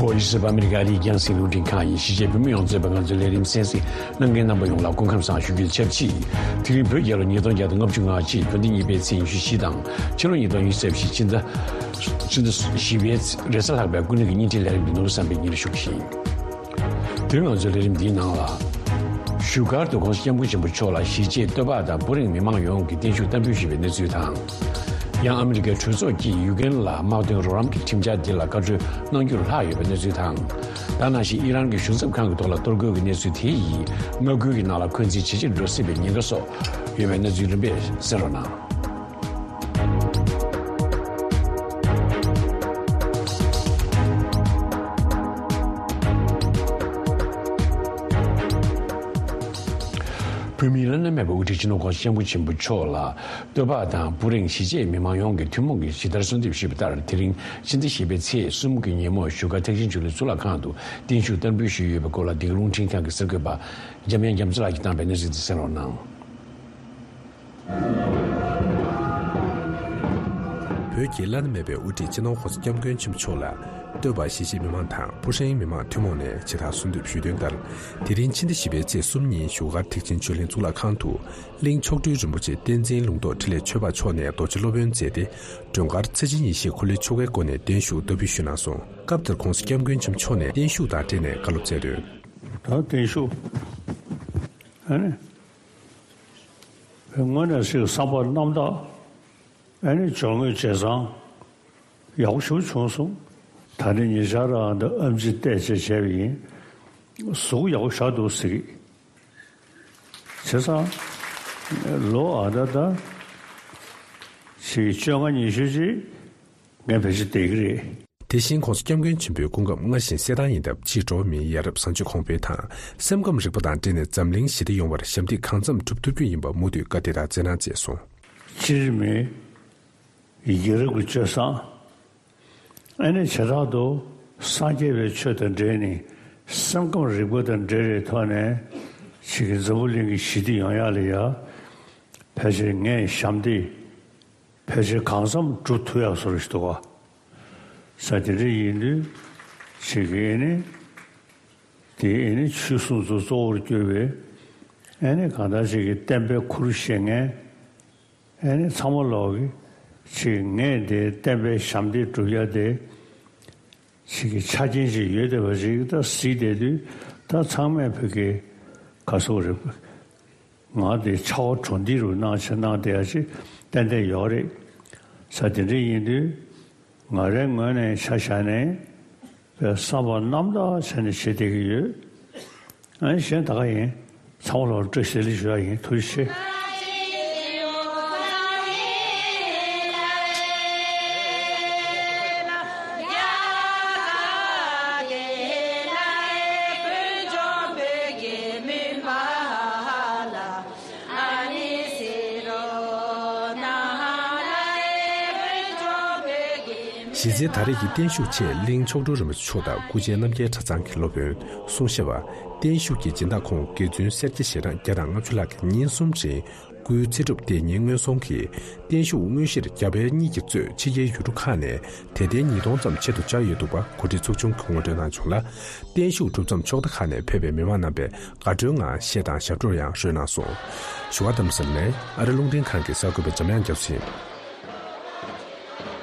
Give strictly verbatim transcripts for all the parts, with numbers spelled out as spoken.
ཨོ་ཡི་སི་ཨ་མེ་རི་ཀ་ལི་རྒྱང་སྲིང་རླུང་འཕྲིན་ཁང་ཡིན། གཞིས་བྱེས་བོད་མི་ཡོངས་གཙོས་པའི་ང་ཚོའི་ལས་རིམ་གསན་གཟིགས་གནང་མཁན་རྣམ་པ་ཡོངས་ལ་སྐུ་ཁམས་བཟང་ཞུ་རྒྱུ་དང་ཆབས་ཅིག་དེ་རིང་བོད་རྒྱལ་ལོ་ཉིས་སྟོང་བརྒྱ་དང་ལྔ་བཅུ་ང་གཅིག་བོད་ཟླ་གཉིས་པའི་ཚེས་ཉི་ཤུ་བཞི་དང་ཕྱི་ལོ་ཉིས་སྟོང་ཉི་ཤུ་རྩ་བཞི་ཕྱི་ཟླ་ཕྱི་ཟླ་བཞི་པའི་རེས་གཟའ་ལྷག་པའི་སྐུ་ལུས་ཀྱི་བརྙན་འཕྲིན་ལས་རིམ་གྱི་ནོར་བུ་བསམ་པའི་ཉིན་རེ་ཞུགས་ཤིང་། དེ་རིང་ང་ཚོའི་ལས་རིམ་འདིའི་ནང་ལ། བཞུགས་སྒར་དུ་༸གོང་ས་༸སྐྱབས་མགོན་ཆེན་པོ་མཆོག་ལ་གཞིས་བྱེས་སྟོད་པ་དང་བུ་རིང་མི་མང་ཡོངས་ཀྱིས་བརྟན་བཞུགས་བསྟར་འབུལ་ཞུས་པའི་གནས་ཚུལ་དང་། ཡང་ཨ་མི་རི་ཀའི་གྲོས་ཚོགས་ཀྱིས་ཡུ་ཀེན་ལ་དམག་དོན་རོགས་རམ་གྱི་ཁྲིམས་འཆར་འདི་ལ་བཀའ་འཁྲོལ་གནང་རྒྱུར་ལྷག་ཡོད་པའི་གནས་ཚུལ་དང་། ད་ནང་བཞིན་ཨི་རན་གྱི་གཞུང་ཚབ་ཁང་གི་ཐོག་ལ་གཏོར་རྒོལ་གྱི་གནས་ཚུལ་དེ་ཡིས་མངའ་ཁུལ་གྱི་ནང་ལ་འཁོན་འཛིན་ཇེ་ཆེར་འགྲོ་སྲིད་པའི་ཉེན་ཁ་སོགས་ཡོད་པའི་གནས་ཚུལ་རིམ་པས་གསན་རོགས་གནང་། བོད་མིའི་བླ་ན་མེད་པའི་དབུ་ཁྲིད་སྤྱི་ནོར་༸གོང་ས་༸སྐྱབས་མགོན་ཆེན་པོ་མཆོག་ལ་སྟོད་ཕག་དང་བུ་རིང་གཞིས་བྱེས་མི་མང་ཡོངས་ཀྱིས་ཐུན་མོང་གིས་ཇི་ལྟར་གསོལ་འདེབས་ཞུས་པ་ལྟར། དེ་རིང་ཕྱི་ཟླ་བཞི་པའི་ཚེས་གསུམ་གྱི་ཉིན་མོ་བཞུགས་སྒར་ཐེག་ཆེན་ཆོས་གླིང་གཙུག་ལག་ཁང་དུ་བརྟན་བཞུགས་བསྟར་འབུལ་ཞུས་ཡོད་པའི་སྐོར་ལ་འདི་ག་རླུང་འཕྲིན་ཁང་གི་གསར་འགོད་པ་འཇམ་དབྱངས་རྒྱ་མཚོ་ལགས་ཀྱིས་བཏང་པའི་གནས་ཚུལ་དེ་གསན་རོགས་གནང་། བོད་ཀྱི་བླ་ན་མེད་པའི་དབུ་ཁྲིད་སྤྱི་ནོར་༸གོང་ས་༸སྐྱབས་མགོན་ཆེན་པོ་མཆོག་ལ་སྟོད་པ་གཞིས་བྱེས་མི་མང་དང་བུ་ཧྲེང་མི་མང་ཐུན་མོང་ནས་ཇི་ལྟར་གསོལ་འདེབས་ཞུས་དོན་ལྟར། དེ་རིང་ཕྱི་ཟླ་བཞི་པའི་ཚེས་གསུམ་ཉིན་བཞུགས་སྒར་ཐེག་ཆེན་ཆོས་གླིང་གཙུག་ལག་ཁང་དུ་གླིང་མཆོག་སྤྲུལ་རིན་པོ་ཆེ་བསྟན་འཛིན་ལུང་རྟོགས་འཕྲིན་ལས་ཆོས་འཕགས་མཆོག་ནས་རྡོ་རྗེ་སློབ་དཔོན་མཛད་དེ། མགྲོན་ཁར་ཚེ་ཆེན་ཡེ་ཤེས་འཁོར་ལོའི་ཆོ་གའི་སྒོ་ནས་བརྟན་བཞུགས་བསྟར་འབུལ་ཞུས་གནང་སོང་། སྐབས་དེར་༸གོང་ས་༸སྐྱབས་མགོན་ཆེན་པོ་མཆོག་ནས་བརྟན་བཞུགས་དང་འབྲེལ་ནས་བཀའ་སློབ་སྩལ་དོན། ད་བརྟན་བཞུགས། ཨ་ནི། དངོས་གནས་ཞིག་བསམ་པ་རྣམ་དག་ཨ་ནི་སྦྱོར་དངོས་བྱས་ཙང་ཡག་པོ་ཞེ་པོ་བྱུང་སོང་། ད་ནི་ཉེ་ཆར་རང་འདི་ཨེམ་ཆི་བལྟས་བྱས་བྱས་པ་ཡིན། གཟུགས་ཡག་པོ་ཞེ་དྲག་འདུག་ཟེར་གི། བྱས་ཙང་ལོ་ཨ་ད་ད་ཞིག་བཅོ་ལྔ་ཉི་ཤུ་ཅིག་ངས་བེད་སྤྱོད་བསྡད་ཀྱི་རེད། དེ་བཞིན་༸གོང་ས་༸སྐྱབས་མགོན་ཆེན་པོའི་སྐུ་ཁམས་སྔ་ཞིང་གསལ་ཐང་ཡིན་སྟབས། ཕྱིས་འགྲོ་བ་མིའི་ཡ་རབས་བཟང་སྤྱོད་གོང་འཕེལ་དང་སེམས་ཁམས་རིག་པ་དང་འབྲེལ་ནས་འཛམ་གླིང་ཞི་བདེ་ཡོང་བར་ཞབས་འདེགས་གང་འཚམ་སྒྲུབ་ཐུབ་རྒྱུ་ཡིན་པ་མུ་མཐུད་བཀའ་དེ་དག་སྩལ་གནང་བྱས་སོང་། སྤྱིར་མི་ཡ་རབས་ཀྱི་སྤྱོད་བཟང་། ཨ་ནི་བྱེ་བྲག་ཏུ་སངས་རྒྱས་པའི་ཆོས་དང་འབྲེལ་ནས་སེམས་ཁམས་རིག་པ་དང་འབྲེལ་བའི་ཐོག་ནས་ཕྱིས་ཀྱི་འཛམ་བུ་གླིང་གི་ཞི་བདེ་ཡོང་ཡག་ལ་ཡ་ཕལ་ཆེར་ངས་ཞབས་འདེགས། ཕལ་ཆེར་གང་འཚམ་སྒྲུབ་ཐུབ་ཡག་བཟོ་འདྲ་ཞིག་འདུག་ག། ས་དེ་འདྲ་ཡིན་དུས་ཅིག་གིས་ནི་དེ་ཨེ་ནི་ཆོས་སྲུང་ཚོ་གཙོ་བོར་གྱུར་པའི་ཨེ་ནི་གང་ལྟར་ཅིག་གིས་བསྟན་པའི་ཁུར་བཞེས་མཁན་ཨེ་ནི་ཚང་མ་ལོག་གིས་ཅིག་ངས་དེ་བསྟན་པའི་ཞབས་འདེགས་སྒྲུབ་ཡག་དེ། ཞིག་གི་ཆ་རྐྱེན་ཞིག་ཡོད་བསྡད་པ་ཞིག་ད་གཟིགས་བསྡད་དུས་ད་ཚང་མས་བོད་ཀྱི་ག་སོག་རེད། ང་དེ་ཆ་བ་གྲོང་སྡེ་རུ་གནང་ཆེ་གནང་བསྡད་ཡ་ཅིག་ཏན་ཏན་ཡོད་རེད། ས་དེ་འདྲ་ཡིན་དུས་ང་རའི་ངོས་ནས་ཆ་བཞག་ནས་བསམ་པ་རྣམ་དག་བྱས་ནས་བྱེད་བསྡད་ཀྱི་ཡོད། ཨ་ནི་གཞན་ད་ག་ཡིན། ཚང་མ་ལ་བཀྲ་ཤིས་བདེ་ལེགས་ཞུ་ཡ་ཡིན། ཐུགས་རྗེ་ཆེ། གཞི་རྩའི་ད་རེས་ཀྱི་བརྟན་བཞུགས་ཆེད་གླིང་མཆོག་སྤྲུལ་རིན་པོ་ཆེ་མཆོག་དང་སྐུ་མཇལ་རྣམ་རྒྱལ་གྲྭ་ཚང་གི་སློབ་དཔོན་གསུང་བཤད་པ། བརྟན་བཞུགས་ཀྱི་སྦྱིན་བདག་ཁོང་དགེ་བཙུན་སེར་སྐྱ་ཞལ་གྲངས་བརྒྱ་དང་ལྔ་བཅུ་ལྷག་གིས་ཉིན་གསུམ་རིང་སྐུའི་ཚེ་སྒྲུབ་དེ་ཉིན་སྔོན་སོང་གིས་བརྟན་བཞུགས་དངོས་གཞིར་རྒྱ་བལ་གཉིས་ཀྱིས་གཙོས་ཕྱི་རྒྱལ་ཡུལ་གྲུ་ཁག་ནས་དད་ལྡན་ཉིས་སྟོང་ཙམ་ཆེད་དུ་བཅར་ཡོད་འདུག་པ་གོ་སྒྲིག་ཚོགས་ཆུང་གིས་ངོ་སྤྲོད་གནང་བྱུང་ལ། བརྟན་བཞུགས་གྲུབ་མཚམས་ཕྱོགས་མཐའ་ཁག་ནས་ཕེབས་པའི་མི་མང་རྣམ་པས་དགའ་སྤྲོའི་ངང་གཞས་དང་ཞབས་བྲོ་ཡང་རོལ་གནང་སོང་། བཞུགས་སྒར་རྡ་རམ་ས་ལ་ནས་ཨ་རི་རླུང་འཕྲིན་ཁང་གི་གསར་འགོད་པ་འཇམ་དབྱངས་རྒྱ་མཚོ་ཡིན།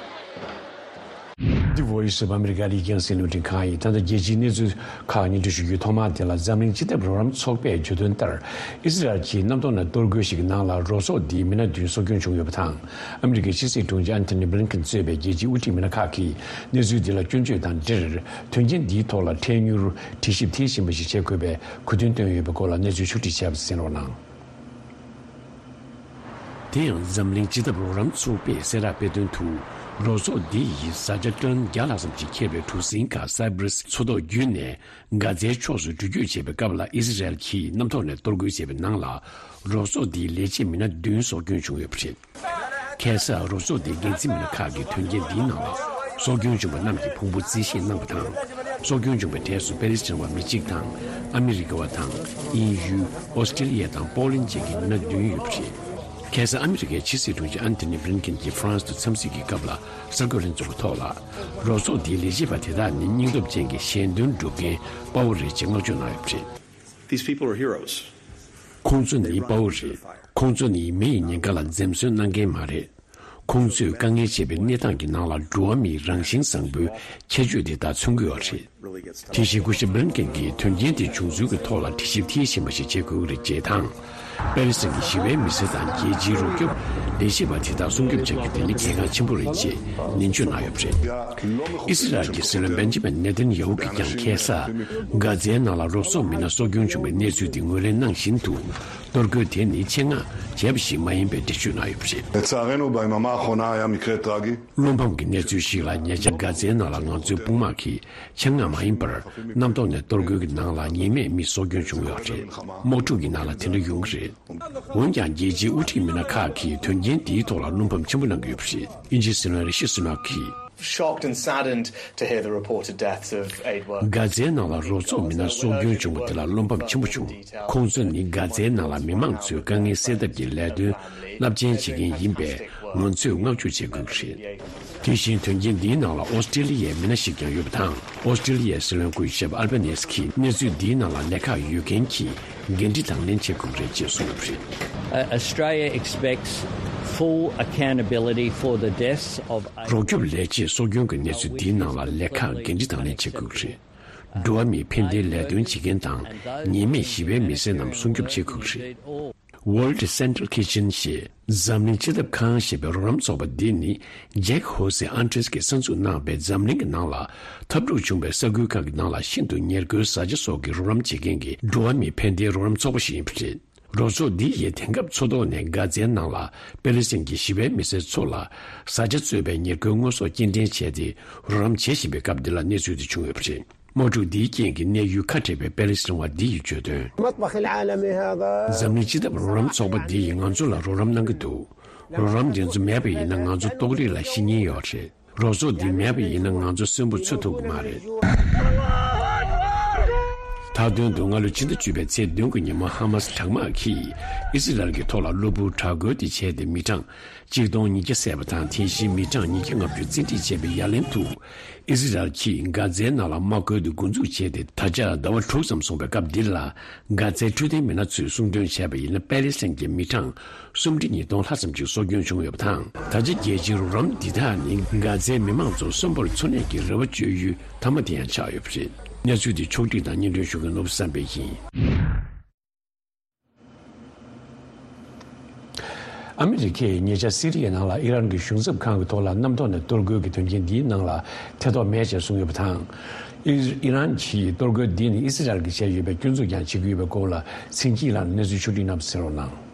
འདི་Voice of America ལི་རྒྱང་སྲིང་རླུང་འཕྲིན་ཁང་ཡིན། ད་ལྟ་རྒྱལ་སྤྱིའི་གནས་ཚུལ་ཁག་སྙན་སྒྲོན་ཞུ་རྒྱུའི་ཐོག་མར་དེ་ལ་འཛམ་གླིང་སྤྱི་ཐབས་རོགས་རམ་ཚོགས་པས་བརྗོད་དོན་ལྟར། ཨི་སི་རལ་གྱིས་གནམ་ཐོག་ནས་གཏོར་རྒོལ་ཞིག་གི་ནང་ལ་རོགས་ཚོགས་འདིའི་མི་སྣ་བདུན་སྲོག་སྐྱོན་བྱུང་ཡོད་པ་དང་། ཨ་མི་རི་ཀའི་ཕྱི་སྲིད་དྲུང་ཆེ་ཨན་ཐོ་ནི་བྷི་ལིན་ཀེན་གཙོས་པའི་རྒྱལ་སྤྱིའི་དབུ་ཁྲིད་མི་སྣ་ཁག་གིས་གནས་ཚུལ་འདི་ལ་སྐྱོན་བརྗོད་དང་འབྲེལ། དོན་རྐྱེན་འདིའི་ཐོག་ལ་འཕྲལ་མྱུར་དྲི་ཞིབ་མཐིལ་ཕྱིན་པ་ཞིག་བྱེད་དགོས་པའི་གོ་སྟོན་བཏོན་ཡོད་པའི་སྐོར་ལ་གནས་ཚུལ་ཕྱོགས་སྒྲིག་བྱས་པ་གསན་རོགས་གནང་། དེ་ཡང་འཛམ་གླིང་སྤྱི་ཐབས་རོགས་རམ་ཚོགས་པས་གསལ་བསྒྲགས་སྤེལ་དོན་དུ། རོགས་ཚོགས་འདི་ཡིས་བཟའ་བཅའ་ཏོན་བརྒྱ་ལྷག་ཙམ་ཞིག་འཁྱེར་བའི་གྲུ་གཟིངས་ཁག་སའི་པི་རི་སི་མཚོ་ཐོག་བརྒྱུད་ནས་གྷ་ཛའི་ཕྱོགས་སུ་འགྲུལ་སྐྱོད་བྱེད་པའི་སྐབས་ལ་ཨི་སི་རལ་གྱིས་གནམ་ཐོག་ནས་གཏོར་རྒོལ་བྱས་པའི་ནང་ལ། རོགས་ཚོགས་འདིའི་ལས་བྱེད་མི་སྣ་བདུན་སྲོག་སྐྱོན་བྱུང་ཡོད་པ་རེད། ཁ་སང་རོགས་ཚོགས་དེའི་འགན་འཛིན་མི་སྣ་ཁག་གིས་དོན་རྐྱེན་འདིའི་ནང་ལ་སྲོག་སྐྱོན་བྱུང་བ་རྣམས་ཀྱི་ཕུང་པོ་རྩིས་བཞེས་གནང་བ་དང་། སྲོག་སྐྱོན་བྱུང་བའི་གྲས་སུ་པེ་ལི་སི་ཐན་བ་མི་གཅིག་དང་། ཨ་མི་རི་ཀ་བ་དང་། དབྱིན་ཡུལ། ཨོ་སི་ཀྲི་ལི་ཡ་དང་པོ་ལན་བཅས་ཀྱི་མི་སྣ་བདུན་ཡོད་པ་རེད། ཁ་སང་ཨ་མི་རི་ཀའི་ཕྱི་སྲིད་དྲུང་ཆེ་ཨན་ཐོ་ནི་བྷི་ལིན་ཀེན་གྱིས་ཧྥ་རན་སི་དུ་འཚམས་གཟིགས་ཀྱི་སྐབས་ལ་གསར་འགོད་ལྷན་ཚོགས་ཀྱི་ཐོག་ལ། རོགས་ཚོགས་འདིའི་ལས་བྱེད་པ་དེ་དག་ནི་སྙིང་སྟོབས་ཅན་གྱི་ཞལ་འདོན་སྒྲུབ་མཁན་དཔའ་བོ་རེད་ཅེས་བསྔགས་བརྗོད་གནང་ཡོད་པ་རེད། These people are heroes. ཁོང་ཚོ་ནི་དཔའ་བོ་རེད། ཁོང་ཚོ་ནི་མི་ཡི་ཉེན་ཁ་ལ་འཛེམ་ཟོན་གནང་མཁན་མ་རེད། ཁོང་ཚོས་དཀའ་ངལ་ཆེ་བའི་གནས་སྟངས་ཀྱི་ནང་ལ་འགྲོ་བ་མིའི་རང་བཞིན་བཟང་པོའི་ཁྱད་ཆོས་དེ་དག་མཚོན་གྱི་ཡོད་རེད། དེ་བཞིན་སྐུ་ཞབས་བྷི་ལིན་ཀེན་གྱིས་དོན་རྐྱེན་དེ་བྱུང་ཚུལ་གྱི་ཐོག་ལ་དྲི་ཞིབ་མཐིལ་ཕྱིན་པ་ཞིག་བྱེད་དགོས་ཀྱི་རེད་ཅེས་དང་། པེ་ལི་སི་ཐན་གྱི་ཞི་བའི་མི་སེར་དང་རྒྱལ་སྤྱིའི་རོགས་སྐྱོབ་ལས་བྱེད་པ་དེ་དག་སྲུང་སྐྱོབ་བྱ་རྒྱུ་དེ་ནི་གལ་འགངས་ཆེན་པོ་རེད་ཅེས་ནན་བརྗོད་གནང་ཡོད་པ་རེད། ཨི་སི་རལ་གྱི་སྲིད་བློན་བེན་ཇི་མིན་ནེ་ཐན་ཡ་ཧུ་གིས་ཀྱང་ཁ་སང་གྷ་ཛའི་ནང་ལ་རོགས་ཚོགས་མི་སྣ་སྲོག་སྐྱོན་བྱུང་བའི་གནས་ཚུལ་དེ་ངོས་ལེན་གནང་བཞིན་དུ། གཏོར་རྒོལ་དེ་ནི་ཆེད་མངགས་བྱས་པ་ཞིག་མ་ཡིན་པའི་འགྲེལ་བརྗོད་གནང་ཡོད་པ་རེད། לצערנו, ביממה האחרונה היה מקרה טרגי. བློ་ཕམ་གྱི་གནས་ཚུལ་ཞིག་ལ། ཉེ་ཆར་གྷ་ཛའི་ནང་ལ་ང་ཚོའི་དཔུང་དམག་གིས་ཆེད་མངགས་མ་ཡིན་པར་གནམ་ཐོག་ནས་གཏོར་རྒོལ་གྱི་ནང་ལ་ཉེས་མེད་མི་སྲོག་སྐྱོན་བྱུང་ཡོད་རེད། དམག་འཁྲུག་གི་ནང་ལ་དེ་འདྲ་ཡོང་གི་རེད། འོན་ཀྱང་རྒྱལ་སྤྱིའི་དབུ་ཁྲིད་མི་སྣ་ཁག་གིས་དོན་རྐྱེན་དེའི་ཐོག་ལ་བློ་ཕམ་ཆེན་པོ་གནང་གི་ཡོད་པ་རེད། དབྱིན་ཇིའི་སྲིད་བློན་རི་ཤི་སུ་ནག་གིས། Shocked and saddened to hear the reported deaths of aid workers. གྷ་ཛའི་ནང་ལ་རོགས་ཚོགས་མི་སྣ་སྲོག་སྐྱོན་བྱུང་བ་དེ་ལ་བློ་ཕམ་ཆེན་པོ་བྱུང་། ཁོང་ཚོ་ནི་གྷ་ཛའི་ནང་ལ་མི་མང་ཚོའི་དཀའ་ངལ་སེལ་ཐབས་ཀྱི་ལས་དོན་རླབས་ཆེན་བྱེད་མཁན་ཡིན་པས། ང་ཚོས་བསྔགས་བརྗོད་བྱེད་དགོས་ཀྱི་རེད། དེ་བཞིན་དོན་རྐྱེན་འདིའི་ནང་ལ་ཨོ་སི་ཀྲི་ལི་ཡའི་མི་སྣ་ཞིག་ཀྱང་ཡོད་པ་དང་། ཨོ་སི་ཀྲི་ལི་ཡའི་སྲིད་བློན་སྐུ་ཞབས་ཨལ་བྷ་ནེ་སི་ཀྱིས་གནས་ཚུལ་འདིའི་ནང་ལ་ལས་ཁག་ཡོད་མཁན་གྱིས་འགན་འཁྲི་དང་ལེན་བྱེད་དགོས་རེད་ཅེས་གསུངས་ཡོད་པ་རེད། Uh, Australia expects full accountability for the deaths of རོགས་སྐྱོབ་ལས་བྱེད་སྲོག་སྐྱོན་གྱི་གནས་ཚུལ་འདིའི་ནང་ལ་ལས་ཁག་འགན་འཁྲི་དང་ལེན་བྱེད་དགོས་ཀྱི་རེད། འགྲོ་བ་མིའི་ཕན་བདེའི་ལས་དོན་བྱེད་མཁན་དང་ཉེས་མེད་ཞི་བའི་མི་སེར་རྣམས་སྲུང་སྐྱོབ་བྱེད་དགོས་ཀྱི་རེད། World Central Kitchen ཞེས་འཛམ་གླིང་སྤྱི་ཐབ་ཁང་ཞེས་པའི་རོགས་རམ་ཚོགས་པ་འདི་ནི་ཇེག་ཧོ་སེ་ཨན་ཏྲེས་ཀྱིས་གསར་འཛུགས་གནང་བའི་འཛམ་གླིང་གི་ནང་ལ་འཐབ་འཁྲུག་བྱུང་བའི་ས་ཁུལ་ཁག་གི་ནང་ལ་ཤིན་ཏུ་ཉེར་མཁོའི་བཟའ་བཅའ་སོགས་ཀྱི་རོགས་རམ་བྱེད་མཁན་གྱི་འགྲོ་བ་མིའི་ཕན་བདེའི་རོགས་རམ་ཚོགས་པ་ཞིག་ཡིན་པ་རེད། རོགས་ཚོགས་འདི་ཡིས་དེང་སྐབས་མཚོ་ཐོག་ནས་གྷ་ཛའི་ནང་ལ་པེ་ལི་སི་ཐན་གྱི་ཞི་བའི་མི་སེར་ཚོ་ལ་བཟའ་བཅའ་གཙོས་པའི་ཉེར་མཁོའི་དངོས་ཟོག་སྐྱེལ་འདྲེན་བྱས་ཏེ་རོགས་རམ་བྱེད་བཞིན་པའི་སྐབས་འདི་ལ་གནས་ཚུལ་དེ་བྱུང་ཡོད་པ་རེད། དམག་འཁྲུག་འདིའི་རྐྱེན་གྱིས་གནས་ཡུལ་ཁ་བྲལ་བའི་པེ་ལི་སི་ཐན་བ་འདི་ཡིས་བརྗོད་དོན། المطبخ العالمي هذا འཛམ་གླིང་སྤྱི་ཐབ་རོགས་རམ་ཚོགས་པ་འདི་ཡིས་ང་ཚོ་ལ་རོགས་རམ་གནང་གི་འདུག་རོགས་རམ་འདི་ཚོ་མེད་པ་ཡིན་ན་ང་ཚོ་ལྟོགས་རིས་ལ་ཤི་ཉེན་ཡོད་རེད། རོགས་ཚོགས་འདི་མེད་པ་ཡིན་ན་ང་ཚོ་གསོན་པོ་འཚོ་ཐུབ་ཀྱི་མ་རེད། མཐའ་དོན་དུ་སྔ་ལོ་ཕྱི་ཟླ་བཅུ་པའི་ཚེས་བདུན་གྱི་ཉིན་མོ་ཧ་མ་སི་དྲག་དམག་གིས་ཨི་སི་རལ་གྱི་ཐོག་ལ་གློ་བུར་དྲག་རྒོལ་དེ་བྱས་ཏེ་མི་གྲངས་གཅིག་སྟོང་ཉིས་བརྒྱ་བསད་པ་དང་། དེ་བཞིན་མི་གྲངས་ཉིས་བརྒྱ་ལྔ་བཅུ་བཙན་ཁྲིད་བྱས་པའི་ཡ་ལན་དུ། ཨི་སི་རལ་གྱིས་གྷ་ཛའི་ནང་ལ་དམག་ཁུལ་དུ་འགོ་འཛུགས་བྱས་ཏེ་ད་ཆ་ཟླ་བ་དྲུག་ཙམ་སོང་བའི་སྐབས་འདིར་ལ། གྷ་ཛའི་འཕྲོད་བསྟེན་མི་སྣ་ཚོས་གསུང་དོན་བྱས་པ་ཡིན་ན། པེ་ལི་སི་ཐན་གྱི་མི་གྲངས་སུམ་ཁྲི་ཉིས་སྟོང་ལྷག་ཙམ་ཞིག་སྲོག་སྐྱོན་བྱུང་ཡོད་པ་དང་། ད་ཆ་རྒྱལ་སྤྱིའི་རོགས་རམ་འདི་དག་ནི་གྷ་ཛའི་མི་མང་ཚོར་གསོན་པོར་འཚོ་གནས་ཀྱི་རེ་བ་བཅོལ་ཡུལ་མཐའ་མ་དེ་ཡང་ཆགས་ཡོད་པ་རེད། གནས་ཚུལ་འདི་ཕྱོགས་བསྒྲིགས་དང་སྙན་སྒྲོན་ཞུ་མཁན་ནོར་བུ་བསམ་འཕེལ་ཡིན། ཨ་མི་རི་ཀས་ཉེ་ཆར་སི་རི་ཡའི་ནང་ལ་ཨི་རན་གྱི་གཞུང་ཚབ་ཁང་གི་ཐོག་ལ་གནམ་ཐོག་ནས་གཏོར་རྒོལ་གྱི་དོན་རྐྱེན་འདིའི་ནང་ལ་ཐེ་གཏོགས་མེད་ཅེས་གསུངས་ཡོད་པ་དང་། ཨི་ཨི་རན་གྱིས་གཏོར་རྒོལ་འདི་ནི་ཨི་སི་རལ་གྱིས་བྱས་ཡོད་པའི་སྐྱོན་འཛུགས་ཀྱང་བྱེད་ཀྱི་ཡོད་པའི་སྐོར་ལ་ཚིག་གཅིག་ལ་གནས་ཚུལ་ཕྱོགས་བསྒྲིགས་གནང་བ་གསན་རོགས་གནང་།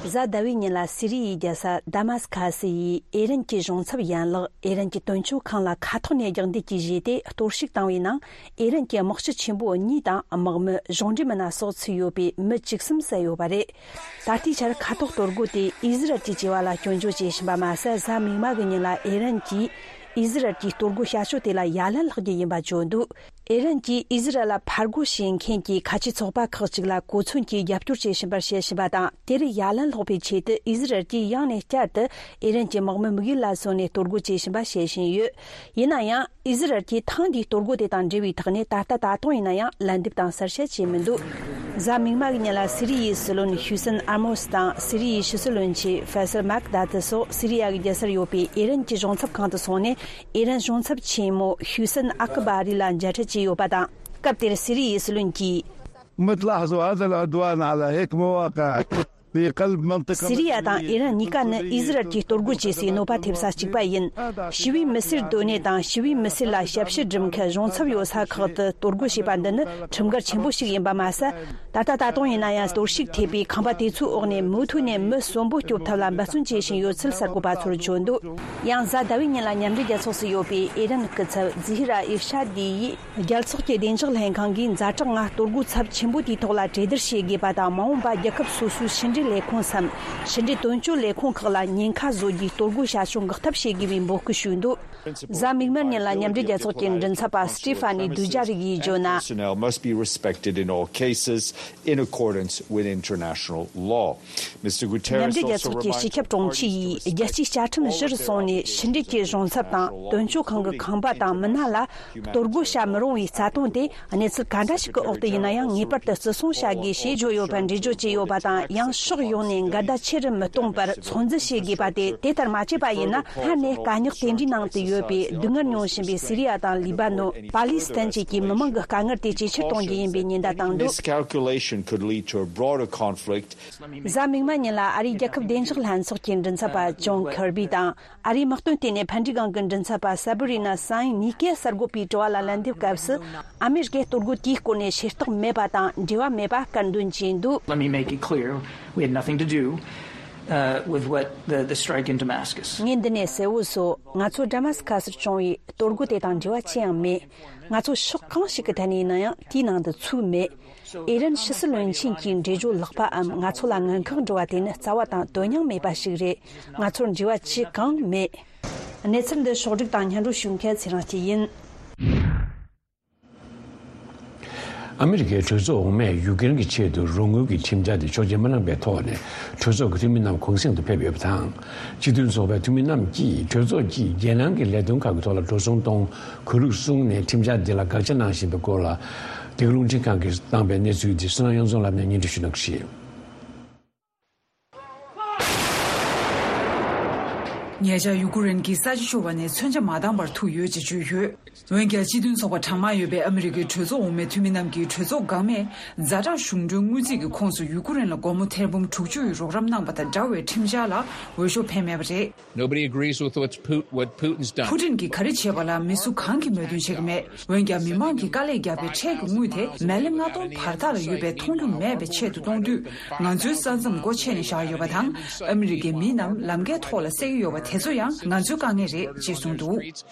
གཟའ་ཟླ་བའི་ཉིན་ལ་སི་རི་ཡའི་རྒྱལ་ས་དཱ་མཱ་སི་ཁ་སི་ཡིས་ཨི་རན་གྱི་གཞུང་ཚབ་ཡན་ལག་ཨི་རན་གྱི་དོན་གཅོད་ཁང་ལ་མཁའ་ཐོག་ནས་རྒྱག་འདེད་ཀྱིས་བཞེས་ཏེ་གཏོར་བཤིག་བཏང་བའི་ནང་། ཨི་རན་གྱི་དམག་སྤྱི་ཆེན་པོ་གཉིས་དང་དམག་མི་གཞུང་འབྲེལ་མི་སྣ་སོགས་ཚུད་ཡོད་པའི་མི་བཅུ་གསུམ་བསད་ཡོད་པ་རེད། ད་ལྟའི་ཆར་མཁའ་ཐོག་གཏོར་རྒོལ་དེ་ཨི་ཟི་རལ་གྱི་བྱ་བ་ལ་སྐྱོན་བརྗོད་བྱེད་བཞིན་པ་མ་ཟད། གཟའ་མིག་དམར་གྱི་ཉིན་ལ་ཨི་རན་གྱིས་ཨི་ཟི་རལ་གྱི་གཏོར་རྒོལ་བྱ་སྤྱོད་དེ་ལ་ཡ་ལན་སློག་རྒྱུ་ཡིན་པ་བརྗོད་འདུག་ཨི་རན་གྱིས་ཨི་ཟི་རལ་ལ་ཕར་རྒོལ་བྱེད་མཁན་གྱི་ཁ་ཆེ་ཚོགས་པ་ཁག་ཅིག་ལ་གོ་མཚོན་གྱིས་རྒྱབ་སྐྱོར་བྱེད་བཞིན་པར་བཤད་བཞིན་པ་དང་། དེར་ཡ་ལན་སློག་པའི་ཆེད་དུ་ཨི་ཟི་རལ་གྱིས་ཡང་ནས་བསྐྱར་དུ་ཨི་རན་གྱི་དམག་མི་དམིགས་ཡུལ་ལ་བཟུང་ནས་གཏོར་རྒོལ་བྱེད་བཞིན་པ་བཤད་བཞིན་ཡོད། ཡིན་ན་ཡང་། ཨི་ཟི་རལ་གྱིས་ཐེངས་འདིའི་གཏོར་རྒོལ་དེ་དང་འབྲེལ་བའི་ཐོག་ནས་ད་ལྟ་ད་དུང་ཡིན་ན་ཡང་ལན་འདེབས་དང་གསལ་བཤད་བྱས་མི་འདུག་གཟའ་མིག་དམར་གྱི་ཉིན་ལ་སི་རི་ཡའི་སྲིད་བློན་ཤུ་སན་ཨར་མོ་སི་དང་སི་རི་ཡའི་ཕྱི་སྲིད་བློན་ཆེན་ཕེ་སལ་མཱག་དཱ་ཏི་སོགས་སི་རི་ཡ་གི་རྒྱལ་སར་ཡོད་པའི་ཨི་རན་གྱི་གཞུང་ཚབ་ཁང་དུ་སོང་ནས། ཨི་རན་གཞུང་ཚབ་ཆེན་མོ་ཤུ་སན་ཨ་ཀི་བྷ་རི་ལ་མཇལ་འཕྲད་བྱས་ཡོད་པ་དང་། སྐབས་དེར་སི་རི་ཡའི་སྲིད་བློན་གྱིས། ما تلاحظوا هذا العدوان على هيك مواقع في قلب منطقة سوريا དང་ཨི་རན་གཉིས་ཀ་ནི་ཨི་ཟི་རལ་གྱིས་གཏོར་རྒོལ་བྱེད་སའི་གནོད་པ་ཐེབས་ས་གཅིག་པ་ཡིན། ཞི་བའི་མི་སེར་སྡོད་གནས་དང་ཞི་བའི་མི་སེར་ལ་ཞབས་ཕྱི་སྒྲུབ་མཁན་གཞུང་ཚབ་ཡོད་ས་ཁག་ཏུ་གཏོར་རྒོལ་བྱས་པ་འདི་ནི་ཁྲིམས་འགལ་ཆེན་པོ་ཞིག་ཡིན་པ་མ་ཟད། ད་ལྟ་ད་དུང་ཡིན་ན་ཡང་གཏོར་བཤིག་ཐེབས་པའི་ཁང་པ་དེ་ཚོའི་འོག་ནས་མུ་མཐུད་ནས་མི་གསོན་པོ་སྐྱོབ་ཐབས་ལ་འབད་བརྩོན་བྱེད་བཞིན་ཡོད་ཚུལ་གསར་འགོད་པ་ཚོར་བརྗོད་འདུག་ཡང་གཟའ་ཟླ་བའི་ཉིན་ལ་མཉམ་འབྲེལ་རྒྱལ་ཚོགས་སུ་ཡོད་པའི་ཨི་རན་སྐུ་ཚབ་ཛི་ཧི་ར་ཨི་ཤ་དི་ཡིས། རྒྱལ་ཚོགས་ཀྱི་བདེ་འཇགས་ལྷན་ཁང་གིས་ཛ་དྲག་ངང་གཏོར་རྒོལ་ཚབས་ཆེན་པོ་དེའི་ཐོག་ལ་གྲོས་བསྡུར་བྱེད་དགོས་པ་དང་། མ་འོངས་པ་རྒྱལ་ཁབ་སོ་སོའི་ཕྱི་འབྲེལ། ལས་ཁུངས་སམ། ཕྱི་འབྲེལ་དོན་གཅོད་ལས་ཁུངས་ཁག་ལ་ཉེན་ཁ་བཟོ་རྒྱུའི་གཏོར་རྒོལ་བྱ་སྤྱོད་འགོག་ཐབས་བྱེད་དགོས་པའི་འབོད་སྐུལ་ཞུས་འདུག། གཟའ་མིག་དམར་ཉིན་ལ་མཉམ་འབྲེལ་རྒྱལ་ཚོགས་ཀྱི་མགྲིན་ཚབ་པ་སི་ཏི་ཕ་ནི་དུ་ཇཱ་རིག་ཡིས་བརྗོད་ན། Personnel must be respected in all cases in accordance with international law. Mister Guterres མཉམ་འབྲེལ་རྒྱལ་ཚོགས་ཀྱི་སྤྱི་ཁྱབ་དྲུང་ཆེ་ཡིས་རྒྱལ་སྤྱིའི་བཅའ་ཁྲིམས་གཞིར་བཟུང་ནས་ཕྱི་འབྲེལ་གྱི་གཞུང་ཚབ་དང་དོན་གཅོད་ཁང་གི་ཁང་པ་དང་མི་སྣ་ལ་གཏོར་རྒོལ་བྱ་མི་རུང་བའི་རྩ་དོན་དེ། གནས་ཚུལ་ག་འདྲ་ཞིག་གི་འོག་ཏུ་ཡིན་ན་ཡང་ངེས་པར་དུ་བརྩི་སྲུང་བྱ་དགོས་ཞེས་བརྗོད་ཡོད་པར་འགྲེལ་བརྗོད་བྱས་ཡོད་པ་དང་། ཡང་ཕྱོགས་ཡོངས་ནས་འགལ་ཟླ་ཆེ་རུ་མི་གཏོང་བར་ཚོད་འཛིན་བྱེད་དགོས་པ་སྟེ། དེ་ལྟར་མ་བྱས་པ་ཡིན་ན། སྔར་ནས་དཀའ་རྙོག་དེ་འདྲའི་ནང་དུ་ཡོད་པའི་སྡུག་བསྔལ་མྱོང་བཞིན་པའི་སི་རི་ཡ་དང་ལི་བ་ནོ། པ་ལི་སི་ཐན་བཅས་ཀྱི་མི་མང་གི་དཀའ་ངལ་དེ་ཇེ་ཆེར་གཏོང་རྒྱུ་ཡིན་པའི་ཉེན་བརྡ་བཏང་འདུག། Miscalculation could lead to a broader conflict. གཟའ་མིག་དམར་ཉིན་ལ་ཨ་རིའི་རྒྱལ་ཁབ་བདེ་འཇགས་ལྷན་ཚོགས་ཀྱི་མགྲིན་ཚབ་པ་ཇོན་ཁེར་བི་དང་། ཨ་རིའི་དམག་དོན་ལྟེ་གནས་ཕན་ཌི་གང་གི་མགྲིན་ཚབ་པ་སེ་བི་རི་ན་སང་གཉིས་ཀས་གསར་འགོད་པའི་དྲི་བ་ལ་ལན་འདེབས་སྐབས་སུ། ཨ་མེ་རི་ཀས་གཏོར་རྒོལ་དེའི་སྐོར་ནས་ཤེས་རྟོགས་མེད་པ་དང་འབྲེལ་བ་མེད་པ་སྐད་འདོན་བྱས་འདུག། Let me make it clear. We had nothing to do, uh, with what the, the strike in Damascus. ངས་འདི་ནས་གསལ་བོ་བཟོ། ང་ཚོ་ཌ་མ་སི་ཁ་སར་བྱུང་བའི་གཏོར་རྒོལ་དེ་དང་འབྲེལ་བ་ཅི་ཡང་མེད། ང་ཚོ་ཕྱོགས་གང་ཞིག་གི་ཐད་ནས་ཡིན་ན་ཡང་དེའི་ནང་དུ་ཚུད་མེད། ཨི་རན་ཕྱི་སྲིད་བློན་ཆེན་གྱི་འགྲེལ་བརྗོད་ལྷག་པའམ་ང་ཚོ་ལ་དངུལ་ཁང་འགྲོ་བ་དེ་ནི་རྩ་བ་དང་དོན་སྙིང་མེད་པ་ཞིག་རེད། ང་ཚོར་འབྲེལ་བ་ཅི་གང་མེད། གནས་ཚུལ་འདི་ཕྱོགས་སྒྲིག་དང་སྙན་སྒྲོན་ཞུ་མཁན་ཚེ་རིང་སྐྱིད་ཡིན། ཨ་མི་རི་ཀའི་གྲོས་ཚོགས་འོག་མས་ཡུ་ཀེ་རེན་གྱི་ཆེད་དུ་རོགས་དངུལ་གྱི་ཁྲིམས་འཆར་དེ་ཆོག་མཆན་མ་གནང་པའི་ཐོག་ནས་གྲོས་ཚོགས་ཀྱི་འཐུས་མི་རྣམས་གུང་སེང་དུ་ཕེབས་ཡོད་པ་དང་། སྤྱི་མཐུན་ཚོགས་པའི་འཐུས་མི་རྣམས་ཀྱིས་གྲོས་ཚོགས་ཀྱིས་རྒྱལ་ནང་གི་ལས་དོན་ཁག་གི་ཐོག་ལ་འགྲོ་སོང་གཏོང་དགོས་ལུགས་གསུངས་ནས་ཁྲིམས་འཆར་འདི་ལ་དགག་བྱ་གནང་བཞིན་པའི་སྐོར་ལ། འདི་ག་རླུང་འཕྲིན་ཁང་གིས་བཏང་པའི་གནས་ཚུལ་འདི་བསོད་ནམས་དབྱངས་འཛོམས་ལགས་ནས་སྙན་སྒྲོན་ཞུ་གནང་གི་རེད། ཉེ་ཆར་ཡུ་ཀུ་རེན་གྱིས་ས་ཆ་ཤོར་བ་ནས་མཚོན་ཆ་མ་འདང་བར་ཐུག་ཡོད་ཅེས་བརྗོད་ཡོད། འོན་ཀྱང་སྤྱི་མཐུན་ཚོགས་པ་གྲངས་མང་ཡོད་པའི་ཨ་མི་རི་ཀའི་གྲོས་ཚོགས་འོག་མའི་འཐུས་མི་རྣམས་ཀྱིས་གྲོས་ཚོགས་འགག་མེད་ཛ་དྲག་གཞུང་གྲོན་དངུལ་རྩིས་ཀྱི་ཁོངས་སུ་ཡུ་ཀུ་རེན་ལ་སྒོར་མོ་ཐེར་འབུམ་དྲུག་ཅུ་ཡི་རོགས་རམ་གནང་པ་དང་འདྲ་བའི་ཁྲིམས་འཆར་ལ་འོས་ཤོག་འཕེན་མེད་པ་རེད། Nobody agrees with what's Put- what Putin's done. ཕུ་ཊིན་གྱིས་ག་རེ་བྱས་པ་ལ་མི་སུ་གང་གིས་མོས་མཐུན་བྱེད་ཀྱི་མེད། འོན་ཀྱང་མི་མང་གིས་དཀའ་ལས་བརྒྱབ་པའི་ཁྲལ་གྱི་དངུལ་དེ་མི་ལི་ལྔ་སྟོང་བར་ཐག་ལ་ཡོད་པའི་མཐོང་རྒྱུ་མེད་པའི་ཆེད་དུ་གཏོང་དུས། ང་ཚོའི་ས་མཚམས་སྒོ་ཕྱེ་ནས་བཞག་ཡོད་པ་དང་། ཨ་མི་རི་ཀའི་མི་རྣམས་ལམ་ཁའི་ཐོག་ལ་བསད་ཀྱི་ཡོད་པ་དེ་ཚོ་ཡང་ང་ཚོའི་དཀའ་ངལ་རེད་ཅེས་གསུངས་འདུག།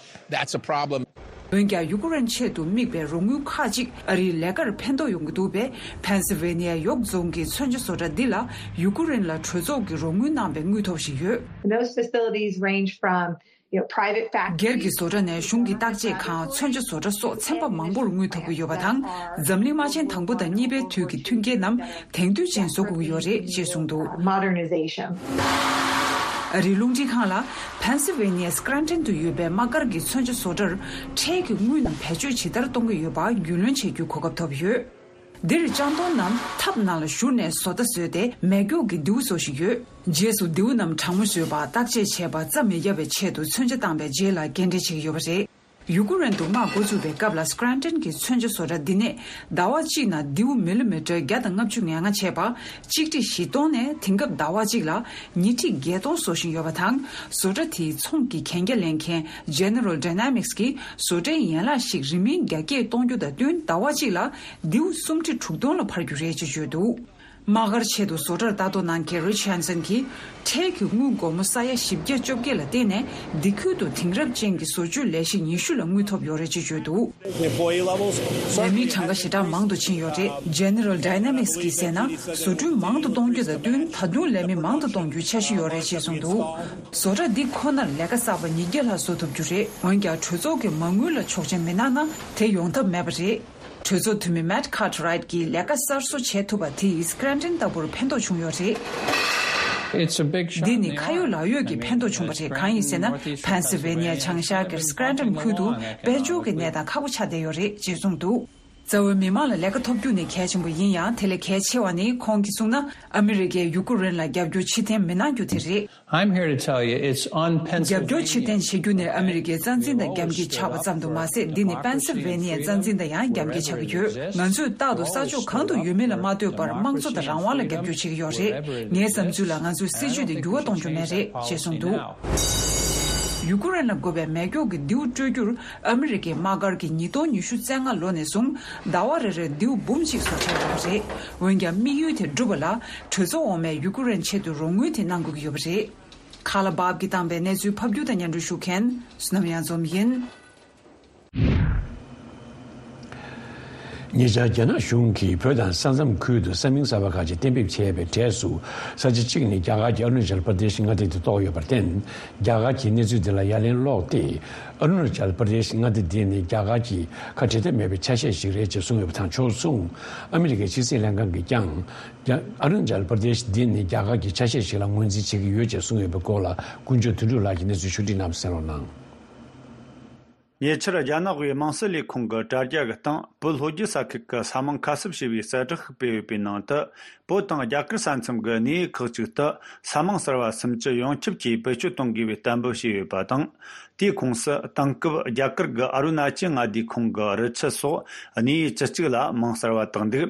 That's a problem. འོན་ཀྱང་ཡུ་ཀུ་རེན་ཆེད་དུ་དམིགས་པའི་རོགས་དངུལ་ཁག་ཅིག་ཨ་རིའི་ལས་ཀར་ཕན་ཐོགས་ཡོང་གི་འདུག་པས། ཕེན་སི་ཝེ་ནི་ཡ་གཡོག་རྫོང་གི་མཚོན་ཆ་བཟོ་གྲྭ་འདི་ལ་ཡུ་ཀུ་རེན་ལ་གྲོས་ཚོགས་ཀྱིས་རོགས་དངུལ་གནང་པའི་དངུལ་ཐོབ་བཞིན་ཡོད། And those facilities range from, you know, private factories. སྒེར་གྱི་བཟོ་གྲྭ་ནས་གཞུང་གི་བརྟག་དཔྱད་ཁང་མཚོན་ཆ་བཟོ་གྲྭ་སོགས་ཚན་པ་མང་པོར་དངུལ་ཐོབ་ཀྱི་ཡོད་པ་དང་། འཛམ་གླིང་དམག་ཆེན་དང་པོ་དང་གཉིས་པའི་དུས་ཀྱི་མཐུན་རྐྱེན་རྣམས་དེང་དུས་ཅན་བཟོ་དགོས་ཀྱི་ཡོད་རེད་ཅེས་གསུངས་འདུག། Modernization. ཨ་རིའི་རླུང་འཕྲིན་ཁང་ལ་ཕེན་སི་ཝེ་ནི་ཡའི་སྐྲན་ཊན་དུ་ཡོད་པའི་དམག་སྒར་གྱི་མཚོན་ཆ་བཟོ་གྲྭར་ཁྲལ་གྱི་དངུལ་རྣམས་བེད་སྤྱོད་ཇི་ལྟར་གཏོང་གི་ཡོད་པ་རྒྱུས་ལོན་བྱེད་རྒྱུའི་གོ་སྐབས་ཐོབ་ཡོད། འདིར་ལྕང་སྡོང་རྣམས་ཐབ་ནང་ལ་བཞུར་ནས་བཟོ་ལྟ་བཟོས་ཏེ་མེ་སྒྱོགས་ཀྱི་མདེའུ་བཟོ་བཞིན་ཡོད། རྗེས་སུ་མདེའུ་རྣམས་གྲང་མོ་བཟོས་པ་བརྟག་དཔྱད་བྱས་པ་རྩ་མི་བརྒྱབ་པའི་ཆེད་དུ་མཚོན་ཆ་བཏང་པའི་རྗེས་ལ་སྐྱེལ་འདྲེན་བྱེད་ཀྱི་ཡོད་པ་རེད། ཡུ་ཀུ་རེན་དུ་དམག་འགོ་བཙུགས་པའི་སྐབས་ལ་སྐྲན་ཊན་གྱི་མཚོན་ཆ་བཟོ་གྲྭ་འདི་ནས་ཟླ་བ་གཅིག་ནང་མདེའུ་མི་ལི་མི་ཊར་བརྒྱ་དང་ལྔ་བཅུ་ང་ལྔ་བྱས་པ། གཅིག་ཁྲི་བཞི་སྟོང་ནས་དེང་སྐབས་ཟླ་བ་གཅིག་ལ་ཉིས་ཁྲི་བརྒྱད་སྟོང་བཟོ་བཞིན་ཡོད་པ་དང་། བཟོ་གྲྭ་དེའི་ཚོང་གི་གན་རྒྱ་ལེན་མཁན་General Dynamics གིས་བཟོ་གྲྭའི་ཡན་ལག་ཞིག་རིན་མིན་རྒྱ་སྐྱེད་གཏོང་རྒྱུ་དང་བསྟུན་ཟླ་བ་གཅིག་ལ་མདེའུ་སུམ་ཁྲི་དྲུག་སྟོང་ལ་འཕར་རྒྱུ་རེད་ཅེས་བརྗོད་འདུག། དམག་སྒར་ཆེད་དུ་བཟོ་གྲྭར་ལྟ་རྟོག་གནང་མཁན་Rich Hansen གྱིས་ཁྲལ་གྱི་དངུལ་སྒོར་མོ་ས་ཡ་བཞི་བརྒྱ་བཅོ་བརྒྱད་ལ་བརྟེན་ནས་འདི་ཁུལ་དུ་དེང་རབས་ཅན་གྱི་བཟོ་བཅོས་ལས་གཞི་ཉི་ཤུ་ལ་དངུལ་ཐོབ་ཡོད་རེད་ཅེས་བརྗོད་འདུག། The employee levels ལས་certainly མིའི་གྲངས་ཀ་ཞེ་དྲག་མང་དུ་ཕྱིན་ཡོད་རེད། General Dynamics གིས་ཟེར་ན་བཟོ་སྐྲུན་མང་དུ་གཏོང་རྒྱུ་དང་བསྟུན་ད་དུང་ལས་མི་མང་དུ་གཏོང་རྒྱུའི་འཆར་གཞི་ཡོད་རེད་ཅེས་གསུངས་འདུག། བཟོ་གྲྭ་འདི་ཁོ་ནར་ལས་ཀ་གསར་པ་ཉིས་བརྒྱ་ལྷག་བཟོ་ཐུབ་རྒྱུ་རེད། འོན་ཀྱང་གྲོས་ཚོགས་ཀྱི་མ་དངུལ་ལ་ཆོག་མཆན་མི་གནང་ན་དེ་ཡོང་ཐབས་མེད་པ་རེད། གྲོས་ཚོགས་འཐུས་མི་Matt Cartwright གྱིས་ལས་ཀ་གསར་བཟོ་བྱས་ཐུབ་པ་དེས་སྐྲན་ཊན་ལྟ་བུར་ཕན་ཐོགས་བྱུང་ཡོད་རེད། It's a big shot in འདི་the ནི་ཁ་ཡོད་arm. ལག་ཡོད་ཀྱི་ཕན་ཐོགས་བྱུང་བ་རེད། གང་ཡིན་ཟེར་ན་ཕན་སི་ཝེ་ནི་ཡ་བྱང་ཤར་གྱི་སྐྲན་ཊན་ཁུལ་དུ་དཔལ་འབྱོར་གྱི་གནས་སྟངས་ཁག་པོ་ཆགས་བསྡད་ཡོད་རེད་ཅེས་གསུངས་འདུག། རྩ་བའི་མི་མང་ལ་ལས་ཀ་ཐོབ་རྒྱུ་ནི་གལ་ཆེན་པོ་ཡིན་ཡང་དེ་ལས་གལ་ཆེ་བ་ནི་ཁོང་གིས་གསུངས་ན་ཨ་མི་རི་ཀས་ཡུ་ཀུ་རེན་ལ་རྒྱབ་སྐྱོར་ཕྱིར་འཐེན་མི་གནང་རྒྱུ་དེ་རེད། I'm here to tell you, it's on རྒྱབ་སྐྱོར་ཕྱིར་འཐེན་བྱེད་རྒྱུ་ནི་ཨ་མི་རི་ཀའི་རྩ་འཛིན་དང་རྒྱབ་འགལ་ཆགས་པ་ཙམ་དུ་མ་ཟད། འདི་ནི་པེན་སི་ཝེ་ནི་ཡའི་རྩ་འཛིན་དང་ཡང་རྒྱབ་འགལ་ཆགས་ཀྱི་ཡོད། ང་ཚོས་རྟག་ཏུ་ས་ཕྱོགས་གང་དུ་ཡོད་མེད་ལ་མ་ལྟོས་པར་དམངས་གཙོ་དང་རང་དབང་ལ་རྒྱབ་སྐྱོར་བྱེད་ཀྱི་ཡོད་རེད། ངའི་བསམ་ཚུལ་ལ་ང་ཚོའི་སྲིད་ཇུས་དེ་འགྱུར་བ་གཏོང་རྒྱུ་མེད་རེད་ཅེས་གསུངས་འདུག། ཡུ་ཀུ་རེན་ལ་དགོས་པའི་མེ་སྒྱོགས་ཀྱི་མདེའུ་སྤྲོད་རྒྱུར་ཨ་མི་རི་ཀའི་དམག་སྒར་གྱིས་ཉིས་སྟོང་ཉི་ཤུ་རྩ་ལྔ་ལོ་ནས་བཟུང་ཟླ་བ་རེ་རེར་མདེའུ་འབུམ་གཅིག་བཟོ་འཆར་ཡོད་པ་རེད། འོན་ཀྱང་དམིགས་ཡུལ་དེ་འགྲུབ་པ་ལ་གྲོས་ཚོགས་འོག་མས་ཡུ་ཀུ་རེན་ཆེད་དུ་རོགས་དངུལ་དེ་གནང་དགོས་ཀྱི་ཡོད་པ་རེད། ཁ་ལ་བབ་ཀྱིས་བཏང་པའི་གནས་ཚུལ་ཕབ་སྒྱུར་དང་སྙན་སྒྲོན་ཞུ་མཁན་བསོད་ནམས་དབྱངས་འཛོམས་ཡིན། ཉེ་ཆར་རྒྱ་ནག་གཞུང་གིས་བོད་དང་ས་མཚམས་ཁུལ་དུ་ས་མིང་གསར་པ་ཁག་ཅིག་གཏན་འབེབས་བྱས་པའི་གྲས་སུ། ས་ཆ་གཅིག་ནི་རྒྱ་གར་གྱི་ཨ་རུ་ན་ཅལ་པར་དེ་ཤི་མངའ་སྡེ་དེ་གཏོགས་ཡོད་པར་བརྟེན། རྒྱ་གར་གྱིས་གནས་ཚུལ་འདི་ལ་ཡ་ལན་སློག་སྟེ། ཨ་རུ་ན་ཅལ་པར་དེ་ཤི་མངའ་སྡེ་འདི་ནི་རྒྱ་གར་གྱི་ཁ་འབྲལ་ཐབས་མེད་པའི་ཆ་ཤས་ཤིག་རེད་ཅེས་གསུངས་ཡོད་པ་དང་ཕྱོགས་མཚུངས། ཨ་མི་རི་ཀའི་ཕྱི་སྲིད་ལྷན་ཁང་གིས་ཀྱང་། རྒྱ་ཨ་རུ་ན་ཅལ་པར་དེ་ཤི་འདི་ནི་རྒྱ་གར་གྱི་ཆ་ཤས་ཤིག་ལ་ངོས་འཛིན་བྱེད་ཀྱི་ཡོད་ཅེས་གསུངས་ཡོད་པའི་སྐོར་ལ་ཀུན་སྤྱོད་དོན་གྲུབ་ལགས་ཀྱིས་གནས་ཚུལ་ཕྱོགས་སྒྲིག་གནང་བ་གསན་རོགས་གནང་། ཉེ་ཆར་རྒྱ་ནག་པའི་དམངས་སྲིད་ལས་ཁུངས་ཀྱིས་དྲ་རྒྱ་གི་སྟེང་བོད་ལྷོ་རྒྱུད་ས་ཁུལ་གྱི་ས་མིང་ཁ་གསབ་ཞེས་པའི་གསལ་བསྒྲགས་ཤིག་སྤེལ་ཡོད་པའི་ནང་དུ། བོད་དང་རྒྱ་གར་ས་མཚམས་ཀྱི་གནས་ཡུལ་ཁག་ཅིག་ཏུ་ས་མིང་གསར་བ་སུམ་ཅུ་ཡོངས་ཁྱབ་ཀྱིས་བེད་སྤྱོད་གཏོང་དགོས་པའི་གཏན་འབེབས་བྱས་ཡོད་པ་དང་། དེའི་ཁོངས་སུ་དེང་སྐབས་རྒྱ་གར་གྱི་ཨ་རུ་ན་ཅལ་མངའ་སྡེའི་ཁོངས་ཀྱི་རི་ཆུ་སོགས་གནས་ཡུལ་བཅུ་གཅིག་ལ་མིང་གསར་བ་བཏགས་འདུག་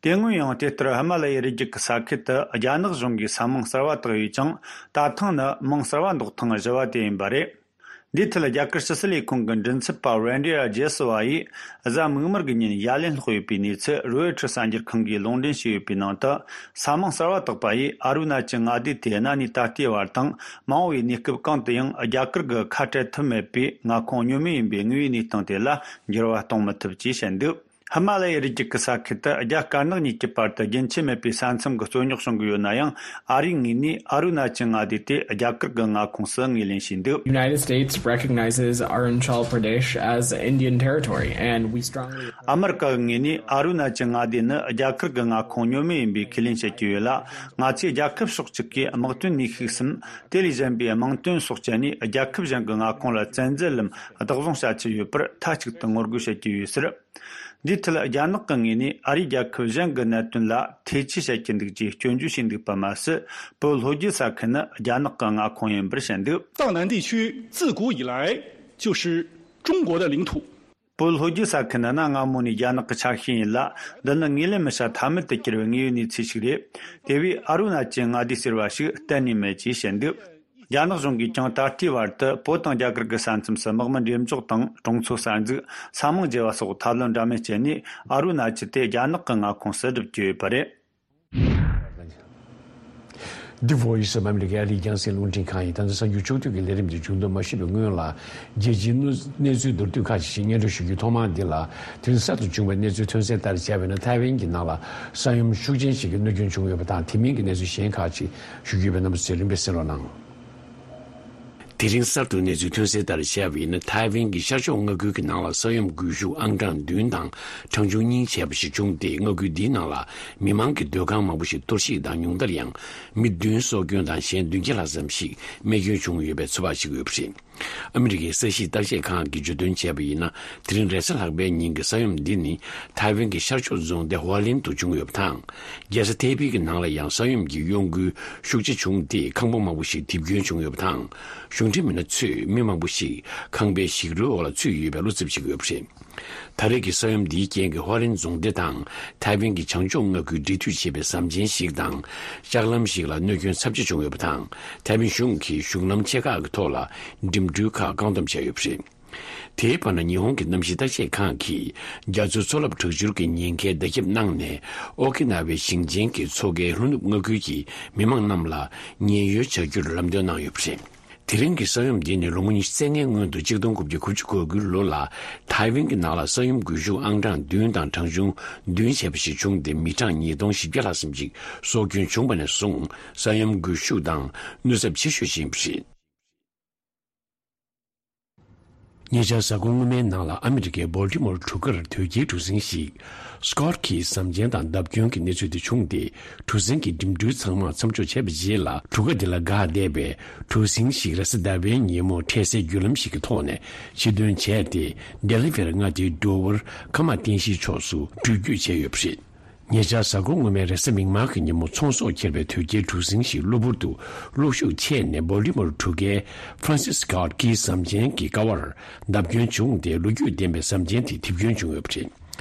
དེ་སྔོན་ཡང་དེ་ལྟར་ཧི་མ་ལ་ཡའི་རི་རྒྱུད་ཀྱི་ས་ཁུལ་དུ་རྒྱ་ནག་གཞུང་གིས་ས་མིང་གསར་བ་བཏགས་ཡོད་ཀྱང་། ད་ཐེངས་ནི་མིང་གསར་བ་འདོགས་ཐེངས་བཞི་བ་དེ་ཡིན་པ་རེད། འདིའི་ཐད་རྒྱ་གར་ཕྱི་སྲིད་ལས་ཁུངས་ཀྱི་མགྲིན་ཚབ་པ་རེན་ཌི་ཨ་ཇེ་སི་ཝ་ཡིས་གཟའ་མིག་དམར་གྱི་ཉིན་ཡ་ལན་སློག་ཡོད་པའི་གནས་ཚུལ་རོའི་ཊར་གསར་འགྱུར་ཁང་གིས་ལུང་འདྲེན་བྱས་ཡོད་པའི་ནང་དུ། ས་མིང་གསར་བ་བཏགས་པ་ཡིས་ཨ་རུ་ན་ཅལ་མངའ་སྡེ་དེ་གནའ་ནས་ད་ལྟའི་བར་དང་མ་འོངས་པའི་གནས་སྐབས་གང་དུ་ཡང་རྒྱ་གར་གྱི་ཁ་བྲལ་ཐབས་མེད་པའི་མངའ་ཁོངས་སྙོམས་མེད་ཡིན་པའི་དངོས་ཡོད་གནས་སྟངས་དེ་ལ་འགྱུར་བ་གཏོང་མི་ཐུབ་ཅེས་བཤད་འདུག་ཧི་མ་ལ་ཡའི་རི་རྒྱུད་ཀྱི་ས་ཁུལ་དུ་རྒྱ་དཀར་ནག་གཉིས་ཀྱི་བར་དུ་རྒྱུན་ཆད་མེད་པའི་ས་མཚམས་ཀྱི་རྩོད་རྙོག་བྱུང་གི་ཡོད་ན་ཡང་། ཨ་རིའི་ངོས་ནས་ཨ་རུ་ན་ཅལ་མངའ་སྡེ་དེ་རྒྱ་གར་གྱི་མངའ་ཁོངས་སུ་ངོས་ལེན་བྱས་འདུག United States recognizes Arunachal Pradesh as Indian territory, and we strongly ཨ་མི་རི་ཀ་གི་ངོས་ནས་ཨ་རུ་ན་ཅལ་མངའ་སྡེ་ནི་རྒྱ་གར་གྱི་མངའ་ཁོངས་སྙོམས་མེད་ཡིན་པའི་ཁས་ལེན་བྱེད་ཀྱི་ཡོད་ལ། ང་ཚོས་རྒྱལ་ཁབ་ཕྱོགས་གཅིག་གིས་དམག་དོན་ནུས་ཤུགས་སམ། དེ་ལས་གཞན་པའི་དམངས་དོན་སོགས་སྤྱད་ནས་རྒྱལ་ཁབ་གཞན་གྱི་མངའ་ཁོངས་ལ་བཙན་འཛུལ་ལམ་བདག་བཟུང་བྱ་ཆེད་ཡོད་པར་མཐའ་གཅིག་ཏུ་ངོ་རྒོལ་བྱེད་ཀྱི་ཡོད་ཟེར། འདིའི་ཐད་རྒྱ་ནག་གི་ངོས་ནས་ཨ་རིས་རྒྱལ་ཁབ་གཞན་གྱི་གནད་དོན་ལ་ཐེ་ཇུས་བྱེད་ཀྱི་འདུག་ཅེས་སྐྱོན་བརྗོད་བྱས་འདུག་པ་མ་ཟད། བོད་ལྷོ་རྒྱུད་ས་ཁུལ་ནི་རྒྱ་ནག་གི་མངའ་ཁོངས་ཡིན་པར་བཤད་འདུག藏南地区自古以来就是中国的领土。 བོད་ལྷོ་རྒྱུད་ས་ཁུལ་ནི་གནའ་སྔ་མོ་ནས་རྒྱ་ནག་གི་ཆ་ཤས་ཡིན་ལ། འདི་ནི་ངོས་ལེན་མི་བྱ་ཐབས་མེད་དུ་གྱུར་བའི་དངོས་ཡོད་གནས་ཚུལ་ཞིག་རེད། དེ་བས་ཨ་རུ་ན་ཅལ་མངའ་སྡེ་ཟེར་བ་ཞིག་གཏན་ནས་མེད་ཅེས་བཤད་འདུག་རྒྱ་ནག་གཞུང་གིས་ཀྱང་ད་ལྟའི་བར་དུ་བོད་དང་རྒྱ་གར་གྱི་ས་མཚམས་སུ་དམག་མི་འགྲེམས་འཇོག་དང་གྲོང་ཚོ་གསར་འཛུགས། ས་མིང་བརྗེ་བ་སོགས་ཐབས་ལམ་འདྲ་མིན་སྤྱད་ནས་ཨ་རུ་ན་ཅལ་དེ་རྒྱ་ནག་གི་མངའ་ཁོངས་སུ་སྒྲུབ་ཀྱི་ཡོད་པ་རེད། འདི་Voice of America ཨ་རིའི་རྒྱང་སྲིང་རླུང་འཕྲིན་ཁང་ཡིན། ད་ལྟ་གསར་འགྱུར་ཕྱོགས་བསྡུས་ཀྱི་ལས་རིམ་འདི་མཇུག་བསྡོམས་མ་ཞུས་པའི་སྔོན་ལ། རྒྱལ་སྤྱིའི་གནས་ཚུལ་མདོར་བསྡུས་ཁག་ཅིག་སྙན་སྒྲོན་ཞུ་རྒྱུའི་ཐོག་མར་འདི་ལ། དེ་རིང་གསར་དུ་བྱུང་བའི་གནས་ཚུལ་ཐོན་གསལ་ལྟར་བྱས་པ་ཡིན་ན། ཐའེ་ཝན་གྱི་ནང་ལ་ས་ཡོམ་ཤུགས་ཆེན་ཞིག་གི་གནོད་སྐྱོན་བྱུང་ཡོད་པ་དང་། དེ་མིན་གྱི་གནས་ཚུལ་གཞན་ཁག་ཅིག་ཞུ་རྒྱུ་ཡོད་པས། རྣམ་པ་ཚོས་རིམ་པས་གསན་རོགས་གནང་། དེ་རིང་གསར་དུ་གནས་ཚུལ་ཐོན་གསལ་ལྟར་བྱས་པ་ཡིན་ན། ཐའེ་ཝན་གྱི་ཤར་ཕྱོགས་མངའ་ཁུལ་གྱི་ནང་ལ་ས་ཡོམ་སྒུལ་ཤུགས་ཨང་གྲངས་བདུན་དང་གྲངས་ཆུང་གཉིས་བྱས་པ་ཞིག་བྱུང་སྟེ། མངའ་ཁུལ་འདིའི་ནང་ལ་མི་མང་གི་སྡོད་ཁང་མང་པོ་ཞིག་གཏོར་བཤིག་དང་། ཉུང་མཐར་ཡང་མི་བདུན་སྲོག་སྐྱོན་དང་། གཞན་བདུན་བརྒྱ་ལྷག་ཙམ་ཞིག་རྨས་སྐྱོན་བྱུང་ཡོད་པའི་ཚོད་དཔག་བྱེད་ཀྱི་ཡོད་པ་རེད། ཨ་མི་རི་ཀའི་ས་གཤིས་བརྟག་དཔྱད་ཁང་གིས་བརྗོད་དོན་བྱས་པ་ཡིན་ན། དེ་རིང་རེས་གཟའ་ལྷག་པའི་ཉིན་གྱི་ས་ཡོམ་འདི་ནི་ཐའེ་ཝན་གྱི་ཤར་ཕྱོགས་རྫོང་སྡེ་ཧོ་ལིན་དུ་བྱུང་ཡོད་པ་དང་། རྒྱལ་ས་ཐའེ་པེ་གི་ནང་ལ་ཡང་ས་ཡོམ་གྱི་གཡོ་འགུལ་ཤུགས་ཆེ་བྱུང་སྟེ། ཁང་པ་མང་པོ་ཞིག་རྡིབ་སྐྱོན་བྱུང་ཡོད་པ་དང་། གཞུང་འབྲེལ་མི་སྣ་ཚོས་མི་མང་པོ་ཞིག་ཁང་པའི་ཞིག་རོའི་འོག་ལ་ཚུད་ཡོད་པའི་བློ་འཚབ་བྱེད་ཀྱི་ཡོད་པ་རེད། ད་རེས་ཀྱི་ས་ཡོམ་འདིའི་རྐྱེན་གྱིས་ཧོ་ལིན་རྫོང་སྡེ་དང་ཐའེ་ཝན་གྱི་བྱང་ཕྱོགས་མངའ་ཁུལ་འབྲེལ་མཐུད་བྱེད་པའི་ཟམ་ཆེན་ཞིག་དང་། ལྕགས་ལམ་ཞིག་ལ་གནོད་སྐྱོན་ཚབས་ཆེ་བྱུང་ཡོད་པ་དང་། ཐའེ་ཝན་གཞུང་གིས་གཞུང་ལམ་ཆེ་ཁག་གི་ཐོག་ལ་འགྲིམ་འགྲུལ་ཁག་བཀག་སྡོམ་བྱས་ཡོད་པ་རེད། དེའི་བར་ན། ཉི་ཧོང་གི་གནམ་གཤིས་བརྟག་དཔྱད་ཁང་གིས་རྒྱ་མཚོའི་མཚོ་རླབས་དྲག་འཕྱུར་གྱི་ཉེན་ཁའི་བརྡ་ཁྱབ་གནང་ནས། ཨོ་ཀི་ན་ཝའི་ཞིང་ཆེན་གྱི་མཚོ་ཁའི་ལྷོ་ནུབ་མངའ་ཁུལ་གྱི་མི་མང་རྣམས་ལ་ཉེན་གཡོལ་བྱ་རྒྱུར་ལམ་སྟོན་གནང་ཡོད་པ་རེད། དེ་རིང་གི་ས་ཡོམ་འདི་ནི་ལོ་ངོ་ཉི་ཤུ་རྩ་ལྔའི་སྔོན་དུ། ཆིག་སྟོང་དགུ་བརྒྱ་དགུ་བཅུ་གོ་དགུའི་ལོ་ལ་ཐའེ་ཝན་གྱི་ནང་ལ་ས་ཡོམ་སྒུལ་ཤུགས་ཨང་གྲངས་བདུན་དང་གྲངས་ཆུང་བདུན་བྱས་པ་ཞིག་བྱུང་སྟེ། མི་གྲངས་ཉིས་སྟོང་བཞི་བརྒྱ་ལྷག་ཙམ་ཞིག་སྲོག་སྐྱོན་བྱུང་བ་ནས་བཟུང་ས་ཡོམ་སྒུལ་ཤུགས་དང་གནོད་ཚབས་ཆེ་ཤོས་ཤིག་ཡིན་པ་རེད། ཉེ་ཆར་གཟའ་འཁོར་སྔོན་མའི་ནང་ལ་ཨ་མི་རི་ཀའི་སྦོལ་ཊི་མོར་གྲུ་ཁར་དོས་སྐྱེལ་གྲུ་གཟིངས་ཤིག་Scott Key ཟམ་ཆེན་དང་བརྡབ་སྐྱོན་གྱི་གནས་ཚུལ་དེ་བྱུང་སྟེ། གྲུ་གཟིངས་ཀྱི་འགྲིམ་འགྲུལ་ཚང་མ་མཚམས་འཇོག་བྱས་པའི་རྗེས་ལ། གྲུ་ཁ་དེ་ལ་འགག་བསྡད་པའི་གྲུ་གཟིངས་ཤིག་རེས་གཟའ་ཟླ་བའི་ཉིན་མོ་འཕྲལ་སེལ་བརྒྱུད་ལམ་ཞིག་གི་ཐོག་ནས་ཕྱིར་ཐོན་བྱས་ཏེ། ཌེ་ལི་ཝེར་མངའ་སྡེའི་འགྲོ་བར་ཁ་མ་བསྟན་ཤིང་ཕྱོགས་སུ་འགྲུལ་སྐྱོད་བྱས་ཡོད་པ་རེད། ཉེ་ཆར་གཟའ་འཁོར་སྔོན་མའི་རེས་གཟའ་མིག་དམར་གྱི་ཉིན་མོ་ཚོང་ཟོག་འཁྱེར་བའི་དོས་སྐྱེལ་གྲུ་གཟིངས་ཤིག་གློ་བུར་དུ་གློག་ཤུགས་ཆད་ནས། སྦོལ་ཊི་མོར་གྲུ་ཁའི་Francis Scott Key ཟམ་ཆེན་གྱི་ཀ་བར་བརྡབ་སྐྱོན་བྱུང་སྟེ། ལོ་རྒྱུས་ལྡན་པའི་ཟམ་ཆེན་དེ་རྡིབ་སྐྱོན་བྱུང་ཡོད་པ་རེད།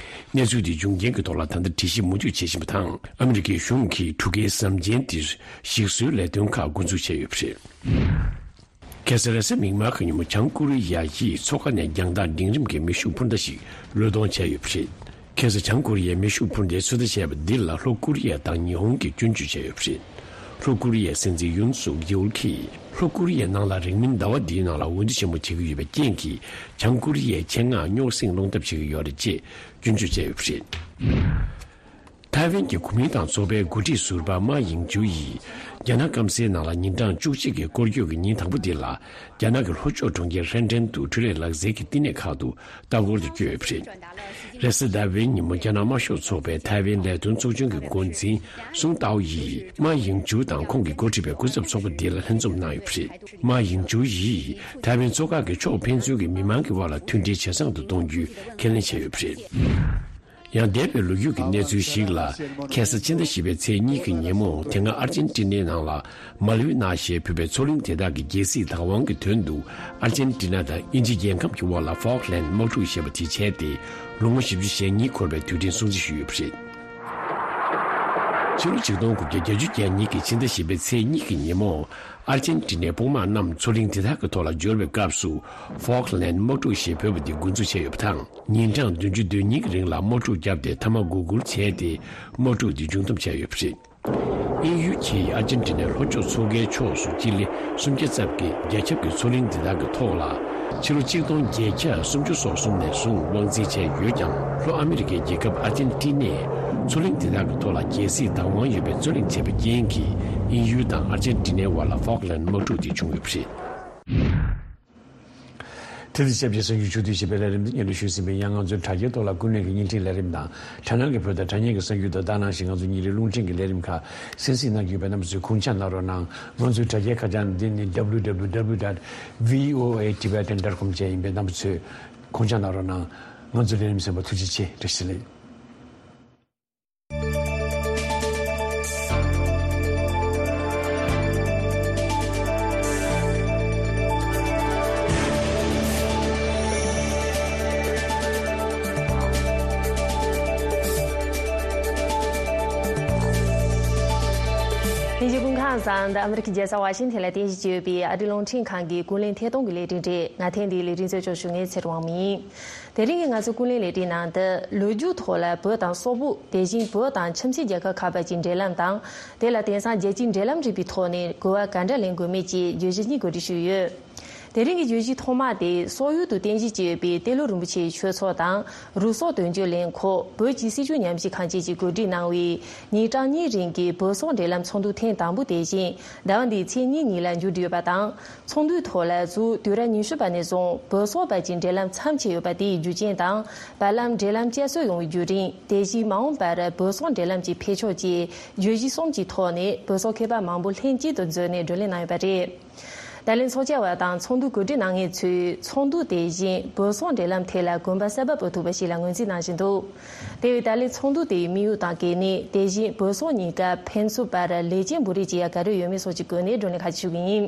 གནས་ཚུལ་དེ་འབྱུང་རྐྱེན་གྱི་ཐོག་ལ་ད་ལྟ་འགྲེལ་བཤད་མུ་མཐུད་བྱེད་བཞིན་པ་དང་། ཨ་མི་རི་ཀའི་གཞུང་གིས་གྲུ་ཁའི་ཟམ་ཆེན་དེར་ཞིག་གསོའི་ལས་དོན་ཁག་འགོ་འཛུགས་བྱས་ཡོད་པ་རེད། ཁ་སང་རེས་གཟའ་མིག་དམར་གྱི་ཉིན་མོ། བྱང་ཀོ་རི་ཡ་ཡིས་མཚོ་ཁ་ནས་རྒྱང་ཐག་འབྲིང་རིམ་གྱི་མེ་ཤུགས་འཕུར་མདའ་ཞིག་བློས་གཏོང་བྱས་ཡོད་པ་རེད། ཁ་སང་བྱང་ཀོ་རི་ཡའི་མེ་ཤུགས་འཕུར་མདའི་ཚོད་ལྟ་བྱས་པ་འདི་ལ་ལྷོ་ཀོ་རི་ཡ་དང་ཉི་ཧོང་གིས་སྐྱོན་བརྗོད་བྱས་ཡོད་པ་རེད། ལྷོ་ཀོ་རི་ཡའི་སྲིད་འཛིན་ཡུན་སུག་ཡོལ་གྱིས་ལྷོ་ཀོ་རི་ཡའི་ནང་ལ་རིང་མིན་ཟླ་བ་འདིའི་ནང་ལ་འོས་བསྡུ་ཆེན་མོ་བྱེད་ཀྱི་ཡོད་པའི་རྐྱེན་གྱིས། བྱང་ཀོ་རི་ཡའི་ཆེད་མངགས་རྙོག་ཟིང་སློང་ཐབས་བྱེད་ཀྱི་ཡོད་རེད་ཅེས་སྐྱོན་བརྗོད་བྱས་ཡོད་པ་རེད། ཐའེ་ཝན་གྱི་གོ་མིན་ཏང་ཚོགས་པའི་འགོ་ཁྲིད་ཟུར་པ་མཱ་ཡིང་ཅུའུ་ཡིས། རྒྱ་ནག་སྐམ་སའི་ནང་ལ་ཉིན་གྲངས་བཅུ་གཅིག་གི་སྐོར་སྐྱོད་ཀྱི་ཉིན་དང་པོ་འདི་ལ། རྒྱ་ནག་གི་ལྷོ་ཕྱོགས་གྲོང་ཁྱེར་ཧྲེན་ཀྲེན་དུ་འཕྲུལ་ལས་ལག་རྩལ་གྱི་བསྟི་གནས་ཁག་ཏུ་ལྟ་སྐོར་དུ་བསྐྱོད་ཡོད་པ་རེད། རེས་གཟའ་ཟླ་བའི་ཉིན་མོ་རྒྱ་ནག་དམར་ཤོག་ཚོགས་པའི་ཐའེ་ཝན་ལས་དོན་ཚོགས་ཆུང་གི་འགོ་འཛིན་སུང་ཏའོ་ཡིས་མཱ་ཡིང་ཅུའུ་དང་ཁོང་གིས་འགོ་ཁྲིད་པའི་སྐུ་ཚབ་ཚོགས་པ་འདི་ལ་ལྷན་འཛོམས་གནང་ཡོད་པ་རེད། མཱ་ཡིང་ཅུའུ་ཡིས་ཐའེ་ཝན་མཚོ་འགག་གི་ཕྱོགས་ཕན་ཚུན་གྱི་མི་མང་གི་དབར་ལ་མཐུན་སྒྲིལ་ཇེ་བཟང་དུ་གཏོང་རྒྱུའི་ཁས་ལེན་བྱས་ཡོད་པ་རེད། ཡང་འདས་པའི་ལོ་རྒྱུས་ཀྱི་གནས་ཚུལ་ཞིག་ལ། ཁ་སང་ཕྱི་ཟླ་བཞི་པའི་ཚེས་གཉིས་ཀྱི་ཉིན་མོ་དེ་སྔ་ཨར་ཇེན་ཊི་ནའི་ནང་ལ་མལ་ཝི་ནཱ་ཞེས་འབོད་པའི་མཚོ་གླིང་དེ་དག་གི་རྒྱལ་སྲིད་བདག་དབང་གི་དོན་དུ། ཨར་ཇེན་ཊི་ན་དང་དབྱིན་ཇི་རྒྱལ་ཁབ་ཀྱི་དབར་ལ་ཧྥོག་ལན་དམག་འཁྲུག་ཞེས་པ་དེ་བྱས་ཏེ། ལོ་ངོ་བཞི་བཅུ་ཞེ་གཉིས་འཁོར་བའི་དུས་དྲན་སྲུང་བརྩི་ཞུས་ཡོད་པ་རེད། ཕྱི་ལོ་ཆིག་སྟོང་དགུ་བརྒྱ་བརྒྱད་ཅུ་གྱ་གཉིས་ཀྱི་ཕྱི་ཟླ་བཞི་པའི་ཚེས་གཉིས་ཀྱི་ཉིན་མོ། ཨར་ཇེན་ཊི་ནའི་དཔུང་དམག་རྣམས་མཚོ་གླིང་དེ་དག་གི་ཐོག་ལ་འབྱོར་བའི་སྐབས་སུ། ཧྥོག་ལན་དམག་འཁྲུག་ཞེས་འབོད་པ་འདི་འགོ་འཛུགས་བྱས་ཡོད་པ་དང་། ཉིན་གྲངས་བདུན་ཅུ་དོན་གཉིས་ཀྱི་རིང་ལ་དམག་འཁྲུག་བརྒྱབ་སྟེ་མཐའ་མ་འགོག་རྒོལ་བྱས་ཏེ། དམག་འཁྲུག་འདི་མཇུག་བསྡོམས་བྱས་ཡོད་པ་རེད། དབྱིན་ཡུལ་གྱིས་ཨར་ཇེན་ཊི་ནའི་ལྷོ་ཕྱོགས་མཚོ་ཁའི་ཕྱོགས་སུ་སྤྱི་ལེ་སུམ་བརྒྱ་ཙམ་གྱི་རྒྱ་ཁྱབ་ཀྱི་མཚོ་གླིང་དེ་དག་གི་ཐོག་ལ། ཕྱི་ལོ་ཆིག་སྟོང་བརྒྱད་བརྒྱ་སུམ་ཅུ་སོ་གསུམ་ནས་བཟུང་དབང་འཛིན་བྱས་ཡོད་ཀྱང་། ལྷོ་ཨ་མི་རི་ཀའི་རྒྱལ་ཁབ་ཨར་ཇེན་ཊི་ནས་མཚོ་གླིང་དེ་དག་གི་ཐོག་ལ་རྒྱལ་སྲིད་བདག་དབང་ཡོད་པའི་རྩོད་གླེང་བྱས་པའི་རྐྱེན་གྱིས། དབྱིན་ཡུལ་དང་ཨར་ཇེན་ཊི་ནའི་དབར་ལ་ཧྥོག་ལན་དམག་འཁྲུག་དེ་བྱུང་ཡོད་པ་རེད། དེ་དང་ཆབས་ཅིག་གསར་འགྱུར་ཕྱོགས་བསྡུས་ཞེས་པའི་ལས་རིམ་དེ་སྙན་སྒྲོན་ཞུས་ཟིན་པའི། ཡང་ང་ཚོའི་དྲ་རྒྱའི་ཐོག་ལ་ཀུན་གླེང་གི་བརྙན་འཕྲིན་ལས་རིམ་དང་། དྲ་སྣང་གི་བོད་དང་དྲ་བརྙན་གྱི་གསར་འགྱུར་དང་། ད་ནང་བཞིན་ང་ཚོ་ཉིན་རེའི་རླུང་འཕྲིན་གྱི་ལས་རིམ་ཁག་གསན་གཟིགས་གནང་གི་ཡོད་པས། རྣམ་པ་ཚོས་གུང་ཆ་གནང་རོགས་གནང་། ང་ཚོའི་དྲ་རྒྱའི་ཁ་བྱང་འདི་ནི་W W W dot V O A Tibetan dot com བཅས་ཡིན་པས། རྣམ་པ་ཚོས་གུང་ཆ་གནང་རོགས་གནང་། ང་ཚོའི་ལས་རིམ་གསན་པར་ཐུགས་རྗེ་ཆེ། བཀྲ་ཤིས་བདེ་ལེགས། ལྷན་རྒྱས་སྐུ་ཁམས་བཟང་། འདི་ཨ་མི་རི་ཀའི་རྒྱལ་ས་ཝ་ཤིང་ཐན་ལ་རྟེན་གཞི་བྱས་ཡོད་པའི་ཨ་རིའི་རླུང་འཕྲིན་ཁང་གི་ཀུན་གླེང་ཐད་གཏོང་གི་ལས་རིམ་རེད། ང་ཐེངས་འདིའི་ལས་རིམ་གཙོ་སྐྱོང་ཞུ་མཁན་ཚེ་རིང་དབང་མོ་ཡིན། དེ་རིང་གི་ང་ཚོའི་ཀུན་གླེང་ལས་རིམ་ནང་དུ། ལོ་རྒྱུས་ཐོག་ལ་བོད་དང་སོག་པོ། དེ་བཞིན་བོད་དང་ཁྱིམ་མཚེས་རྒྱལ་ཁབ་ཁག་བར་གྱི་འབྲེལ་ལམ་དང་། དེ་ལ་དེང་སང་རྒྱལ་སྤྱིའི་འབྲེལ་ལམ་རིག་པའི་ཐོག་ནས་གོ་བ་ག་འདྲ་ལེན་དགོས་མེད་ཀྱི་བརྗོད་གཞི་གཉིས་གོ་སྒྲིག་ཞུས་ཡོད། དེ་རིང་གི་བརྗོད་གཞི་ཐོག་མ་དེ། སོག་ཡུལ་དུ་རྟེན་གཞི་བྱས་ཡོད་པའི་ཏེ་ལོ་རིན་པོ་ཆེའི་ཆོས་ཚོགས་དང་། རུ་སོག་དོན་གཅོད་ལས་ཁུངས། བོད་ཀྱི་སྲིད་བྱུས་ཉམས་ཞིབ་ཁང་བཅས་ཀྱིས་གོ་སྒྲིག་གནང་བའི་ཉིན་གྲངས་གཉིས་རིང་གི་བོད་སོག་འབྲེལ་ལམ་ཚོགས་འདུ་ཐེངས་དང་པོ་དེ་བཞིན་ཟླ་བ་འདིའི་ཚེས་གཉིས་ཉིན་ལ་མཇུག་བསྒྲིལ་ཡོད་པ་དང་། ཚོགས་འདུའི་ཐོག་ལ་གཟའ་ཟླ་བ་ཉི་ཤུ་པ་ནས་བཟུང་བོད་སོག་བར་གྱི་འབྲེལ་ལམ་མཚམས་ཆད་ཡོད་པ་དེའི་རྒྱུ་རྐྱེན་དང་། བར་ལམ་འབྲེལ་ལམ་བསྐྱར་གསོ་ཡོང་བའི་བརྒྱུད་རིམ། དེ་བཞིན་མ་འོངས་པར་བོད་སོག་འབྲེལ་ལམ་གྱི་འཕེལ་ཕྱོགས་བཅས་བརྗོད་གཞི་གསུམ་གྱི་ཐོག་ནས་བོད་སོག་མཁས་པ་མང་པོ་ལྷན་གཅིག་ཏུ་འཛོམས་ནས་བགྲོ་གླེང་གནང་ཡོད་པ་རེད། ད་ལན་ཚོགས་བཅར་བ་དང་ཚོགས་འདུ་གོ་སྒྲིག་གནང་མཁན་ཚོས་ཚོགས་འདུ་དེ་བཞིན་བོད་སོག་འབྲེལ་ལམ་ཐད་ལ་གོམ་པ་གསར་པ་སྤོ་ཐུབ་པ་ཞིག་ལ་ངོས་འཛིན་གནང་བཞིན་འདུག་དེ་བས་ད་ལན་ཚོགས་འདུ་དེའི་དམིགས་ཡུལ་དང་གལ་གནད། དེ་བཞིན་བོད་སོག་གཉིས་ཀ་ཕན་ཚུན་བར་ལེགས་ཆ་འབུལ་རེས་བྱེད་ཡ་ག་རེ་ཡོད་མེད་སོགས་ཀྱི་སྒོ་ནས་བགྲོ་གླེང་ཁག་ཅིག་ཞུ་གི་ཡིན།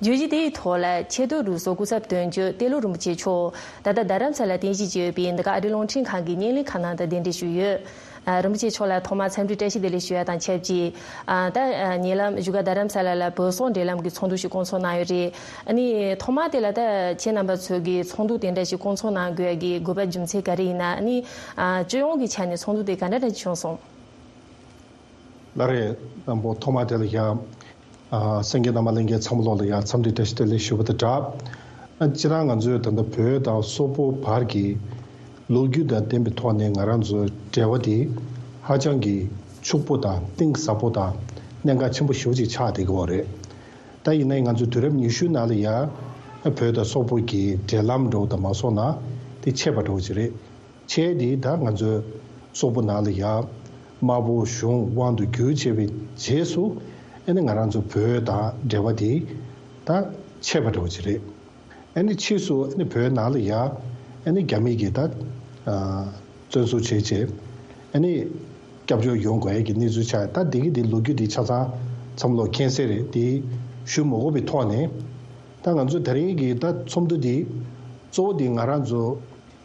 བརྗོད་གཞི་དེའི་ཐོག་ལ་ཆེས་མཐོའི་རུ་ཟུར་སྐུ་ཚབ་དོན་གཅོད་ཏེ་ལོ་རིན་པོ་ཆེ་མཆོག་ད་ལྟ་རྡ་རམ་ས་ལ་རྟེན་གཞི་བྱས་ཡོད་པའི་འདི་ག་ཨ་རིའི་རླུང་འཕྲིན་ཁང་གི་བརྙན་ལེན་ཁང་ནང་དུ་གདན་འདྲེན་ཞུས་ཡོད། ཨ། རིན་པོ་ཆེ་མཆོག་ལ་ཐོག་མར་འཚམས་འདྲི་བཀྲ་ཤིས་བདེ་ལེགས་ཞུ་ཡ་དང་ཆབས་ཅིག་ཨ། ད་ཨ། ཉེ་ལམ་བཞུགས་སྒར་རྡ་རམ་ས་ལ་ལ་བོད་སོག་འབྲེལ་ལམ་གྱི་ཚོགས་འདུ་ཞིག་བསྐོང་ཚོགས་གནང་ཡོད་རེད། ཨ་ནི་ཐོག་མར་དེ་ལ་ད་ཁྱེད་རྣམ་པ་ཚོ་གིས་ཚོགས་འདུ་དེ་འདྲ་ཞིག་བསྐོང་ཚོགས་གནང་དགོས་ཡ་གི་དགོས་པ་རྒྱུ་མཚན་ག་རེ་ཡིན་ན། ཨ་ནི་ཨ། སྤྱི་ཡོངས་ཀྱི་ཆ་ནས་ཚོགས་འདུ་དེ་ག་འདྲ་འདྲ་ཞིག་བྱུང་སོང་། ལགས་རེད། དང་པོ་ཐོག་མ་དེ་ལ་ཡ། ཨ། གསན་མཁན་རྣམ་པ་ལྷན་རྒྱས་ཚང་མ་ལོག་ལ་ཡ་འཚམས་འདྲི་བཀྲ་ཤིས་བདེ་ལེགས་ཞུ་བ་དང་སྦྲགས། ཨ། སྤྱིར་བཏང་ང་ཚོས་ད་ལྟ་བོད་དང་སོག་པོ་བར་གྱི་ལོ་རྒྱུས་དང་ལྡན་པའི་ཐོག་ནས་ང་རང་ཚོའི་འབྲེལ་བ་དེ་ཧ་ཅང་གི་ཕྱུག་པོ་དང་གཏིང་ཟབ་པོ་དང་གནད་འགག་ཆེན་པོ་ཞེ་པོ་ཅིག་ཆགས་བསྡད་ཀྱི་ཡོད་རེད། ད་ཡིན་ནའི་ང་ཚོའི་དུས་རབས་ཉི་ཤུའི་ནང་ལ་ཡ་བོད་དང་སོག་པོ་གི་འབྲེལ་ལམ་འདྲ་བོ་དང་མ་སོང་ན་དེ་ཆད་པ་འདྲ་བོ་ཅིག་རེད། ཆད་དེ་ད་ང་ཚོའི་སོག་པོ་ནང་ལ་ཡ་དམར་པོ་གཞུང་དབང་དུ་བསྒྱུར་བྱས་པའི་རྗེས་སུ། ཨ་ནི་ང་རང་ཚོ་བོད་དང་འབྲེལ་བ་དེ་ད་ཆད་པ་འདྲ་བོ་ཅིག་རེད། ཨ་ནི་ཕྱིས་སུ་ཨ་ནི་བོད་ནང་ལ་ཡ་ཨ་ནི་རྒྱ་མི་གིས་ད་ཨ་བཙན་བཟུང་བྱས་བྱས་ཨ་ནི་སྐྱབས་བཅོལ་ཡོང་དགོས་ཡ་གི་གནས་ཚུལ་ཆགས། ད་འདི་གི་འདི་ལོ་རྒྱུས་འདི་ཆ་ཚང་ཚང་མ་ལོག་མཁྱེན་གསལ་རེད། དེ་ཞུ་མ་དགོས་པའི་ཐོག་ནས། ད་ང་ཚོ་དེ་རིང་གི་ད་ཚོགས་འདུ་འདི་གཙོ་བོ་འདི་ང་རང་ཚོ།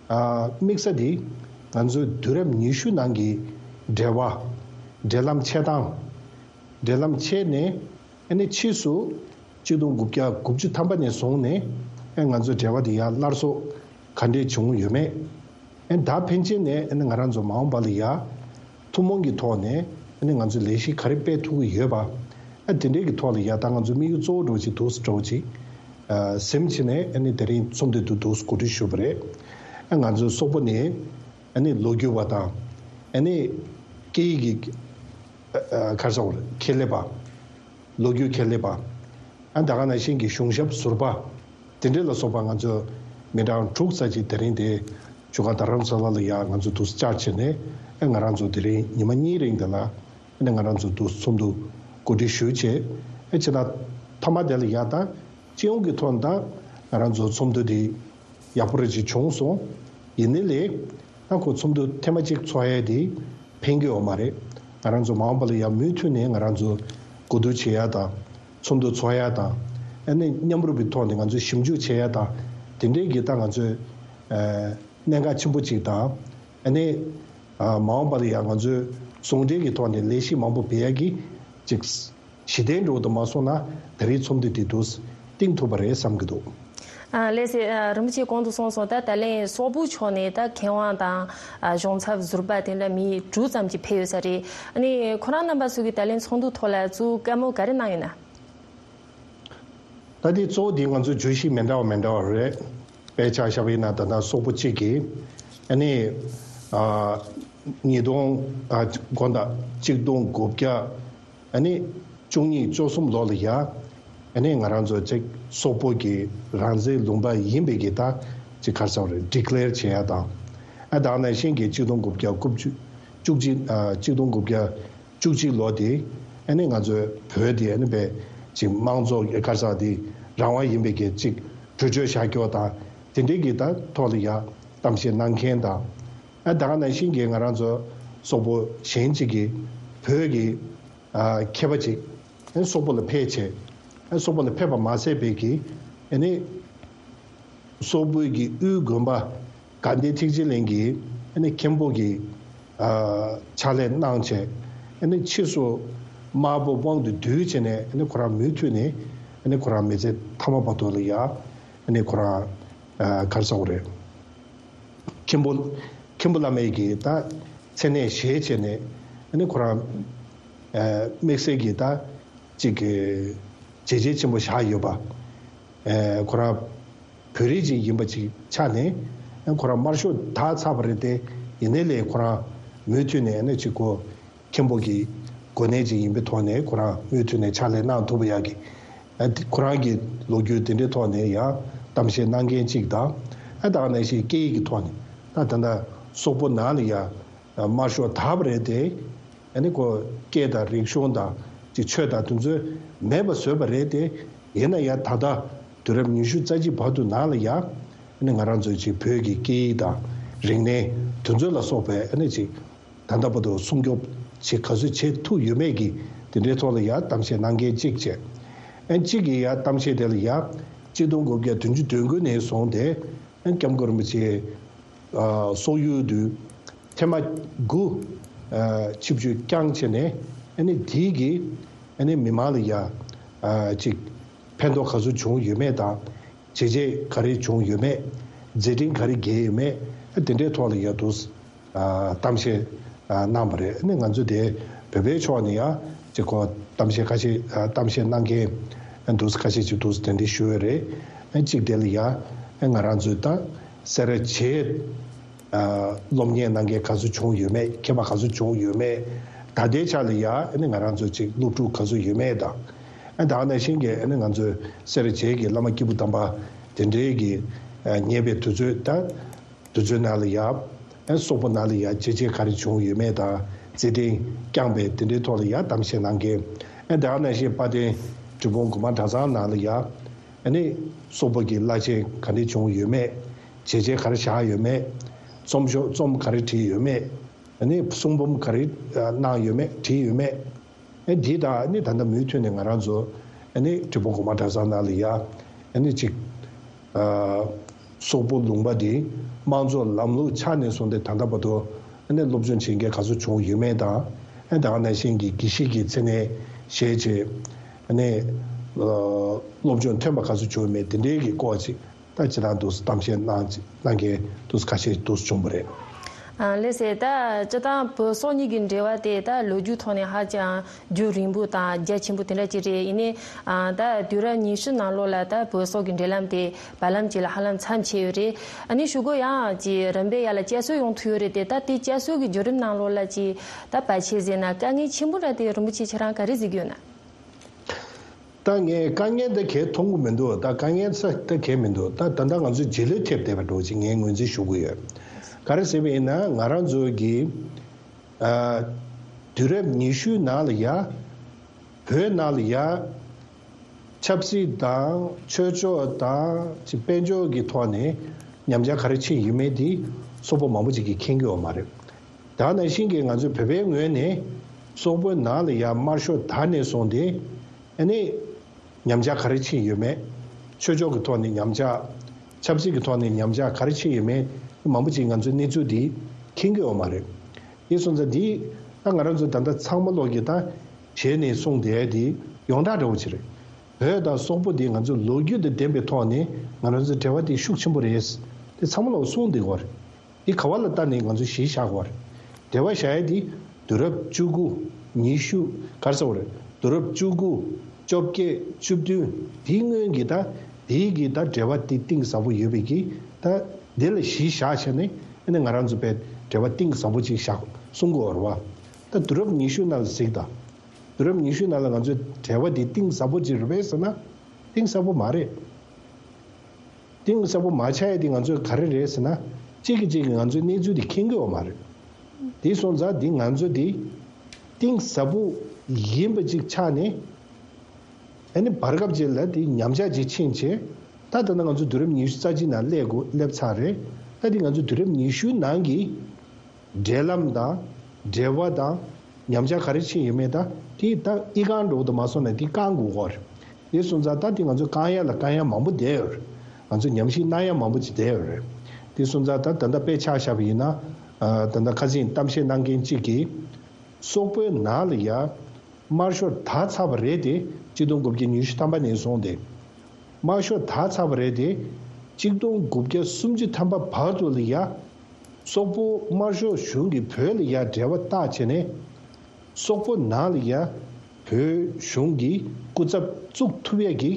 ཨ། དམིགས་ས་འདི་ང་ཚོའི་དུས་རབས་ཉི་ཤུ་ནང་གི་འབྲེལ་བ། འབྲེལ་ལམ་ཆད་སྟངས། འབྲེལ་ལམ་ཆད་ནས་ཨ་ནི་ཕྱིས་སུ་གཅིག་སྟོང་དགུ་བརྒྱ་དགུ་བཅུ་ཐམ་པ་ནས་བཟུང་ནས་ཨ་ང་ཚོའི་འབྲེལ་བ་འདི་ཡར་སླར་གསོ་ག་འདྲས་བྱུང་ཡོད་མེད། ཨ་ད་ཕན་ཆད་ནས་ཨ་ནི་ང་རང་ཚོ་མ་འོངས་པ་ལ་ཡ་ཐུན་མོང་གི་ཐོག་ནས་ཨ་ནི་ང་ཚོས་ལས་གཞི་ག་རེ་སྤེལ་ཐུབ་ཀྱི་ཡོད་པ། ཨ་དེ་འདྲའི་གི་ཐོག་ལ་ཡ་ད་ང་ཚོ་དམིགས་ཡུལ་གཙོ་བོ་འདྲ་བོ་ཅིག་འདུག་སེ་འདྲ་བོ་ཅིག་ཨ་ཟིན་བྱས་ནས་ཨ་ནི་དེ་རིང་ཚོགས་འདུ་དེ་འདུག་སེ་གོ་སྒྲིག་ཞུས་པ་རེད། ཨ་ང་ཚོའི་སོག་པོ་ནས་ཨ་ནི་ལོ་རྒྱུས་པ་དང་ཨ་ནི་སྐད་ཡིག་གི་ཨ་ཨ་ག་རེ་ཟེར་དགོས་རེད། ཁྱད་ལས་པ། ལོ་རྒྱུས་ཁྱད་ལས་པ། ཨ་ད་ག་ནང་བཞིན་གྱི་གཞུང་ཞབས་ཟུར་པ། དེ་འདྲ་ལ་སོགས་པ་ང་ཚོ་མི་གྲངས་དྲུག་ཙམ་ཅིག་དེ་རིང་དེ་བྱ་དགའ་རྡ་རམ་ས་ལ་ལ་ཡ་ང་ཚོ་འདུག་སེ་བཅར་བྱས་ནས་ཨ་ང་རང་ཚོ་དེ་རིང་ཉི་མ་གཉིས་རིང་དེ་ལ་ཨ་ནི་ང་རང་ཚོ་འདུག་སེ་ཚོགས་འདུ་གོ་སྒྲིག་ཞུས་བྱས། ཨ་བྱས་ན་མཐའ་མ་དེ་ལ་ཡ་ད་སྤྱི་ཡོངས་ཀྱི་ཐོག་ནས་ད་ང་རང་ཚོ་ཚོགས་འདུ་དེ་ཡག་པོ་རེ་ཅིག་བྱུང་སོང་། ཡིན་ནའི་ལས་ད་ཁོ་ཚོགས་འདུ་ཐེངས་མ་གཅིག་ཚོགས་ཡས་དེ་ཕན་གྱི་ཡོད་མ་རེད། ང་རང་ཚོ་མ་འོངས་པ་ལ་ཡང་མུ་མཐུད་ནས་ང་རང་ཚོ་གོ་བསྡུར་བྱེད་ཡ་དང་ཚོགས་འདུ་ཚོགས་ཡ་དང་། ཨ་ནི་མཉམ་རུབ་ཀྱི་ཐོག་ནས་ང་ཚོས་ཞིབ་འཇུག་བྱེད་ཡ་དང་དེ་འདྲའི་གི་ད་ང་ཚོས་ཨ་གནད་འགག་ཆེན་པོ་གཅིག་དང་། ཨ་ནི་ཨ་མ་འོངས་པ་ལ་ཡང་ང་ཚོས་ཟུང་འབྲེལ་གྱི་ཐོག་ནས་ལས་གཞི་མང་པོ་སྤེལ་ཡ་གི་ཅིག་གཞི་རྟེན་འདྲ་བོ་དུ་མ་སོང་ན་ད་རེས་ཚོགས་འདུ་དེ་འདུག་སེ་བཏིང་ཐུབ་པ་རེད་བསམ་གྱི་འདུག། ཨ་ལགས་སེ། ཨ་རིན་པོ་ཆེ་གོང་དུ་གསུངས་སོང་། ད་ད་ལན་སོག་པོ་ཕྱོགས་ནས་ད་མཁས་དབང་དང་ཨ་གཞུང་ཚབ་ཟུར་པ་དེ་འདྲ་མི་དྲུག་ཙམ་ཅིག་ཕེབས་ཡོད་ས་རེད། ཨ་ནི་ཁོ་རང་རྣམ་པ་ཚོ་གིས་ད་ལན་ཚོགས་འདུ་ཐོག་ལ་ཚུར་བཀའ་མོལ་ག་རེ་གནང་ཡོད་ན། ད་དེ་གཙོ་བོ་དེ་ང་ཚོའི་བརྗོད་གཞི་མི་འདྲ་བ་མི་འདྲ་བ་རེད། དཔེ་ཆ་བཞག་པ་ཡིན་ན་ད་ལྟ་སོག་པོ་གཅིག་གིས་ཨ་ནི་ཨ་ཉིས་སྟོང་ཨ་དགོངས་དག་གཅིག་སྟོང་དགུ་བརྒྱ་ཨ་ནི་བཅུ་གཉིས་བཅུ་གསུམ་ལོ་ལ་ཡ་ཨ་ནི་ང་རང་ཚོ་ཅིག་སོག་པོ་གི་རང་བཙན་ལུང་པ་ཡིན་པའི་གི་ད་ཅིག་ག་རེ་ཟེར་དགོས་རེད། ཌི་ཀི་ལེར་བྱེད་ཡ་དང་། ཨ་ད་ག་ནང་བཞིན་གྱི་གཅིག་སྟོང་དགུ་བརྒྱ་དགུ་བཅུ་བཅུ་གཅིག་ཨ་གཅིག་སྟོང་དགུ་བརྒྱ་བཅུ་གཅིག་ལོ་དེ་ཨ་ནི་ང་ཚོའི་བོད་དེ་ཨ་ནི་པའི་ཅིག་དམངས་གཙོ་ག་རེ་ཟེར་དེ་རང་དབང་ཡིན་པའི་གི་ཅིག་གྲོས་ཆོད་བཞག་རྒྱུ་དང་དེ་འདྲའི་གི་ད་ཐོག་ལ་ཡ་གཏམ་བཤད་གནང་མཁན་དང་། ཨ་ད་ག་ནང་བཞིན་གྱི་ང་རང་ཚོ་སོག་པོ་གཞན་ཅིག་གི་བོད་ཀྱི་ཨ་མཁས་པ་ཅིག་ཨ་སོག་པོ་ལ་ཕེབས་བྱས། ཨ་སོག་པོ་ལ་ཕེབས་པ་མ་ཟད་པའི་གི་ཨ་ནི་སོག་པོའི་གི་དབུས་དགོན་པ་དགའ་ལྡན་ཐེག་ཆེན་གླིང་གི་ཨ་ནི་མཁན་པོ་གི་ཨ་ཕྱག་ལས་གནང་བྱས། ཨ་ནི་ཕྱིས་སུ་དམར་པོ་དབང་དུ་བསྡུས་བྱས་ནས་ཨ་ནི་ཁོ་རང་མུ་མཐུད་ནས་ཨ་ནི་ཁོ་རང་མི་ཚེ་མཐའ་མ་བར་དུ་ལ་ཡ་ཨ་ནི་ཁོ་རང་ཨ་ག་རེ་ཟེར་དགོས་རེད། མཁན་པོ་མཁན་པོ་བླ་མའི་གི་ད་མཚན་གནས་བཞེས་བྱས་ནས་ཨ་ནི་ཁོ་རང་ཨ་དམིགས་བསལ་གྱི་ད་ཅིག་གི་བྱས་རྗེས་ཆེན་པོ་བཞག་ཡོད་པ། ཨ་ཁོ་རང་བོད་རིགས་ཅིག་ཡིན་པ་ཅིག་ཆགས་ནས་ཨ་ཁོ་རང་དམར་ཤོག་དག་ཚར་བ་རེད་དེ། ཡིན་ནའི་ལས་ཁོ་རང་མུ་མཐུད་ནས་ཨ་ནི་ཅིག་གོ་མཁན་པོ་གི་གོ་གནས་ཅིག་ཡིན་པའི་ཐོག་ནས་ཁོ་རང་མུ་མཐུད་ནས་ཕྱག་ལས་གནང་ཐུབ་པ་ཡག་གི། ཨ་དེ་ཁོ་རང་གི་ལོ་རྒྱུས་དེ་འདྲའི་ཐོག་ནས་ཡང་གཏམ་བཤད་གནང་མཁན་གཅིག་དང་། ཨ་ད་ག་ནང་བཞིན་སྐད་ཡིག་གི་ཐོག་ནས་ད་ད་ལྟ་སོག་པོ་ནང་ལ་ཡང་དམར་ཤོག་དར་བ་རེད་དེ། ཨ་ནི་ཁོ་སྐད་དང་རིག་གཞུང་དང་ཅིག་ཆོས་དང་དེ་ཚོ་མེད་པ་བཟོས་པ་རེད་དེ། ཡིན་ན་ཡང་ད་ལྟ་དུས་རབས་ཉི་ཤུ་རྩ་གཅིག་བར་དུ་ནང་ལ་ཡང་ཨ་ནི་ང་རང་ཚོའི་ཅིག་བོད་ཀྱི་སྐད་ཡིག་དང་རིག་གནས་དེ་ཚོ་ལ་སོགས་པའི་ཨ་ནི་ཅིག་ད་ལྟ་བར་དུ་སྲུང་སྐྱོབ་བྱེད་ག་ཚོད་བྱེད་ཐུབ་ཡོད་མེད་ཀྱི་དེ་འདྲའི་ཐོག་ལ་ཡང་གཏམ་བཤད་གནང་མཁན་གཅིག་བྱས། ཨན་གཅིག་གིས་ཡང་གཏམ་བཤད་དེ་ལ་ཡང་གཅིག་སྟོང་དགུ་བརྒྱ་བདུན་ཅུ་དོན་དགུ་ནས་བཟུང་སྟེ་ཨན་སྐྱབས་མགོན་རིན་པོ་ཆེ་ཨ་སོག་ཡུལ་དུ་ཐེངས་མ་དགུ་ཨ་ཆིབས་བསྒྱུར་བསྐྱངས་བྱས་ནས་ཨ་ནི་དེའི་གི་ཨ་ནི་མི་མང་ལ་ཡང་ཨ་ཅིག་ཕན་ཐོགས་ག་ཚོད་བྱུང་ཡོད་མེད་དང་། བྱས་རྗེས་ག་རེ་བྱུང་ཡོད་མེད། མཛད་འཕྲིན་ག་རེ་བརྒྱབ་ཡོད་མེད། དེ་འདྲའི་ཐོག་ལ་ཡ་དུ་གཏམ་བཤད་གནང་བ་རེད། ཨ་ནི་ང་ཚོ་དེ་བོད་པའི་ཕྱོགས་ནས་ཡ་ཅིག་གོ་གཏམ་བཤད་ཁ་ཤས་གཏམ་བཤད་གནང་མཁན་དུ་ཁ་ཤས་ཅིག་དུ་དེ་འདྲ་ཞུ་ཡོད་རེད། གཅིག་དེ་ལ་ཡ་ང་རང་ཚོའི་ད་སེ་ར་བྱེས་སློབ་གཉེར་གནང་མཁན་ག་ཚོད་བྱུང་ཡོད་མེད། མཁས་པ་ག་ཚོད་བྱུང་ཡོད་མེད། ད་ལྟའི་ཆ་ལ་ཡ་ཨ་ནི་ང་རང་ཚོ་ཅིག་སློབ་ཕྲུག་ག་ཚོད་ཡོད་མེད་དང་། ཨ་ད་ག་ནང་བཞིན་གྱི་ཨ་ནི་ང་ཚོའི་སེ་ར་བྱེས་ཀྱི་བླ་མ་སྐྱེས་བུ་དམ་པ་དེ་འདྲའི་གི་ཉེ་བའི་དུས་ཚོད་ད་དུས་ཚོད་ནང་ལ་ཡ་ཨ་སོག་པོ་ནང་ལ་ཡ་བྱས་རྗེས་ག་རེ་བྱུང་ཡོད་མེད་དང་། མཛད་འཕྲིན་བསྐྱངས་པའི་དེ་འདྲའི་ཐོག་ལ་ཡ་གཏམ་བཤད་གནང་མཁན། ཨ་ད་ག་ནང་བཞིན་དཔལ་ལྡན་འབྲས་སྤུངས་དགོན་པ་གྲྭ་ཚང་ནང་ལ་ཡ་ཨ་ནི་སོག་པོ་གི་བླ་ཆེན་ག་འདྲ་བྱུང་ཡོད་མེད། བྱས་རྗེས་ག་རེ་བཞག་ཡོད་མེད། རྩོམ་ཤོག་རྩོམ་ག་རེ་བྲིས་ཡོད་མེད། ཨ་ནི་གསུང་འབུམ་ག་རེ་གནང་ཡོད་མེད། བྲིས་ཡོད་མེད། ཨ་འདི་དང་ཨ་ནི་ད་ལྟ་མུ་མཐུད་ནས་ང་རང་ཚོ་ཨ་ནི་འབྲས་སྤུངས་དགོན་པ་གྲྭ་ཚང་ནང་ལ་ཡ་ཨ་ནི་ཅིག་ཨ་སོག་པོ་ལུང་པ་འདི་དམངས་གཙོ་ལམ་ལུགས་ཆགས་ནས་བཟུང་སྟེ་ད་ལྟ་བར་དུ་ཨ་ནི་སློབ་སྦྱོང་བྱེད་མཁན་ག་ཚོད་བྱུང་ཡོད་མེད་དང་། ཨ་ད་ག་ནང་བཞིན་གྱི་དགེ་བཤེས་ཀྱི་མཚན་གནས་བཞེས་བྱས་ཨ་ནི་ཨ་སློབ་སྦྱོང་ཐོན་པ་ག་ཚོད་བྱུང་ཡོད་མེད་དེ་འདྲའི་གི་སྐོར་ཅིག་ད་ཅི་ལྟར་འདུག་གཏམ་བཤད་གནང་གནང་མཁན་འདུག་ཁ་ཤས་འདུག་བྱུང་བ་རེད། ཨ་ལགས་སེ། ད་སྤྱིར་བཏང་བོད་སོག་གཉིས་ཀྱི་འབྲེལ་བ་དེ་ད་ལོ་རྒྱུས་ཐོག་ནས་ཧ་ཅང་རྒྱུན་རིང་པོ་དང་རྒྱ་ཆེན་པོ་དེ་འདྲ་ཅིག་རེད། ཡིན་ནའི་ཨ་ད་དུས་རབས་ཉི་ཤུ་ནང་ལོགས་ལ་ད་བོད་སོག་གི་འབྲེལ་ལམ་དེ་བར་ལམ་ཅིག་ལ་ཧ་ལམ་མཚམས་ཆད་ཡོད་རེད། ཨ་ནི་གཞུག་གུ་ཡང་ཅིག་རིམ་པས་ཡར་ལ་བསྐྱར་གསོ་ཡོང་ཐུབ་ཡོད་རེད་དེ། ད་དེ་བསྐྱར་གསོ་གི་བརྒྱུད་རིམ་ནང་ལོགས་ལ་ཅིག་ད་བར་ཆད་ཟེར་ན་དཀའ་ངལ་ཆེན་པོ་འདྲ་དེ་རིན་པོ་ཆེ་ཁྱེད་རང་ག་རེ་གཟིགས་ཡོད་ན། ད་ངས་དཀའ་ངལ་འདི་གས་མཐོང་གི་མི་འདུག་ད་དཀའ་ངལ་ས་ད་གས་མི་འདུག་ད་ད་ལྟ་ང་ཚོའི་རྗེས་ལུས་ཐེབས་བསྡད་པ་འདྲ་བོ་ཅིག་ངས་ངོས་འཛིན་ཞུ་གི་ཡོད། ག་རེ་ཟེར་བ་ཡིན་ན། ང་རང་ཚོ་གི་ཨ་དུས་རབས་ཉི་ཤུའི་ནང་ལ་ཡ་བོད་ནང་ལ་ཡ་ཆབ་སྲིད་དང་ཆོས་ཕྱོགས་དང་ཅིག་དཔལ་འབྱོར་གྱི་ཐོག་ནས་ཉམས་ཆག་ག་རེ་ཕྱིན་ཡོད་མེད་དེ་སོག་པོ་མང་པོ་ཅིག་གིས་མཁྱེན་གྱི་ཡོད་མ་རེད། དེ་ནང་བཞིན་གྱི་ང་ཚོའི་བོད་པའི་ངོས་ནས་སོག་པོའི་ནང་ལ་ཡ་དམར་ཤོག་དར་ནས་བཟུང་སྟེ་ཨ་ནི་ཉམས་ཆག་ག་རེ་ཕྱིན་ཡོད་མེད། ཆོས་ཕྱོགས་ཀྱི་ཐོག་ནས་ཉམས་ཆག་ཆབ་སྲིད་ཀྱི་ཐོག་ནས་ཉམས་ཆག་ག་རེ་ཕྱིན་ཡོད་མེད་མང་པོ་ཅིག་ང་ཚོས་གནས་ཚུལ་འདི་མཁྱེན་གྱི་ཡོད་མ་རེད། དེ་སོང་ཙང་འདི་ད་ང་རང་ཚོ་ད་ལྟ་ཚང་མ་ལོག་གི་ད་བྱས་ནས་གསུངས་བསྡད་དེ་ཡོངས་གྲགས་འདྲ་བོ་ཅིག་རེད། བོད་དང་སོག་པོ་འདི་ང་ཚོ་ལོ་རྒྱུས་དང་ལྡན་པའི་ཐོག་ནས་ང་རང་ཚོའི་འབྲེལ་བ་འདི་ཤུགས་ཆེན་པོ་རེད། དེ་ཚང་མ་ལོག་གསུངས་བསྡད་ཀྱི་ཡོད་རེད། འདི་ག་བ་ལ་ལྟ་ནས་ང་ཚོས་གཞི་བཞག་དགོས་རེད། འབྲེལ་བ་བཞག་ཡ་འདི་དུས་རབས་བཅུ་དགུ། ཉི་ཤུ། ག་རེ་ཟེར་དགོས་རེད། དུས་རབས་བཅུ་དགུ། བཅོ་བརྒྱད། བཅུ་བདུན། འདིའི་སྔོན་གྱི་ད་འདིའི་གི་ད་འབྲེལ་བ་འདི་གཏིང་ཟབ་པོ་ཡོད་པའི་གི་ད་འདི་ལ་གཞི་བཞག་བྱས་ནས་ཨ་ནི་ང་རང་ཚོ་དཔེ་འབྲེལ་བ་གཏིང་ཟབ་པོ་ཅིག་བཞག་གསུང་དགོས་རེད་བ། ད་དུས་རབས་ཉི་ཤུ་ནང་ལ་གཟིགས་དང་། དུས་རབས་ཉི་ཤུ་ནང་ལ་ང་ཚོའི་འབྲེལ་བ་འདི་གཏིང་ཟབ་པོ་ཅིག་རེད་པས་ཟེར་ན་གཏིང་ཟབ་པོ་མ་རེད། གཏིང་ཟབ་པོ་མ་ཆགས་ཡ་དེ་ང་ཚོས་ག་རེ་རེད་ཟེར་ན། གཅིག་གིས་གཅིག་གིས་ང་ཚོའི་གནས་ཚུལ་དེ་མཁྱེན་གྱི་ཡོད་མ་རེད། དེ་སོང་ཙང་འདི་ང་ཚོ་དེ་གཏིང་ཟབ་པོ་ཡིན་པ་ཅིག་ཆགས་ནས། ཨ་ནི་བར་སྐབས་ཅིག་ལ་དེ་ཉམས་ཆག་ཅིག་ཕྱིན་བྱས། ད་ད་ལྟ་ང་ཚོ་དུས་རབས་ཉི་ཤུ་རྩ་གཅིག་ནང་སླེབས་དགོས་སླེབས་ཚར་རེད། ད་དེ་ང་ཚོ་དུས་རབས་ཉི་ཤུའི་ནང་གི་འབྲེལ་ལམ་དང་། འབྲེལ་བ་དང་། ཉམས་ཆག་ག་རེ་ཕྱིན་ཡོད་མེད་ད་དེ་ད་ཨི་ཁང་འགྲོ་གི་འདུག་མ་སོང་ན་དེ་བསྐང་དགོས་ཀྱི་རེད། དེ་སོང་ཙང་ད་དེ་ང་ཚོ་བསྐང་ཡ་ལ་བསྐང་ཡ་མང་པོ་བསྡད་ཡོད་རེད། ང་ཚོ་ཉམས་ཞིབ་གནང་ཡ་མང་པོ་ཅིག་བསྡད་ཡོད་རེད། དེ་སོང་ཙང་ད་ད་ལྟ་དཔེ་ཆ་བཞག་པ་ཡིན་ན། ཨ་ད་ལྟ་ཁ་སང་གཏམ་བཤད་གནང་མཁན་གཅིག་གིས། སོག་པོའི་ནང་ལ་ཡ་དམར་ཤོག་དར་ཚར་བ་རེད་དེ། གཅིག་སྟོང་དགུ་བརྒྱ་ཉི་ཤུ་ཐམ་པ་ནས་བཟུང་སྟེ། དམར་ཤོག་དར་ཚར་བ་རེད་དེ། གཅིག་སྟོང་དགུ་བརྒྱ་སུམ་ཅུ་ཐམ་པ་བར་དུ་ལ་ཡ། སོག་པོ་དམར་ཤོག་གཞུང་གིས་བོད་ལ་ཡ་འབྲེལ་བ་བཏགས་བྱས་ནས། སོག་པོ་ནང་ལ་ཡ་བོད་གཞུང་གི་སྐུ་ཚབ་བཙུགས་ཐུབ་ཡས་ཀྱི་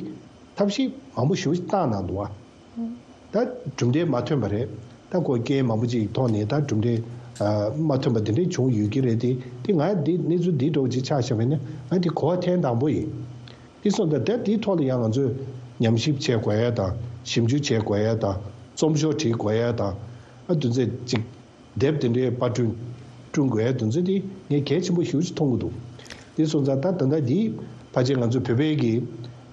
ཐབས་ཤེས་མང་པོ་ཞེ་པོ་ཅིག་བཏང་གནང་འདུག་བ། ད་གྲུབ་འབྲས་མ་ཐོན་པ་རེད། ད་ཁོ་རྐྱེན་མང་པོ་ཅིག་ཐོག་ནས་ད་གྲུབ་འབྲས་ཨ་མ་ཐོན་པ་དེ་འདྲ་བྱུང་ཡོད་ཀྱི་རེད་དེ། དེ་ང་འདི་གནས་ཚུལ་འདི་འདྲ་བོ་ཅིག་ཆགས་བཞག་པ་ཡིན་ན་ང་འདི་གོ་བ་ཐེངས་དང་པོ་ཡིན། དེ་སོང་ཙང་ད་དེའི་ཐོག་ལ་ཡང་ང་ཚོས་ཉམས་ཞིབ་བྱེད་དགོས་ཡ་དང་། ཞིབ་འཇུག་བྱེད་དགོས་ཡ་དང་། རྩོམ་ཤོག་བྲིས་དགོས་ཡ་དང་། ཨ་དེ་ཚོ་ཅིག་དེབ་དེ་འདྲའི་པར་སྐྲུན་བསྐྲུན་དགོས་ཡ་དེ་ཚོ་དེ་ངས་གལ་ཆེན་པོ་ཞེ་པོ་ཅིག་མཐོང་གི་འདུག་དེ་སོང་ཙང་ད་ད་ལྟ་འདི་ཕལ་ཆེར་ང་ཚོ་བོད་པའི་གི་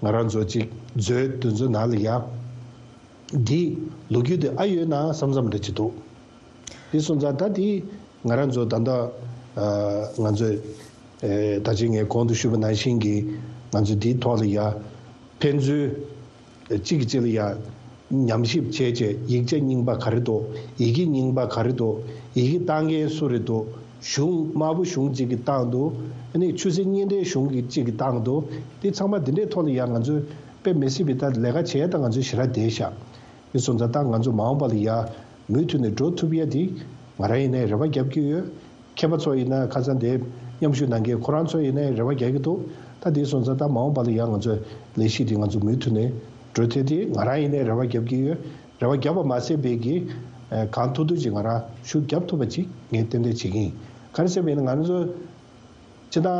ང་རང་ཚོ་ཅིག་མཛོད་དེ་ཚོ་ནང་ལ་ཡ། འདི་ལོ་རྒྱུས་དེ་ཨ་ཡོད་ན་བསམ་བསམ་འདྲ་ཅིག་འདུག་དེ་སོང་ཙང་ད་དེ་ང་རང་ཚོ་ད་ལྟ་ཨ་ང་ཚོས་ཨེ་ད་ཅི་ངས་གོང་དུ་ཞུས་པ་ནང་བཞིན་གྱི་ང་ཚོས་འདིའི་ཐོག་ལ་ཡ་ཕན་ཚུན་གཅིག་གིས་གཅིག་ལ་ཡ་ཉམས་ཞིབ་བྱས་བྱས། ཡིག་ཆ་རྙིང་པ་ག་རེ་འདུག་ཡི་གེ་རྙིང་པ་ག་རེ་འདུག་ཡི་གེ་བཏང་མཁན་སུ་རེད་འདུག་གཞུང་དམར་པོ་གཞུང་གཅིག་གིས་བཏང་འདུག་ཨ་ནི་ཆུ་སྲིན་གཉིས་ལྡན་གཞུང་གིས་གཅིག་གིས་བཏང་འདུག་དེ་ཚང་མ་འདི་འདྲའི་ཐོག་ལ་ཡ་ང་ཚོས་དཔེ་མི་སྲིད་པའི་ད་ལས་ཀ་བྱས་ད་ང་ཚོས་ཞེ་དྲག་བསྡད་ཤག་དེ་སོང་ཙང་ད་ང་ཚོ་མ་འོངས་པ་ལ་ཡ་མུ་མཐུད་ནས་འགྲོ་ཐུབ་ཡ་དེ་ང་རང་ཡིན་ནའི་རེ་བ་རྒྱབ་ཀྱི་ཡོད། མཁས་པ་ཚོ་ཡིན་ན་ཁ་སང་དེ་མཉམ་ཞུགས་གནང་མཁན་ཁོ་རང་ཚོ་ཡིན་ནའི་རེ་བ་རྒྱག་གི་འདུག་ད་དེ་སོང་ཙང་ད་མ་འོངས་པ་ལ་ཡང་ང་ཚོས་ལས་གཞི་དེ་ང་ཚོ་མུ་མཐུད་ནས་འགྲོ་ཐད་དེ་ང་རང་ཡིན་ནའི་རེ་བ་རྒྱབ་ཀྱི་ཡོད། རེ་བ་རྒྱབ་པ་མ་ཟད་པའི་གི་ཨ་གང་ཐུབ་ཐུབ་ཅིག་ང་རང་ཤུགས་རྒྱབ་ཐུབ་པ་ཅིག་ངས་ཏན་ཏན་བྱེད་ཀྱི་ཡིན། ག་རེ་ཟེར་བ་ཡིན་ན་ང་ཚོ་སྤྱིར་བཏང་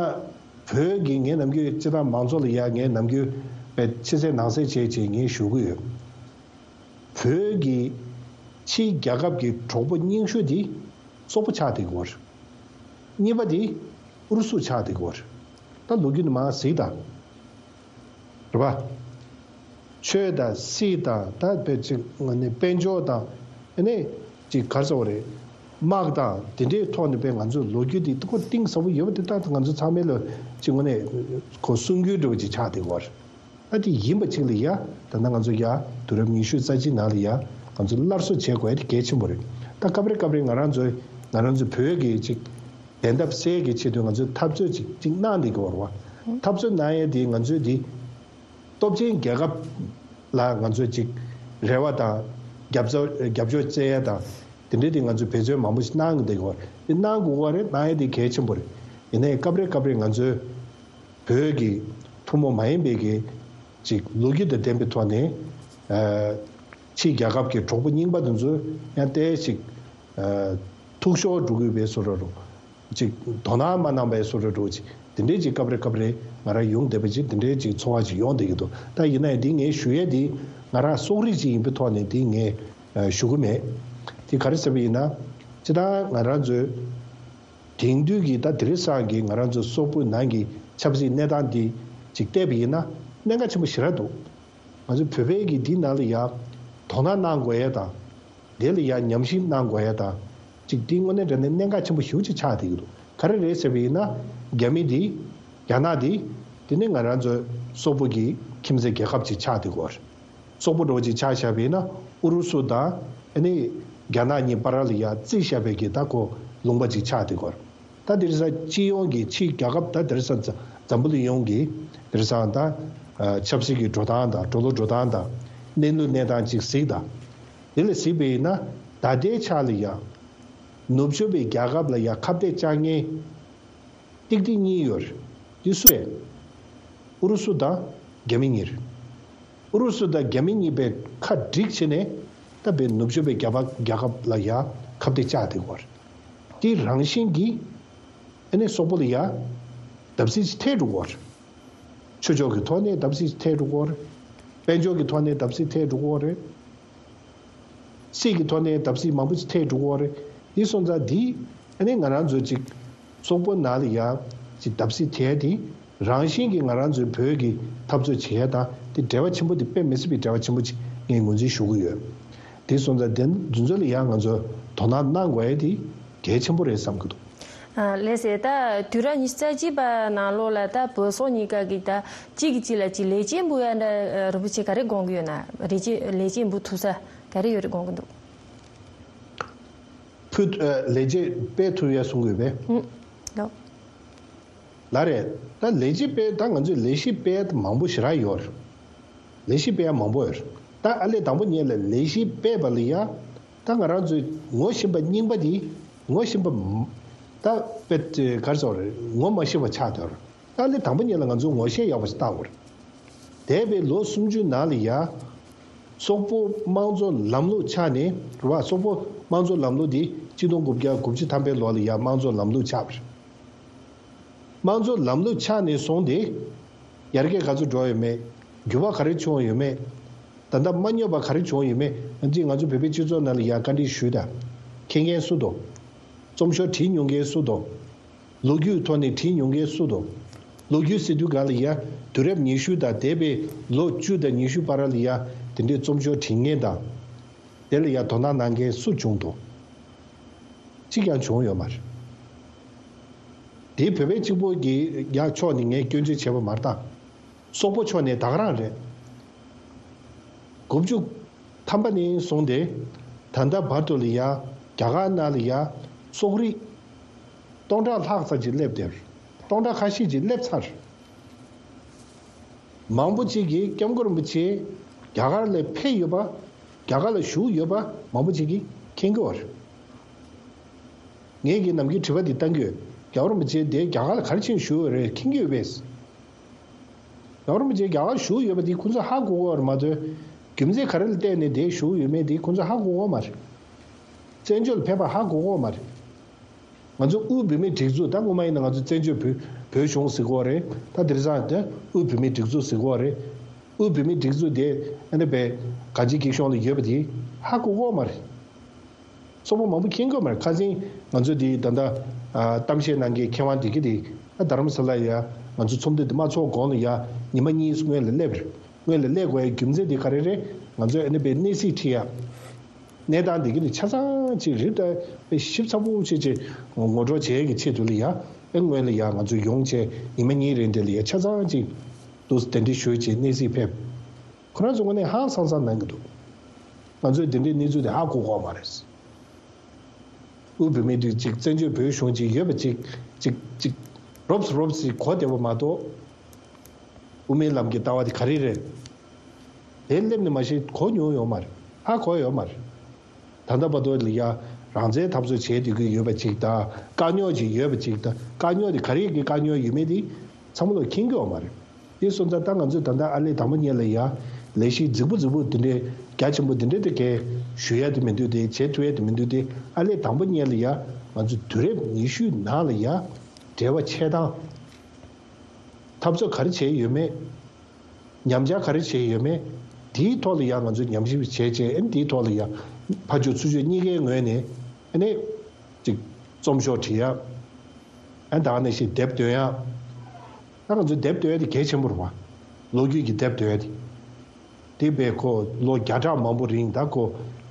བོད་ཀྱི་ངས་ནམ་རྒྱུན་སྤྱིར་བཏང་མང་ཚོགས་ལ་ཡ་ངས་ནམ་རྒྱུན་དཔེ་ཕྱི་གསལ་ནང་གསལ་བྱས་བྱས་ངས་ཞུ་གི་ཡོད། བོད་ཀྱི་ཕྱིའི་རྒྱལ་ཁབ་ཀྱི་གྲོགས་པོ་རྙིང་ཤོས་དེ་སོག་པོ་ཆགས་བསྡད་ཀྱི་ཡོད་རེད། གཉིས་པ་དེ་ཨུ་རུ་སུ་ཆགས་བསྡད་ཀྱི་ཡོད་རེད། ད་ལོ་རྒྱུས་ནས་མར་གཟིགས་དང་། རེད་པ། ཆོས་དང་སྲིད་དང་ད་དཔེ་ཅིག་ནི་དཔལ་འབྱོར་དང་ཨ་ནི་ཅིག་ག་རེ་ཟེར་དགོས་རེད། དམག་དང་དེ་འདྲའི་ཐོག་ནས་དཔེ་ང་ཚོའི་ལོ་རྒྱུས་དེ་ཁོ་གཏིང་ཟབ་པོ་ཡོད་པ་དེ་ད་ང་ཚོ་ཚང་མས་ལ་ཅིག་དངོས་གནས་ཁོ་གསུང་རྒྱུན་འདྲ་བོ་ཅིག་ཆགས་བསྡད་ཀྱི་ཡོད་རེད། ཨ་དེ་ཡིན་པ་ཅིག་ལ་ཡ། ད་ལྟ་ང་ཚོ་ཡ་དུས་རབས་ཉི་ཤུ་རྩ་གཅིག་ནང་ལ་ཡ་ང་ཚོ་སླར་གསོ་བྱེད་དགོས་ཡ་དེ་གལ་ཆེན་པོ་རེད། ད་སྐབས་རེ་སྐབས་རེ་ང་རང་ཚོའི་ང་རང་ཚོ་བོད་ཀྱི་ཅིག་བདེན་མཐའ་གསལ་གྱི་ཆེད་དུ་ང་ཚོས་འཐབ་རྩོད་ཅིག་ཅིག་གནང་བསྡད་ཀྱི་ཡོད་རེད་བ། འཐབ་རྩོད་གནང་ཡ་དེ་ང་ཚོའི་དེ་སྟོབས་ཆེན་རྒྱལ་ཁབ་ལ་ང་ཚོས་ཅིག་རེ་བ་དང་རྒྱབ་རྩ་རྒྱབ་སྐྱོར་བཙལ་ཡ་དང་། དེ་འདྲའི་དེ་ང་ཚོས་འབད་བརྩོན་མང་པོ་ཞིག་གནང་གི་འདུག་གོ། དེ་གནང་དགོས་གོ་རེད། གནང་ཡས་དེ་གལ་ཆེན་པོ་རེད། ཡིན་ནའི་སྐབས་རེ་སྐབས་རེ་ང་ཚོའི་བོད་ཀྱི་ཐུན་མོང་མ་ཡིན་པའི་གི་ཅིག་ལོ་རྒྱུས་དང་ལྡན་པའི་ཐོག་ནས་ཕྱིའི་རྒྱལ་ཁབ་ཀྱི་གྲོགས་པོ་རྙིང་པ་དེ་ཚོ་ཡང་ཏོག་ཙམ་ཅིག་ཐུག་ཤོར་འགྲོ་གི་ཡོད་པའི་བཟོ་འདྲ་རུ། ཅིག་དོ་སྣང་མ་གནང་པའི་བཟོ་འདྲ་འདྲ་བོ་ཅིག་དེ་འདྲའི་ཅིག་སྐབས་རེ་སྐབས་རེ་ང་རང་ཡོང་བསྡད་པ་ཅིག་དེ་འདྲའི་ཅིག་ཚོར་བ་ཅིག་ཡོང་བསྡད་ཀྱི་འདུག་ད་ཡིན་ན་ཡང་འདི་ངས་ཞུ་ཡས་འདི་ང་རང་གསོག་རིགས་ཅིག་ཡིན་པའི་ཐོག་ནས་འདི་ངས་ཨ་ཞུ་གི་མེད། དེ་ག་རེ་ཟེར་བ་ཡིན་ན། སྤྱིར་བཏང་ང་རང་ཚོའི་དེང་དུས་ཀྱི་ད་དེང་སང་གི་ང་རང་ཚོ་སོག་པོའི་ནང་གི་ཆབ་སྲིད་གནས་སྟངས་འདི་ཅིག་བལྟས་པ་ཡིན་ན་གནད་འགག་ཆེན་པོ་ཞེ་དྲག་འདུག་ང་ཚོ་བོད་པའི་གི་འདི་ནང་ལ་ཡ་དོ་སྣང་གནང་དགོས་ཡས་དང་། དེ་ལ་ཡ་ཉམས་ཞིབ་གནང་དགོས་ཡས་དང་། ཅིག་འདི་དངོས་གནས་དྲང་གནས་གནད་འགག་ཆེན་པོ་ཞེ་པོ་ཅིག་ཆགས་བསྡད་ཀྱི་འདུག་ག་རེ་རེད་ཟེར་བ་ཡིན་ན། རྒྱ་མི་འདི། རྒྱ་ནག་འདི། དེ་ནི་ང་རང་ཚོའི་སོག་པོ་གི་ཁྱིམ་མཚེས་རྒྱལ་ཁབ་ཅིག་ཆགས་བསྡད་ཀྱི་ཡོད་རེད། སོག་པོ་འདྲ་བོ་ཅིག་ཆ་བཞག་པ་ཡིན་ན་ཨུ་རུ་སུ་དང་ཨ་ནི་རྒྱ་ནག་གཉིས་བར་ལ་ཡ་རྩིས་བཞག་པའི་གི་ད་ཁོ་ལུང་པ་ཅིག་ཆགས་བསྡད་ཀྱི་ཡོད་རེད། ད་དེང་སང་སྤྱི་ཡོངས་ཀྱི་ཕྱིའི་རྒྱལ་ཁབ་ད་དེང་སང་འཛམ་བུ་གླིང་ཡོངས་ཀྱི་དེང་སང་ད་ཆབ་སྲིད་ཀྱི་འགྲོ་སྟངས་དང་འགྲོ་ལུགས་འགྲོ་སྟངས་དང་གནས་ལུགས་གནས་སྟངས་ཅིག་གཟིགས་དང་། དེ་ལ་གཟིགས་པ་ཡིན་ན་ད་ལྟའི་ཆ་ལ་ཡ་ནུབ་ཕྱོགས་པའི་རྒྱལ་ཁབ་ལ་ཡ་ཁ་གཏད་བཅག་མཁན་ཏིག་ཏིག་གཉིས་ཡོད་རེད། འདི་སུ་རེད། ཨུ་རུ་སུ་དང་རྒྱ་མི་གཉིས་རེད། ཨུ་རུ་སུ་དང་རྒྱ་མི་གཉིས་པས་ཁ་བསྒྲིགས་བྱས་ནས་ད་བའི་ནུབ་ཕྱོགས་པའི་རྒྱལ་ཁབ་རྒྱལ་ཁབ་ལ་ཡ་ཁ་གཏད་བཅག་བསྡད་ཡོད་རེད། དེ་རང་བཞིན་གྱིས་ཨ་ནི་སོག་པོ་ལ་ཡ་བརྡབ་གསིག་ཅིག་ཐེབས་འགྲོ་གི་ཡོད་རེད། ཆོས་ཕྱོགས་ཀྱི་ཐོག་ནས་བརྡབ་གསིག་ཅིག་ཐེབས་འགྲོ་གི་ཡོད་རེད། དཔལ་འབྱོར་གྱི་ཐོག་ནས་བརྡབ་གསིག་ཐེབས་འགྲོ་གི་ཡོད་རེད། སྲིད་ཀྱི་ཐོག་ནས་བརྡབ་གསིག་མང་པོ་ཅིག་ཐེབས་འགྲོ་གི་ཡོད་རེད། དེ་སོང་ཙང་འདི་ཨ་ནི་ང་རང་ཚོ་ཅིག་སོག་པོ་ནང་ལ་ཡ་ཅིག་བརྡབ་གསིག་ཐེབས་དེ་རང་བཞིན་གྱིས་ང་རང་ཚོའི་བོད་ཀྱི་འཐབ་རྩོད་བྱེད་ཡ་དང་དེ་འབྲེལ་བ་ཆེན་པོ་དེ་དཔེ་མི་སྲིད་པའི་འབྲེལ་བ་ཆེན་པོ་ཅིག་ངས་ངོས་འཛིན་ཞུ་གི་ཡོད། དེ་སོང་ཙང་དེ་འདི་ཚོ་ལ་ཡ་ང་ཚོ་དོ་སྣང་གནང་དགོས་ཡ་དེ་གལ་ཆེན་པོ་རེད་བསམ་གྱི་འདུག་ཨ་ལགས་སེ། ད་དུས་རབས་ཉི་ཤུ་རྩ་གཅིག་པ་ནང་ལོགས་ལ་ད་བོད་སོག་གཉིས་ཀ་གི་ད་གཅིག་གིས་གཅིག་ལ་གཅིག་ལས་བྱེད་འབུལ་ཡ་འདྲ་རིན་པོ་ཆེ་ག་རེ་དགོངས་ཀྱི་ཡོད་ན། ལས་བྱེད་ལས་བྱེད་འབུལ་ཐུབ་ས་ག་རེ་ཡོད་རེད་དགོངས་ཀྱི་འདུག་ཕུལ། ཨ་ལས་བྱེད་སྤེལ་ཐུབ་ཡ་གསུང་གི་ཡོད་པས། ཨུམ། ལགས། ལགས་རེད། ད་ལས་བྱེད་སྤེལ་ད་ང་ཚོས་ལས་གཞི་སྤེལ་མང་པོ་ཞེ་དྲག་ཡོད་རེད། ལས་གཞི་སྤེལ་ཡ་མང་པོ་ཡོད་རེད། ད་ཨ་ལས་དང་པོ་ཉིད་ལ་ལས་གཞི་སྤེལ་བ་ལ་ཡ། ད་ང་རང་ཚོའི་ངོ་ཤེས་པ་རྙིང་པ་འདི་ངོ་ཤེས་པ་མ་ད་དཔེ་ག་རེ་ཟེར་དགོས་རེད། ངོ་མ་ཤེས་པ་ཆགས་བསྡད་ཡོད་རེད། ད་ཨ་ལས་དང་པོ་ཉིད་ལ་ང་ཚོས་ངོ་ཤེས་ཡག་པོ་ཞིག་བཏང་དགོས་རེད། འདས་པའི་ལོ་སུམ་ཅུ་ནང་ལ་ཡ། སོག་པོ་དམངས་གཙོ་ལམ་ལུགས་ཆགས་ནས་རེད་བ། སོག་པོ་དམངས་གཙོ་ལམ་ལུགས་འདི་གཅིག་སྟོང་དགུ་བརྒྱ་དགུ་བཅུ་ཐམ་པའི་ལོ་ལ་ཡ་དམངས་གཙོ་ལམ་ལུགས་ཆགས་པ་རེད། དམངས་གཙོ་ལམ་ལུགས་ཆགས་ནས་བཟུང་སྟེ། ཡར་རྒྱས་ག་ཚོད་འགྲོ་ཡོད་མེད། འགྱུར་བ་ག་རེ་བྱུང་ཡོད་མེད། ད་ལྟ་མ་རྙོག་པ་ག་རེ་བྱུང་ཡོད་མེད། ང་ཚོས་ང་ཚོ་བོད་པའི་སྤྱི་ཚོགས་ནང་ལ་ཡ་བཀའ་འདྲི་ཞུས་དང་། མཁྱེན་མཁན་སུ་འདུག་རྩོམ་ཤོག་བྲིས་མྱོང་མཁན་སུ་འདུག་ལོ་རྒྱུས་ཐོག་ནས་བྲིས་མྱོང་མཁན་སུ་འདུག་ལོ་རྒྱུས་ཟེར་དུས་གང་ལ་ཡ་དུས་རབས་ཉི་ཤུ་དང་འདས་པའི་ལོ་བཅུ་དང་ཉི་ཤུ་བར་ལ་ཡ་དེ་འདྲའི་རྩོམ་ཤོག་བྲིས་མཁན་དང་། དེ་ལ་ཡ་དོ་སྣང་གནང་མཁན་སུ་བྱུང་འདུག་གཅིག་ཀྱང་བྱུང་ཡོད་མ་རེད། དེ་བོད་པའི་གཅིག་པོ་གི་ཡ་ཕྱོགས་ནས་ངས་སྐྱོན་བརྗོད་བྱས་པ་མ་རེད་ད། སོག་པོ་ཕྱོགས་ནས་ད་ག་རང་རེད། དགུ་བཅུ་ཐམ་པ་ནས་བཟུང་སྟེ་ད་ལྟ་བར་དུ་ལ་ཡ་རྒྱ་གར་ནང་ལ་ཡ་སོག་རིགས་སྟོང་ཕྲག་ལྷག་ཙམ་ཅིག་སླེབས་བསྡད་རེད། སྟོང་ཕྲག་ཁ་ཤས་ཅིག་སླེབས་ཚར་རེད། མང་པོ་ཅིག་གིས་སྐྱབས་མགོན་རིན་པོ་ཆེ་རྒྱ་གར་ལ་ཕེབས་ཡོད་པ། རྒྱ་གར་ལ་བཞུགས་ཡོད་པ་མང་པོ་ཅིག་གིས་མཁྱེན་གྱི་ཡོད་རེད། ངས་ཀྱིས་ནམ་རྒྱུན་དྲི་བ་འདི་བཏང་གི་ཡོད། རྒྱལ་བ་རིན་པོ་ཆེ་དེ་རྒྱ་གར་ལ་ག་རེ་བྱས་ནས་བཞུགས་ཡོད་རེད་མཁྱེན་གྱི་ཡོད་པས། རྒྱལ་བ་རིན་པོ་ཆེ་རྒྱ་གར་བཞུགས་ཡོད་པ་དེ་ཁོང་ཚོས་ཧ་གོ་གི་ཡོད་རེད་མ་གཏོགས། རྒྱུ་མཚན་ག་རེ་ལ་བརྟེན་ནས་དེ་བཞུགས་ཡོད་མེད་དེ་ཁོང་ཚོས་ཧ་གོ་གི་ཡོད་མ་རེད། བཙན་བྱོལ་ལ་ཕེབས་པ་ཧ་གོ་གི་ཡོད་མ་རེད། ང་ཚོ་དབུས་བོད་མིའི་སྒྲིག་འཛུགས། ད་སྔོན་མ་ཡིན་ན་ང་ཚོ་བཙན་བྱོལ་བོད་བོད་གཞུང་ཟེར་གྱི་ཡོད་རེད། ད་དེང་སང་དེ་དབུས་བོད་མིའི་སྒྲིག་འཛུགས་ཟེར་གྱི་ཡོད་རེད། དབུས་བོད་མིའི་སྒྲིག་འཛུགས་དེ་ཨ་ནི་བས་གངས་ཅན་སྐྱིད་གཤོངས་ལ་ཡོད་པ་དེ་ཧ་གོ་གི་ཡོད་མ་རེད། སོག་པོ་མང་པོ་མཁྱེན་གྱི་ཡོད་མ་རེད། ཁ་སང་ང་ཚོ་དེ་ད་ལྟ་ཨ་གཏམ་བཤད་གནང་མཁན་མཁས་དབང་བདེ་སྐྱིད་དེ་ཨ་རྡ་རམ་ས་ལ་ཡ་ང་ཚོ་ཚོགས་འདུ་དེ་མ་ཚོགས་གོང་ལ་ཡ་ཉི་མ་གཉིས་སྔོན་ལ་སླེབས་རེད། སྔོན་ལ་སླེབས་དགོས་ཡ་རྒྱུ་མཚན་དེ་ག་རེ་རེད། ང་ཚོས་ཨ་ནི་བས་གནས་ཚུལ་ཁྲིད་ཡ། གནས་སྟངས་འདི་གི་ནི་ཆ་ཚང་ཅིག་རིག་ད་ཞིབ་ཚགས་པོ་བྱེད་ཅིག་ངོ་སྤྲོད་བྱེད་ཀྱི་ཆེད་དུ་ལ་ཡ་ཨེ་སྔོན་ལ་ཡ་ང་ཚོ་ཡོང་བྱས་ཉི་མ་གཉིས་རིང་དེ་ལ་ཡ་ཆ་ཚང་ཅིག་འདུག་གདན་འདྲེན་ཞུས་བྱས་གནས་གཟིགས་ཕེབས། ཁོ་རང་ཚོ་དངོས་གནས་ཧང་སང་སང་གནང་གི་འདུག་ང་ཚོས་དེ་འདྲའི་གནས་ཚུལ་དེ་ཧ་གོ་གོ་མ་རེད། དབུས་བོད་མིའི་སྒྲིག་ཅིག་བཙན་བྱོལ་བོད་གཞུང་ཅིག་ཡོད་པ་ཅིག་ཅིག་ཅིག་རོབ་རོབ་ཅིག་གོ་བདེ་བ་མ་གཏོགས། དབུ་མའི་ལམ་གྱི་ལྟ་བ་དེ་ག་རེ་རེད། དེ་སླེབས་ནས་མ་གཞི་གོ་མྱོང་ཡོད་མ་རེད། ཧ་གོ་ཡོད་མ་རེད། ད་ལྟ་བར་དུ་ལ་ཡ་ རང་བཙན་འཐབ་རྩོད་བྱས་བསྡད་ཀྱི་ཡོད་པ་ཅིག་དང་། དཀའ་རྙོག་ཅིག་ཡོད་པ་ཅིག་དང་། དཀའ་རྙོག་དེ་ག་རེ་གི་དཀའ་རྙོག་ཡོད་མེད་དེ་ཚང་མ་ལ་མཁྱེན་གྱི་ཡོད་མ་རེད། དེ་སོང་ཙང་ད་ང་ཚོས་ད་ལྟ་ཨ་ལས་དང་པོ་ཉིད་ལ་ཡ་ལས་གཞི་རྫིག་པོ་རྫིག་པོ་དེ་འདྲའི་རྒྱ་ཆེན་པོ་དེ་འདྲའི་དེ་གས་ཞུ་ཡ་དེ་མི་འདུག་དེ་བྱེད་ཐུབ་ཡ་དེ་མི་འདུག་དེ་ཨ་ལས་དང་པོ་ཉིད་ལ་ཡ་ང་ཚོ་དུས་རབས་ཉི་ཤུའི་ནང་ལ་ཡ་འབྲེལ་བ་ཆད་སྟངས། འཐབ་རྩོད་ག་རེ་བྱས་ཡོད་མེད། ཉམས་ཆག་ག་རེ་བྱས་ཡོད་མེད། དེའི་ཐོག་ལ་ཡང་ང་ཚོས་ཉམས་ཞིབ་བྱས་རྗེས་ཨ་ནི་དེའི་ཐོག་ལ་ཡང་ཕར་ཕྱོགས་ཚུར་ཕྱོགས་གཉིས་ཀའི་ངོས་ནས་ཨ་ནི་ཅིག་རྩོམ་ཤོག་བྲིས་ཡ། ཨ་ནི་ད་ག་ནང་བཞིན་དེབ་འདོན་ཡ། ད་ང་ཚོས་དེབ་འདོན་ཡ་དེ་གལ་ཆེན་པོ་རེད་བ། ལོ་རྒྱུས་ཀྱི་དེབ་འདོན་ཡ་དེ། དེ་བས་ཁོ་ལོ་བརྒྱ་ཕྲག་མང་པོ་རིང་ད་ཁོ་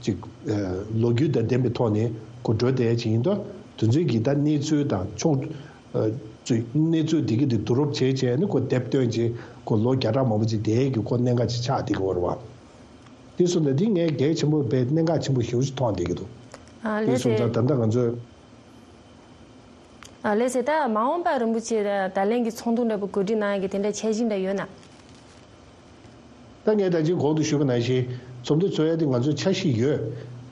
ཅིག་ཨ་ལོ་རྒྱུས་དང་ལྡན་པའི་ཐོག་ནས་ཁོ་འགྲོ་བསྡད་ཡ་ཅིག་ཡིན་དུས་དེ་ཚོའི་གི་ད་གནས་ཚུལ་དང་ཕྱོགས། ཨ་ཚོས་གནས་ཚུལ་འདི་གི་འདི་བསྡུ་རུབ་བྱས་བྱས་ནས་ཁོ་དེབ་བཏོན་བྱས་ཁོ་ལོ་བརྒྱ་ཕྲག་མང་པོ་ཅིག་བསྡད་ཀྱི་ཁོ་གནད་འགག་ཅིག་ཆགས་བསྡད་ཀྱི་ཡོད་རེད་བ། དེ་སོང་ཙང་འདི་ངས་གལ་ཆེན་པོ་བས་གནད་འགག་ཆེན་པོ་ཞེ་པོ་ཅིག་མཐོང་བསྡད་ཀྱི་འདུག་ཨ་དེ་ལགས་སོང་ཙང་སེ། ད་ལྟ་ང་ཚོས། ཨ་ལགས་སེ། ད་མ་འོངས་པར་རིན་པོ་ཆེ་ད་ད་ལན་གྱི་ཚོགས་འདུ་འདྲ་པོ་གོ་སྒྲིག་གནང་ཡ་གི་དེ་འདྲ་འཆར་གཞི་འདྲ་ཡོད་ན། ད་ངས་ད་ཅི་གོང་དུ་ཞུས་པ་ནང་བཞིན་ཚོགས་འདུ་ཚོགས་ཡ་དེ་ང་ཚོའི་འཆར་གཞི་ཡོད།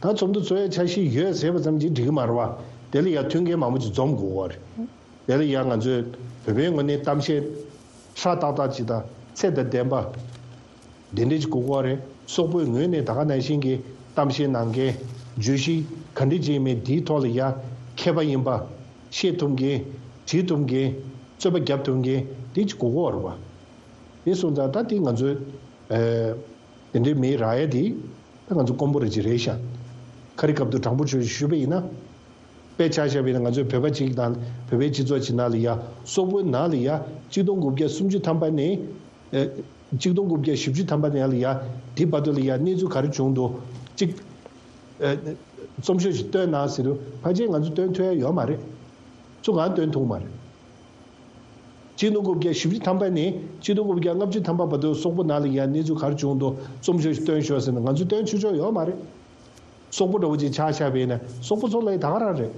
ད་ཚོགས་འདུ་ཚོགས་ཡ་འཆར་གཞི་ཡོད་ཟེར་བ་ཙམ་གྱིས་འགྲིག་གི་མ་རེད་བ། དེ་ལ་ཡ་མཐུན་རྐྱེན་མང་པོ་ཅིག་འཛོམས་དགོས་པ་རེད། དེ་ལ་ཡང་ང་ཚོས་བོད་པའི་ངོས་ནས་གཏམ་བཤད་ཧྲ་ཏག་ཏག་ཅིག་དང་ཚད་དང་ལྡན་པ་དེ་འདྲ་ཅིག་དགོས་ཀྱི་རེད། སོག་པོའི་ངོས་ནས་ད་ག་ནང་བཞིན་གྱི་གཏམ་བཤད་གནང་མཁན་བརྗོད་གཞི་ག་འདྲ་ཅིག་ཡིན་མིན་དེའི་ཐོག་ལ་ཡ་མཁས་པ་ཡིན་པ། བཤད་ཐུབ་མཁན། བྲིས་ཐུབ་མཁན། རྩོད་པ་རྒྱབ་ཐུབ་མཁན་དེ་ཅིག་དགོས་ཀྱི་རེད་བ། དེ་སོང་ཙང་ད་དེ་ང་ཚོས་ཨ་དེ་འདྲའི་མི་རག་ཡ་དེ་ད་ང་ཚོ་དཀོན་པོ་རེད་ཅིག་རེད་ཤག་ཁ་རི་ཁ་ཐུག་དྲང་པོ་ཆོས་ཞུས་པ་ཡིན་ན། དཔེ་ཆ་བཞག་པ་ཡིན་ན་ང་ཚོའི་བོད་པ་གཅིག་དང་བོད་པའི་སྤྱི་ཚོགས་གཅིག་ནང་ལ་ཡ་སོག་པོའི་ནང་ལ་ཡ་གཅིག་སྟོང་དགུ་བརྒྱ་སུམ་ཅུ་ཐམ་པ་ནས་ཨ་གཅིག་སྟོང་དགུ་བརྒྱ་བཞི་བཅུ་ཐམ་པ་ནང་ལ་ཡ་འདི་བར་དུ་ལ་ཡ་གནས་ཚུལ་ག་རེ་བྱུང་འདུག་གཅིག་ཨ་རྩོམ་ཤོག་ཅིག་བཏོན་གནང་ཟེར་དུས་ཕལ་ཆེར་ང་ཚོ་བཏོན་ཐུབ་ཡ་ཡོད་མ་རེད། ཚུར་གང་བཏོན་ཐུབ་མ་རེད། གཅིག་སྟོང་དགུ་བརྒྱ་བཞི་བཅུ་ཐམ་པ་ནས་གཅིག་སྟོང་དགུ་བརྒྱ་ལྔ་བཅུ་ཐམ་པ་བར་དུ་སོག་པོ་ནང་ལ་ཡ་གནས་ཚུལ་ག་རེ་བྱུང་འདུག་རྩོམ་ཤོག་ཅིག་བཏོན་ཤོག་ཟེར་ན་ང་ཚོས་བཏོན་ཆོག་ཆོག་ཡོད་མ་རེད། སོག་པོ་འདྲ་བོ་ཅིག་ཆགས་ཆགས་པས་ན་སོག་པོ་ཚོ་ལ་ཡ་ད་ག་རང་རེད།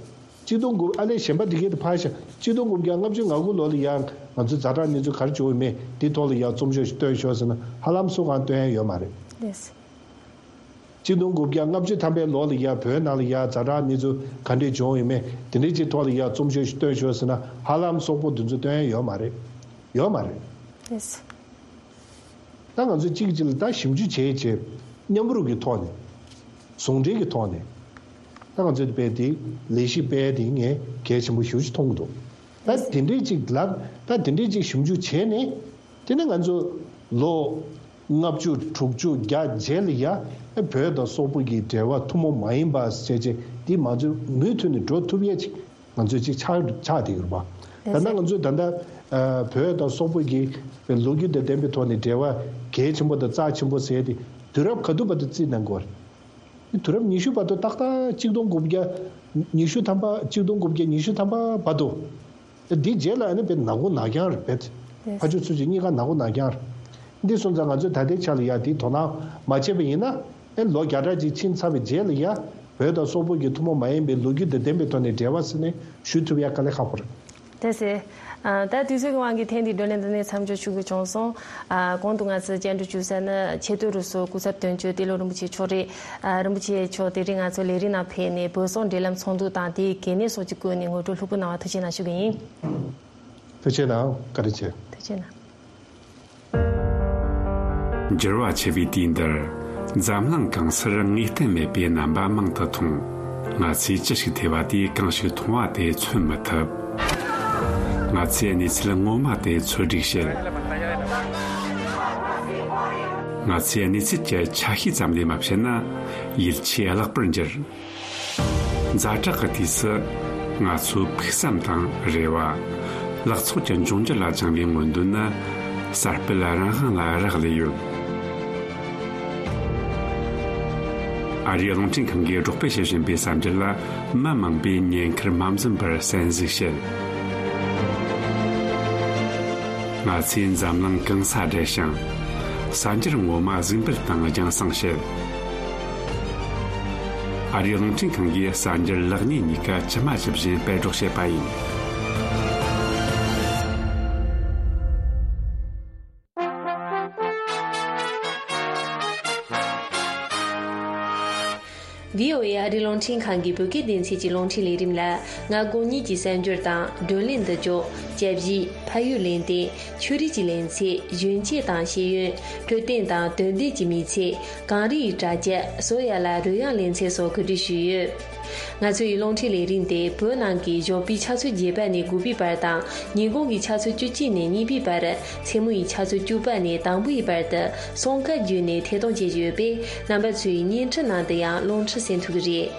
གཅིག་སྟོང་དགུ་ཨ་ལས་གཞན་པ་འདི་གའི་དུ་ཕར་བཞག་གཅིག་སྟོང་དགུ་བརྒྱ་ལྔ་བཅུ་ང་དགུ་ལོ་ལ་ཡ་ང་ཚོའི་ཛ་དྲག་གནས་ཚུལ་ག་རེ་བྱུང་ཡོད་མེད་འདི་ཐོག་ལ་ཡ་རྩོམ་ཤོག་ཅིག་བཏོན་ཤོག་ཟེར་ན་ཧ་ལམ་སུ་གང་བཏོན་ཡ་ཡོད་མ་རེད། ལགས་སེ། གཅིག་སྟོང་དགུ་བརྒྱ་ལྔ་བཅུ་ཐམ་པའི་ལོ་ལ་ཡ་བོད་ནང་ལ་ཡ་ཛ་དྲག་གནས་ཚུལ་ག་འདྲས་བྱུང་ཡོད་མེད་དེ་འདྲས་ཀྱི་ཐོག་ལ་ཡ་རྩོམ་ཤོག་ཅིག་བཏོན་ཤོག་ཟེར་ན་ཧ་ལམ་སོག་པོ་འདི་ཚོ་བཏོན་ཡ་ཡོད་མ་རེད། ཡོད་མ་རེད། ལགས་སེ། ད་ང་ཚོས་གཅིག་གཅིག་ལ་ད་ཞིབ་འཇུག་བྱས་རྗེས་མཉམ་རུབ་ཀྱི་ཐོག་ནས་ཟུང་འབྲེལ་གྱི་ཐོག་ནས་ད་ང་ཚོས་དཔེ་དེ་ལས་གཞི་སྤེལ་དེ་ངས་གལ་ཆེན་པོ་ཞེ་པོ་ཅིག་མཐོང་གི་འདུག་ད་དེ་འདྲས་ཅིག་ལབ་ད་དེ་འདྲས་ཅིག་ཞིབ་འཇུག་བྱས་ནས་དེ་ནས་ང་ཚོ་ལོ་ལྔ་བཅུ་དྲུག་ཅུ་བརྒྱ་རྗེས་ལ་ཡ་བོད་དང་སོག་པོ་གི་འབྲེལ་བ་ཐུན་མོང་མ་ཡིན་པ་བྱས་རྗེས་འདི་མ་ཚོས་མུ་མཐུད་ནས་འགྲོ་ཐུབ་ཡས་ཅིག་ང་ཚོས་ཅིག་ཆགས་ཆགས་བསྡད་ཡོད་རེད་པ། ད་ལྟ་ང་ཚོས་ད་ལྟ་ཨ་བོད་དང་སོག་པོ་གི་ལོ་རྒྱུས་དང་ལྡན་པའི་ཐོག་ནས་འབྲེལ་བ་གལ་ཆེན་པོ་དང་རྩ་ཆེན་པོ་ཟེར་ཏེ་དུས་རབས་ག་དུས་བར་དུ་རྩིས་གནང་དགོས་རེད། དུས་རབས་ཉི་ཤུ་བར་དུ་ཏག་ཏག་གཅིག་སྟོང་དགུ་བརྒྱ་ཉི་ཤུ་ཐམ་པ་གཅིག་སྟོང་དགུ་བརྒྱ་ཉི་ཤུ་ཐམ་པ་བར་དུ། འདི་རྗེས་ལ་ཨ་ནི་དཔེ་ནག་པོ་ནག་རྐྱང་རེད་པས། ཕར་ཕྱོགས་ཚུར་ཕྱོགས་གཉིས་ཀ་ནག་པོ་ནག་རྐྱང་རེད། འདི་སོང་ཙང་ང་ཚོས་ད་ལྟའི་ཆ་ལ་ཡ་དེའི་དོ་སྣང་མ་བྱས་པ་ཡིན་ན་ཨེ་ལོ་བརྒྱ་ཕྲག་ཅིག་ཕྱིན་ཚར་བའི་རྗེས་ལ་ཡ་བོད་དང་སོག་པོ་གི་ཐུན་མོང་མ་ཡིན་པའི་ལོ་རྒྱུས་དང་ལྡན་པའི་ཐོག་ནས་འབྲེལ་བ་ཟེར་ནས་ཞུ་ཐུབ་ཡ་དཀའ་ལས་ཁག་པོ་རེད། ལགས་སེ། ཨ་ད་དུས་ཚོད་ཀྱི་དབང་གིས་ཐེངས་འདིའི་བགྲོ་གླེང་འདི་ནས་མཚམས་འཇོག་ཞུ་དགོས་བྱུང་སོང་། ཨ་གོང་དུ་ང་ཚོས་བཅར་འདྲི་ཞུ་ས་ནི་ཆེས་མཐོའི་རིགས་སུ་སྐུ་ཚབ་དོན་གཅོད་ཏེ་ལོ་རིན་པོ་ཆེ་མཆོག་རེད། ཨ་རིན་པོ་ཆེ་མཆོག་དེ་རིང་ང་ཚོའི་ལས་རིམ་ནང་ཕེབས་ནས་བོད་སོག་འབྲེལ་ལམ་ཚོགས་འདུ་དང་དེའི་གལ་གནད་སོགས་ཀྱི་སྐོར་ནས་ངོ་སྤྲོད་ལྷུག་པོ་གནང་བར་ཐུགས་རྗེ་གནང་ཞུ་གི་ཡིན། ཐུགས་རྗེ་གནང་། བཀའ་དྲིན་ཆེ། ཐུགས་རྗེ་གནང་། འགྱུར་བ་ཆེ་བའི་དུས་འདིར་འཛམ་གླིང་གང་སར་ངེས་གཏན་མེད་པའི་རྣམ་པ་མང་དུ་མཐོང་། ང་ཚོས་ཅི་ཞིག་ཐོས་པ་དེས་གང་ཞིག་མཐོང་བ་དེ་མཚོན་མི་ཐུབ། ང་ཚོས་གནས་ཚུལ་ངོ་མ་དེ་ཚོད་སྒྲིག་བྱེད། ང་ཚོས་གནས་ཚུལ་གྱི་ཆ་ཤས་ཙམ་ལས་མ་བཤད་ན་ཡིད་ཆེས་བརླག་པར་འགྱུར། ཛ་དྲག་གི་དུས་སུ་ང་ཚོའི་ཕུགས་བསམ་དང་རེ་བ། ལག་ཚོགས་ཀྱི་འབྱུང་འགྱུར་ལ་བཅངས་པའི་མངོན་འདོད་ནི་གསར་སྤེལ་རང་དབང་ལ་རག་ལས་ཡོད། ཨ་རིའི་རླུང་འཕྲིན་ཁང་གིས་སྒྲོག་སྤེལ་བྱེད་བཞིན་པའི་གསར་འགྱུར་ལ་མི་མང་པོས་ཉེན་ཁར་མ་འཛེམས་པར་གསན་གཟིགས་བྱེད། ང་ཚོས་འཛམ་གླིང་གང་སར་བསྡད་ཞིང་། གསར་འགྱུར་ངོ་མ་གཟིགས་འབུལ་དང་རྒྱང་སྲིང་བྱེད། ཨ་རིའི་རླུང་འཕྲིན་ཁང་གིས་གསར་འགྱུར་ལེགས་ཉེས་གཉིས་ཀ་ཇི་མ་ཇི་བཞིན་སྤེལ་སྒྲོག་བྱེད་པ་ཡིན། བྷི་ཨོ་ཨེ་ ཨ་རིའི་རླུང་འཕྲིན་ཁང་གི་བོད་སྐད་སྡེ་ཚན་གྱི་རླུང་འཕྲིན་ལས་རིམ་ལ། མངའ་ཁོངས་གཉིས་ཀྱི་གསར་འགྱུར་དང་། བགྲོ་གླེང་མདུན་སྐྱོད། དཔྱད་ཞིབ། ཕ་ཡུལ་གླེང་སྟེགས། ཆོས་རིག་གི་གླེང་ཚུལ། གཞོན་སྐྱེས་དང་ཤེས་ཡོན། འཕྲོད་བསྟེན་དང་དོན་ལྡན་གྱི་མི་ཚེ། གངས་རི་ཡི་གྲ་རྒྱས། བསོད་ཡ་ལ་རོལ་དབྱངས་གླེང་ཚུལ་སོགས་གོ་སྒྲིག་ཞུས་ཡོད། ང་ཚོའི་རླུང་འཕྲིན་ལས་རིམ་དེ་བོད་ནང་གི་ཞོགས་པའི་ཆུ་ཚོད་བརྒྱད་པ་ནས་དགུ་པའི་བར་དང་། ཉིན་གུང་གི་ཆུ་ཚོད་བཅུ་གཅིག་ནས་གཉིས་པའི་བར། མཚན་མོ་ཡི་ཆུ་ཚོད་བཅུ་པ་ནས་དང་པོའི་བར་དུ་སྲུང་སྐར་བརྒྱུད་ནས་ཐད་གཏོང་བྱེད་ཀྱི་ཡོད་པས། རྣམ་པ་ཚོས་བརྙན་འཕྲིན་ནང་དུ་ཡང་རླུང་འཕྲིན་གསན་ཐུབ་ཀྱི་རེད།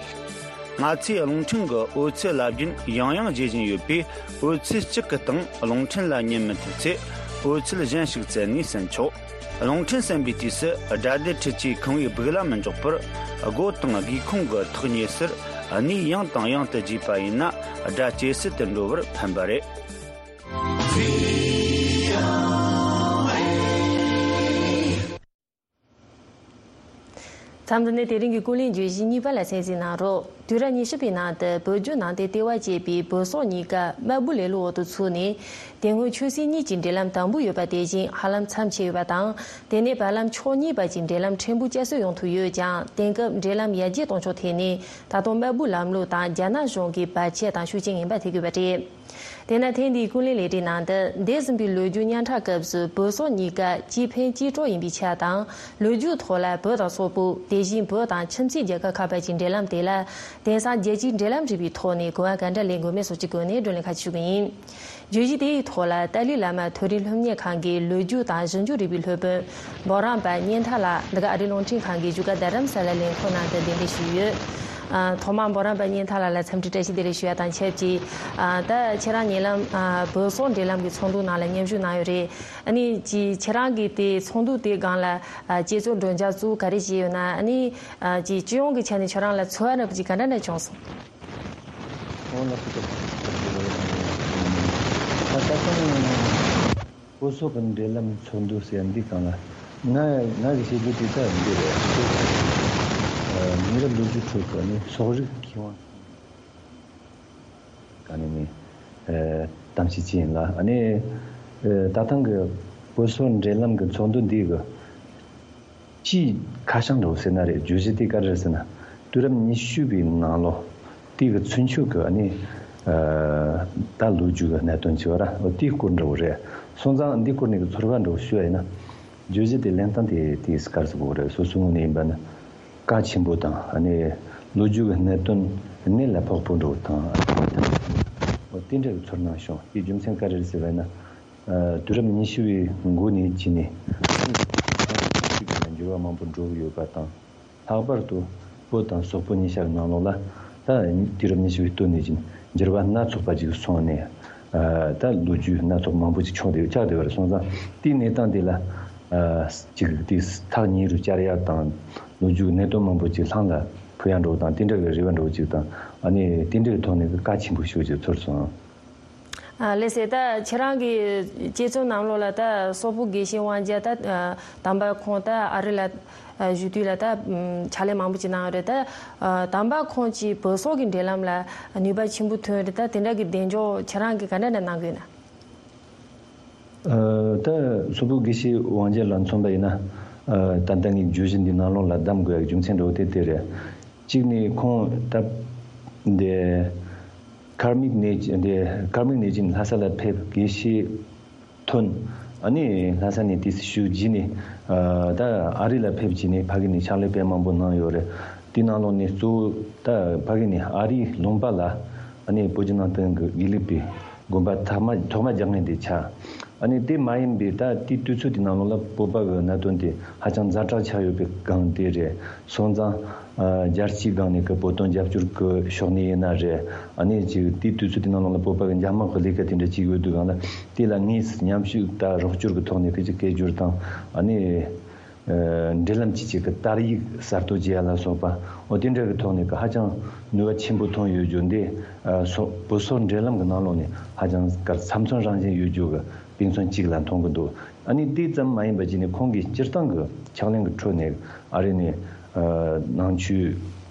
ང་ཚོས་རླུང་འཕྲིན་གྱི་འོད་ཚད་རླབས་རྒྱུན་ཡང་ཡང་བརྗེ་བཞིན་ཡོད་པས། འོད་ཚད་གཅིག་གི་སྟེང་རླུང་འཕྲིན་ལ་ཉན་མི་ཐུབ་ཚེ། འོད་ཚད་གཞན་ཞིག་བཙལ་ནས་གསན་ཆོག་རླུང་འཕྲིན་གསན་པའི་དུས་སུ། སྒྲ་སྡེར་ཁྲིད་ཆས་ཁང་བའི་སྦུག་ལ་མི་འཇོག་པར། སྒོ་དང་སྒེའུ་ཁུང་གི་ཐག་ཉེ་སར་གནས་ཡང་དང་ཡང་དུ་བརྗེས་པ་ཡིན་ན། སྒྲ་ཇེ་གསལ་དུ་འགྲོ་བར་ཕན་པ་རེད། མཚམས་འདི་ནས་དེ་རིང་གི་ཀུན་གླེང་བརྗོད་གཞི་གཉིས་པ་ལ་གསན་གཟིགས་གནང་རོགས། དུས་རབས་ཉི་ཤུ་པའི་ནང་དུ་བོད་བརྒྱུད་ནང་བསྟན་ལྟེ་བ་ཅེས་པའི་བོད་སོག་གཉིས་ཀ་དམར་པོའི་ལེ་ལོའི་འོག་ཏུ་ཚུད་ནས། དེ་སྔོན་ཆོས་སྲིད་གཉིས་ཀྱི་འབྲེལ་ལམ་དམ་པོ་ཡོད་པ་དེ་བཞིན་ཧ་ལམ་མཚམས་ཆད་ཡོད་པ་དང་། དེ་ནས་བར་ལམ་ཕྱོགས་གཉིས་བར་གྱི་འབྲེལ་ལམ་ཕྲན་བུ་བསྐྱར་གསོ་ཡོང་ཐུབ་ཡོད་ཀྱང་། དེང་སྐབས་འབྲེལ་ལམ་ཡར་རྒྱས་གཏོང་ཕྱོགས་ཐད་ནས་ད་དུང་དམར་པོའི་ལམ་ལུགས་དང་རྒྱ་ནག་གཞུང་གི་བར་ཆད་དང་ཤུགས་རྐྱེན་ངན་པ་ཐེབས་དགོས་པ་རེད། དེས་ན་ཐེངས་འདིའི་ཀུན་གླེང་ལས་རིམ་ནང་དུ། འདས་ཟིན་པའི་ལོ་རྒྱུས་སྙན་གྲགས་སྐབས་སུ་བོད་སོག་གཉིས་ཀ་གཅིག་ཕན་གཅིག་གྲོགས་ཡིན་པའི་ཆ་དང་། ལོ་རྒྱུས་ཐོག་ལ་བོད་དང་སོག་པོ། དེ་བཞིན་བོད་དང་ཁྱིམ་མཚེས་རྒྱལ་ཁབ་ཁག་བར་གྱི་འབྲེལ་ལམ་དེ་ལ། དེང་སང་རྒྱལ་སྤྱིའི་འབྲེལ་ལམ་རིག་པའི་ཐོག་ནས་གོ་བ་ག་འདྲ་ལེན་དགོས་མིན་སོགས་ཀྱི་སྒོ་ནས་བགྲོ་གླེང་ཁ་ཤས་ཞུ་གི་ཡིན། བརྗོད་གཞི་དེའི་ཐོག་ལ་ཏཱ་ལའི་བླ་མ་མཐོ་རིམ་སློབ་གཉེར་ཁང་གི་ལོ་རྒྱུས་དང་ཞིབ་འཇུག་རིག་པའི་སློབ་དཔོན་འབུམ་རམས་པ་གཉན་ཐར་ལགས། འདི་ག་ཨ་རིའི་རླུང་འཕྲིན་ཁང་གི་བཞུགས་སྒར་རྡ་རམ་ས་ལ་ལས་འཁོར་ནང་དུ་གདན་འདྲེན་ཞུས་ཡོད། ཨ། ཐོག་མར་འབུམ་རམས་པ་གཉན་ཐར་ལགས་ལ་འཚམས་འདྲི་བཀྲ་ཤིས་བདེ་ལེགས་ཞུ་ཡ་དང་ཆབས་ཅིག་ཨ། ད་ཁྱེད་རང་ཉེ་ལམ། ཨ། བོད་སོག་འབྲེལ་ལམ་གྱི་ཚོགས་འདུ་ནང་ལ་མཉམ་ཞུགས་གནང་ཡོད་རེད། ཨ་ནི་ཅིག་ཁྱེད་རང་གིས་དེ་ཚོགས་འདུ་དེའི་སྒང་ལ། ཨ། དཔྱད་རྩོམ་སྒྲོག་སྦྱང་ཚུལ་ག་རེ་བྱས་ཡོད་ན། ཨ་ནི། ཨ། ཅིག་སྤྱི་ཡོངས་ཀྱི་ཆ་ནས་ཁྱེད་རང་ལ་ཚོར་བ་འདྲ་པོ་ཅིག་ག་འདྲ་འདྲ་བྱུང་སོང་། འོ་ལགས་སོ། ད་ད་ཐེངས་བོད་སོག་གི་འབྲེལ་ལམ་ཚོགས་འདུ་ཟེར་འདི་སྒང་ལ་ང་ང་གི་བྱེད་རྒྱུ་དེ་ད་འདི་རེད། ཨ། མི་རབས་ལོ་རྒྱུས་ཁྲོད་ཀྱི་ནི་སོག་རིགས་མཁས་དབང་ག་ནས་ནི། ཨ། གཏམ་བཤད་ཅིག་ཡིན་ལ། ཨ་ནི། ཨ། ད་ཐེངས་ཀྱི་བོད་སོག་འབྲེལ་ལམ་གྱི་ཚོགས་འདུ་འདི་གི་སྤྱིའི་ཁ་བྱང་འདྲ་པོ་ཟེར་ན་རེད། བརྗོད་གཞི་དེ་ག་རེ་རེད་ཟེར་ན། དུས་རབས་ཉི་ཤུ་པའི་ནང་ལོ་དེ་གི་ཚུན་ཆོད་ཀྱི་ཨ་ནི། ཨ། ད་ལོ་རྒྱུས་ཀྱི་གནད་དོན་ཅིག་ཡོད་ར། འོ་དེའི་སྐོར་འདྲ་པོ་རེད། སོང་ཙང་འདིའི་སྐོར་ནས་ཀྱི་ཚོར་བ་འདྲ་པོ་ཞུ་ཡ་ཡིན་ན། བརྗོད་གཞི་དེ་ལེན་སྟངས་དེ་དེ་ག་རེ་ཟེར་དགོས་རེད། སོ་སོའི་ངོས་ནས་ཡིན་པ་ན་གལ་ཆེན་པོ་དང་། ཨ་ནི་ལོ་རྒྱུས་ཀྱི་གནད་དོན་གནད་ལ་ཕོག་པོ་འདྲ་པོ་དང་། འོ་དེ་འདྲ་གི་ཚོར་སྣང་བྱུང་། དེའི་རྒྱུ་མཚན་ག་རེ་རེད་ཟེར་བ་ཡིན་ན། ཨ། དུས་རབས་ཉི་ཤུ་པའི་འགོ་ནས་བྱས་ནས་འགྱུར་བ་མང་པོ་འགྲོ་གི་ཡོད་པ་དང་། ལྷག་པར་དུ་བོད་དང་སོག་པོ་གཉིས་ཆ་གི་ནང་ལོགས་ལ་ད་དུས་རབས་ཉི་ཤུ་པའི་སྟོད་ནས་བྱས་ནས་འགྱུར་བ་སྣ་ཚོགས་པ་ཅིག་སོང་ནས། ཨ། ད་ལོ་རྒྱུས་སྣ་ཚོགས་མང་པོ་ཅིག་བྱུང་བསྡད་ཆགས་བསྡད་པ་རེད། སོང་ཙང་དེའི་གནས་སྟངས་དེ་ལ། ཨ། ཅིག་དེ་ཐག་ཉེ་རུ་བཅར་ཡ་དང་། ལོ་རྒྱུས་གནད་དོན་མང་པོ་ཅིག་ལྷང་ལ་འཕུར་ཡ་འདྲ་པོ་དང་། དེ་འདྲ་གི་རེ་བ་འདྲ་པོ་ཅིག་དང་། ཨ་ནི་དེ་འདྲ་གི་ཐོག་ནས་གལ་ཆེན་པོ་ཞེ་པོ་ཅིག་ཚོར་སོང་། ཨ། ལགས་སེ། ད་ཁྱེད་རང་གི་དཔྱད་རྩོམ་ནང་ལོགས་ལ་ད་སོག་པོ་དགེ་བཤེས་དབང་རྒྱལ་ད་དམ་པ་ཁོང་ད་ཨ་རི་ལ་བཞུགས་དུས་ལ་ད་ཕྱག་ལས་མང་པོ་ཅིག་གནང་ཡོད་རེད། ད་དམ་པ་ཁོང་གིས་བོད་སོག་གི་འབྲེལ་ལམ་ལ་ནུས་པ་ཆེན་པོ་ཐོན་ཡོད་རེད། ད་དེ་འདྲ་གི་གདེང་འཇོག་ཁྱེད་རང་གིས་ག་འདྲ་འདྲ་གནང་གི་ཡོད་ན། ཨ། ད་སོག་པོ་དགེ་བཤེས་དབང་རྒྱལ་ལ་མཚོན་པ་ཡིན་ན། ཨ། ད་ལྟ་ངས་བརྗོད་གཞི་འདི་ནང་ལོགས་ལ་གདམ་དགོས་ཡག་རྒྱུ་མཚན་འདྲ་པོ་དེ་དེ་རེད། གཅིག་ནས་ཁོང་ད་འདི་ཀརྨ་ནས་འདི་ཀརྨ་ནས་ཅིག་ལྷ་ས་ལ་ཕེབས། དགེ་བཤེས་ཐོན། ཨ་ནི་ལྷ་ས་ནས་དེ་ཞུ་རྗེས་ནས། ཨ། ད་ཨ་རི་ལ་ཕེབས་རྗེས་ནས་ཕ་གི་ནས་ཕྱག་ལས་དཔེ་མང་པོ་གནང་ཡོད་རེད། དེ་ནང་ལོགས་ནས་གཙོ་བོ་ད་ཕ་གི་ནས་ཨ་རིའི་ལུང་པ་ལ། ཨ་ནི་བོད་བརྒྱུད་ནང་བསྟན་གྱི་དགེ་ལུགས་པའི་དགོན་པ་ཐོག་མ་ཐོག་མ་རྒྱག་མཁན་དེ་ཆགས། ཨ་ནི་དེ་མ་ཡིན་པའི་ད་དེའི་དུས་ཚོད་དེ་ནང་ལོགས་ལ་བོད་པ་གི་གནད་དོན་དེ་ཧ་ཅང་ཛ་དྲག་ཆགས་ཡོད་པའི་སྒང་དེ་རེད། སོང་ཙང་། ཨ། རྒྱལ་སྤྱིའི་སྒང་ནས་ཀྱི་བོད་དོན་རྒྱབ་སྐྱོར་གྱི་ཕྱོགས་ནས་ཡིན་ན་རེད། ཨ་ནི་ཅིག་དེའི་དུས་ཚོད་དེ་ནང་ལོགས་ལ་བོད་པ་གི་འཇབ་དམག་གི་ལས་ཀ་དེ་འདྲ་བྱེད་ཀྱི་ཡོད་དུས་སྒང་ལ། དེ་ལ་དངོས་སུ་མཉམ་ཞུགས་དང་རོགས་སྐྱོར་གྱི་ཐོག་ནས་ཀྱི་ཅིག་སྐད་སྒྱུར་དང་། ཨ་ནི། ཨ། འབྲེལ་ལམ་གྱི་ཅིག་གི་དར་ཡིག་གསར་གཏོད་བྱེད་ཡ་ལ་སོགས་པ། འོ་དེ་འདྲ་གི་ཐོག་ནས་ཀྱི་ཧ་ཅང་ནུས་པ་ཆེན་པོ་ཐོན་ཡོད་རྒྱུ་འདི། ཨ། སོག་བོད་སོག་འབྲེལ་ལམ་གྱི་ནང་ལོགས་ནས་ཧ་ཅང་ག་རེ་ཚབ་མཚོན་རང་བཞིན་ཡོད་རྒྱུ་གི་དཔེ་མཚོན་གཅིག་ལ་མཐོང་གི་འདུག། ཨ་ནི་དེ་ཙམ་མ་ཡིན་པ་བྱས་ནས་ཁོང་གིས་སྤྱིར་བཏང་གི་ཕྱག་ལེན་གྱི་ཁྲོད་ནས་ཨ་རི་ནས། ཨ། ནང་ཆོས་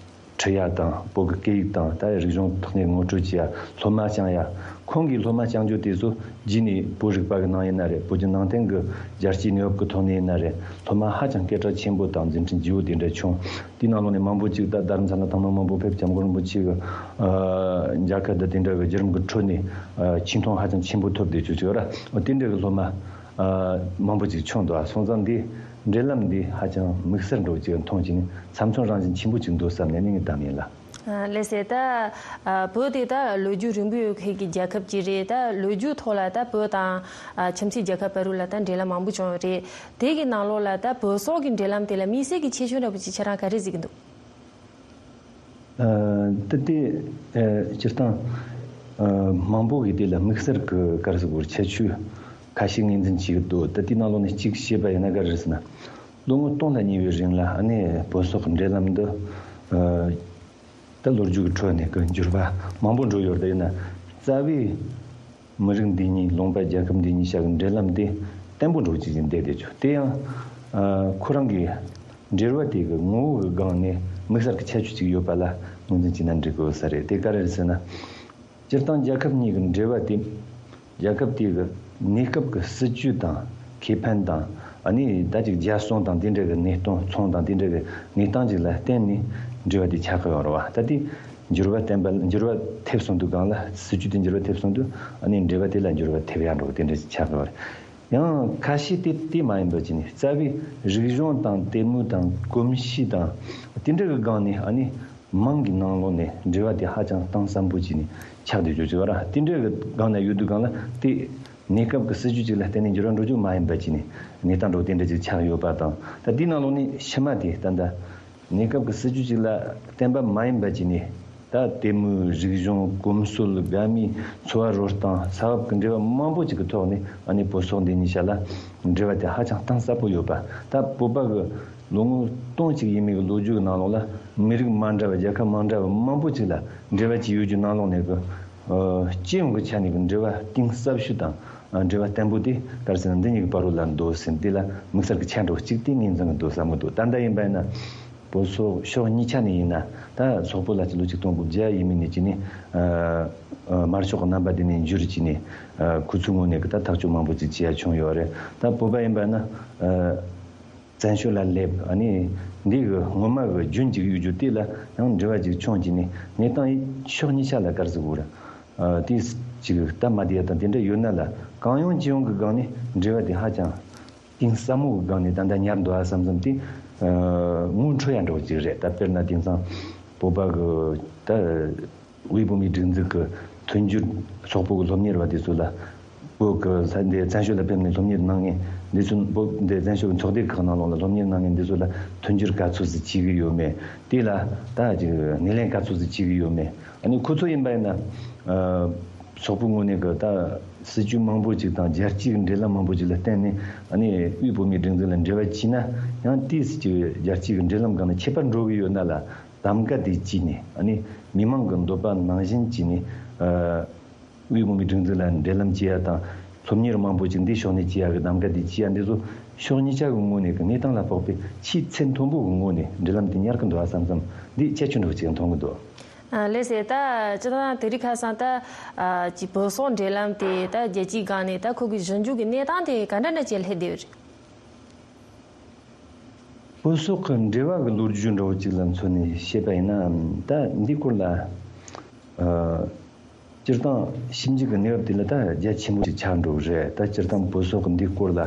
ཁྲིད་ཡ་དང་། བོད་ཀྱི་སྐད་ཡིག་དང་ད་རིག་གཞུང་ཐོག་ནས་ངོ་སྤྲོད་བྱེད་ཡ། སློབ་མ་སྦྱང་ཡ། ཁོང་གི་སློབ་མ་སྐྱབས་འཇུག་དེ་ཚོ་རྗེས་ནས་བོད་རིག་པ་གི་ནང་ཡིན་ན་རེད། བོད་ཀྱི་ནང་བསྟན་གྱི་རྒྱལ་སྤྱིའི་གནས་བབ་ཀྱི་ཐོག་ནས་ཡིན་ན་རེད། སློབ་མ་ཧ་ཅང་སྐད་གྲགས་ཆེན་པོ་དང་མཛད་འཕྲིན་ལྗིད་པོ་དེ་འདྲ་བྱུང་། དེའི་ནང་ལོགས་ནས་མང་པོ་ཅིག་ད་རྡ་རམ་ས་ལ་དང་མ་མང་པོ་ཕེབས། སྐྱབས་མགོན་རིན་པོ་ཆེ་གི་ཨ་མཇལ་ཁ་དང་དེ་འདྲ་གི་བརྒྱུད་རིམ་གྱི་ཁྲོད་ནས་ཨ་ཆེ་མཐོང་ཧ་ཅང་ཆེན་པོ་ཐོབ་བསྡད་ཆོག་ཅིག་ཡོད་ར། དེ་འདྲ་གི་སློབ་མ་ཨ་མང་པོ་ཅིག་བྱུང་འདུག། ཨ་སོང་ཙང་འདི་འབྲེལ་ལམ་འདི་ཧ་ཅང་དམིགས་བསལ་འདྲ་བོ་ཅིག་མཐོང་བྱས་ནས་ཚབ་མཚོན་རང་བཞིན་ཆེན་པོ་ཅིག་འདུག་བསམ་ནས་ནི་ངའི་གཏམ་ཡིན་ལ། ཨ་ལགས་སེ། ད་ཨ་བོད་དེ་ད་ལོ་རྒྱུས་རིང་པོ་ཡོད་མཁན་གྱི་རྒྱལ་ཁབ་ཅིག་རེད། ད་ལོ་རྒྱུས་ཐོག་ལ་ད་བོད་དང་ཨ་ཁྱིམ་མཚེས་རྒྱལ་ཁབ་བར་ལ་ད་འབྲེལ་ལམ་མང་པོ་བྱུང་ཡོད་རེད། དེ་གི་ནང་ལོགས་ལ་ད་བོད་སོག་གི་འབྲེལ་ལམ་དེ་ལ་དམིགས་བསལ་གྱི་ཁྱད་ཆོས་འདྲ་པོ་ཅིག་ཁྱེད་རང་ག་རེ་གཟིགས་ཀྱི་འདུག། ཨ་ད་དེ་ཨ་སྤྱིར་བཏང་ཨ་མང་པོ་གི་དེ་ལ་དམིགས་བསལ་གྱི་ག་རེ་ཟེར་དགོས་རེད། ཁྱད་ཆོས་ཁ་ཤས་ངོས་འཛིན་བྱེད་ཀྱི་འདུག། ད་དེའི་ནང་ལོགས་ནས་གཅིག་བཤད་པ་ཡིན་ན་ག་རེ་རེད་ཟེར་ན། ལོ་ངོ་སྟོང་ལ་ཉེ་བའི་རིང་ལ་ཨ་ནི་བོད་སོག་གི་འབྲེལ་ལམ་འདི་ཨ་ད་ལོ་རྒྱུས་ཀྱི་ཁྲོད་ནས་ཀྱི་འགྱུར་བ་མང་པོ་འགྲོ་ཡོད་རེད། ཡིན་ན་རྩ་བའི་མི་རིགས་འདི་གཉིས་ལུང་པ་རྒྱལ་ཁབ་འདི་གཉིས་བྱ་གི་འབྲེལ་ལམ་དེ་བརྟན་པོ་འགྲོ་གི་ཅིག་བསྡད་བསྡད་ཆོག། དེ་ཡང་ཨ་ཁོ་རང་གི་འབྲེལ་བ་དེ་གི་ངོ་བོ་གི་སྒང་ནས་དམིགས་བསལ་གྱི་ཁྱད་ཆོས་ཅིག་ཡོད་པ་ལ་ངོས་འཛིན་བྱས་ན་འགྲིག་གི་ཡོད་ས་རེད། དེ་ག་རེ་རེད་ཟེར་ན། སྤྱིར་བཏང་རྒྱལ་ཁབ་གཉིས་ཀྱི་འབྲེལ་བ་དེ་རྒྱལ་ཁབ་དེ་གི་གནས་སྐབས་ཀྱི་སྲིད་ཇུས་དང་ཁེ་ཕན་དང་ཨ་ནི་ད་ཅིག་རྒྱལ་སྲུང་དང་དེ་འདྲ་གི་གནས་སྟངས་ཚོང་དང་དེ་འདྲ་གི་གནས་སྟངས་ཅིག་ལ་བརྟེན་ནས་འབྲེལ་བ་དེ་ཆགས་ཀྱི་ཡོད་རེད་བ། ད་དེ་འགྱུར་བ་བསྟན་པ་འགྱུར་བ་ཐེབས་སོང་དུས་སྒང་ལ་སྲིད་ཇུས་དེ་འགྱུར་བ་ཐེབས་སོང་དུས་ཨ་ནི་འབྲེལ་བ་དེ་ལ་འགྱུར་བ་ཐེབས་ཡ་འགྲོ་གི་དེ་འདྲ་ཞིག་ཆགས་ཀྱི་ཡོད་རེད། ཡང་ཁ་ཤས་དེ་དེ་མ་ཡིན་པ་ཅིག་ནས་རྩ་བའི་རིག་གཞུང་དང་དད་མོས་དང་གོམས་གཤིས་དང་དེ་འདྲ་གི་སྒང་ནས་ཨ་ནི། མང་གི་ནང་ལོགས་ནས་འབྲེལ་བ་དེ་ཧ་ཅང་གཏིང་ཟབ་པོ་བྱས་ནས་ཆགས་བསྡད་ཡོད་ཅིག་ཡོད་ར། དེ་འདྲའི་གི་སྒང་ན་ཡོད་དུས་སྒང་ལ་དེ་གནས་སྐབས་ཀྱི་སྲིད་ཇུས་ཅིག་ལ་བརྟེན་ནས་འགྱུར་བ་འགྲོ་རྒྱུ་མ་ཡིན་པ་བྱས་ནས་གནས་སྟངས་འགྲོ་དེ་འདྲ་ཅིག་ཆགས་ཡོད་པ་དང་། ད་དེའི་ནང་ལོགས་ནས་ཕྱི་མ་དེ་ད་ལྟ་གནས་སྐབས་ཀྱི་སྲིད་ཇུས་ཅིག་ལ་བརྟེན་པ་མ་ཡིན་པ་བྱས་ནས་ད་དད་མོས་རིག་གཞུང་གོམས་སྲོལ་དགའ་མོས་འཚོ་བ་རོལ་སྟངས་ས་བབ་ཀྱི་འབྲེལ་བ་མང་པོ་ཅིག་གི་ཐོག་ནས་ཨ་ནི་བོད་སོག་འདི་གཉིས་ཆ་ལ་འབྲེལ་བ་དེ་ཧ་ཅང་གཏིང་ཟབ་པོ་ཡོད་པ། ད་བོད་པ་གི་ལོ་ངོ་སྟོང་གཅིག་ཡས་མས་ཀྱི་ལོ་རྒྱུས་ཀྱི་ནང་ལོགས་ལ་མི་རིགས་མ་འདྲ་བ་རྒྱལ་ཁབ་མ་འདྲ་བ་མང་པོ་ཅིག་ལ་འབྲེལ་བ་ཅིག་ཡོད་རྒྱུ་ནང་ལོགས་ནས་ཀྱི་ཨ་སྤྱི་ཡོངས་ཀྱི་ཆ་ནས་ཀྱི་འབྲེལ་བ་གཏིང་ཟབ་ཤོས་དང་ཨ་འབྲེལ་བ་བརྟན་པོ་དེ་ག་རེ་ཟེར་ན་འདི་གཉིས་ཀྱི་བར་རུ་ལ་འདུག་ཟེར། འདི་ལ་དམིགས་བསལ་གྱི་ཆ་འགྲོ་གཅིག་དེ་ངོས་འཛིན་གྱི་འདུག་བསམ་གྱི་འདུག། ད་ལྟ་ཡིན་པ་ཡིན་ན་བོད་སོག་ཕྱོགས་གཉིས་ཆ་ནས་ཡིན་ན། ད་སོག་པོ་ལ་ཅིག་ལོ་ཆིག་སྟོང་དགུ་བརྒྱ་ཡས་མས་ནས་ཅིག་ནས་ཨ་ཨ་དམར་ཤོག་གི་རྣམ་པ་དེ་ནས་འགྱུར་ཅིག་ནས་ཨ་ཁོ་ཚོའི་ངོས་ནས་ཀྱི་ད་ཐག་གཅོད་མང་པོ་ཅིག་བྱེད་ཡ་བྱུང་ཡོད་རེད། ད་བོད་པ་ཡིན་པ་ན་ཨ། བཙན་བྱོལ་ལ་སླེབས། ཨ་ནི་འདི་གི་སྔོན་མ་གི་རྒྱུན་གཅིག་ཡོད་རྒྱུ་དེ་ལ་ཡང་འབྲེལ་བ་ཅིག་བྱུང་བྱས་ནས་གནས་སྟངས་ཕྱོགས་གཉིས་ཆ་ལ་ག་རེ་ཟེར་དགོས་རེད། ཨ་དེ་ཅིག་སྟབས་མ་བདེ་ཡ་དང་དེ་འདྲ་ཡོད་ན་ལ་གང་ཡོང་ཅི་ཡོང་གི་སྒང་ནས་འབྲེལ་བ་དེ་ཧ་ཅང་གཏིང་ཟབ་མོ་གི་སྒང་ནས་ད་ལྟ་ཉར་འདུག་ཨ་བསམ་བསམ་དེ་ཨ་ངོ་འཕྲོད་ཡ་འདྲ་བོ་ཅིག་རེད། ད་དཔེར་ན་དེང་སང་བོད་པ་གི་ད། དབུས་བོད་མིའི་སྒྲིག་འཛུགས་ཀྱི་མཐུན་འགྱུར། སོག་པོ་གི་སློབ་གཉེར་བ་དེ་ཚོ་ལ་བོད་ཀྱི་ས་འདི་བཙན་བྱོལ་ལ་ཕེབས་ནས་སློབ་གཉེར་གནང་མཁན་འདི་ཚོ། བོད་འདི་བཙན་བྱོལ་གྱི་ཚོགས་སྡེ་ཁག་ནང་ལོགས་ལ་སློབ་གཉེར་གནང་མཁན་འདི་ཚོ་ལ་མཐུན་འགྱུར་ག་ཚོད་ཙམ་བྱེད་ཀྱི་ཡོད་མེད། དེ་ལ་ད་ཅིག་སྣེ་ལེན་ག་ཚོད་ཙམ་བྱེད་ཀྱི་ཡོད་མེད། ཨ་ནི་ཁོ་ཚོ་ཡིན་པ་ཡིན་ན་ཨ་སོག་པོའི་ངོས་ནས་ཀྱི་ད་སྲིད་ཇུས་མང་པོ་ཅིག་དང་རྒྱལ་སྤྱིའི་འབྲེལ་ལམ་མང་པོ་ཅིག་ལ་བརྟེན་ནས། ཨ་ནི་དབུས་བོད་མིའི་སྒྲིག་འཛུགས་ལ་འབྲེལ་བ་བྱས་ན་ཡང་ཏོག་ཙམ་ཅིག་རྒྱལ་སྤྱིའི་འབྲེལ་ལམ་སྒང་ནས་ཁྱད་པར་འགྲོ་གི་ཡོད་ན་ལ། གདམ་ག་དེ་བྱས་ནས། ཨ་ནི་མི་མང་གི་འདོད་པ་ནང་བཞིན་བྱས་ནས། ཨ་དབུས་བོད་མིའི་སྒྲིག་འཛུགས་ལ་འབྲེལ་ལམ་བྱེད་ཡ་དང་། སློབ་གཉེར་མང་པོ་ཅིག་འདི་ཕྱོགས་ནས་བྱེད་ཡ་གི་གདམ་ག་དེ་བྱེད་ཡ་འདི་ཚོ་ཕྱོགས་གཉིས་ཆ་གི་ངོས་ནས་གི་གནས་སྟངས་ལ་དཔག་པའི་ཆེས་ཚད་མཐོན་པོ་གི་ངོས་ནས་འབྲེལ་ལམ་དེ་ཉར་གི་འདུག་ཨ་བསམ་བསམ། འདི་ཁྱད་ཆོས་འདྲ་བོ་ཅིག་མཐོང་གི་འདུག། ཨ་ལགས་སེ། ད་སྤྱིར་བཏང་དེ་རིང་ཁ་སང་ད་ཨ་ཅིག་བོད་སོག་འབྲེལ་ལམ་དེ་ད་རྒྱལ་སྤྱིའི་སྒང་ནས་ད་ཁོ་གི་ཞིབ་འཇུག་གི་གནས་སྟངས་དེ་ག་འདྲ་འདྲ་ཅིག་སླེབས་བསྡད་ཡོད་རེད། བོད་སོག་གི་འབྲེལ་བ་གི་ལོ་རྒྱུས་འདྲ་བོ་ཅིག་ལ་མཚོན་ནས་བཤད་པ་ཡིན་ན། ད་འདིའི་སྐོར་ལ་ཨ་སྤྱིར་བཏང་ཞིབ་འཇུག་གི་གནས་བབ་དེ་ལ་ད་རྒྱ་ཆེན་པོ་ཅིག་ཆགས་འགྲོ་གི་རེད། ད་སྤྱིར་བཏང་བོད་སོག་གི་འདིའི་སྐོར་ལ་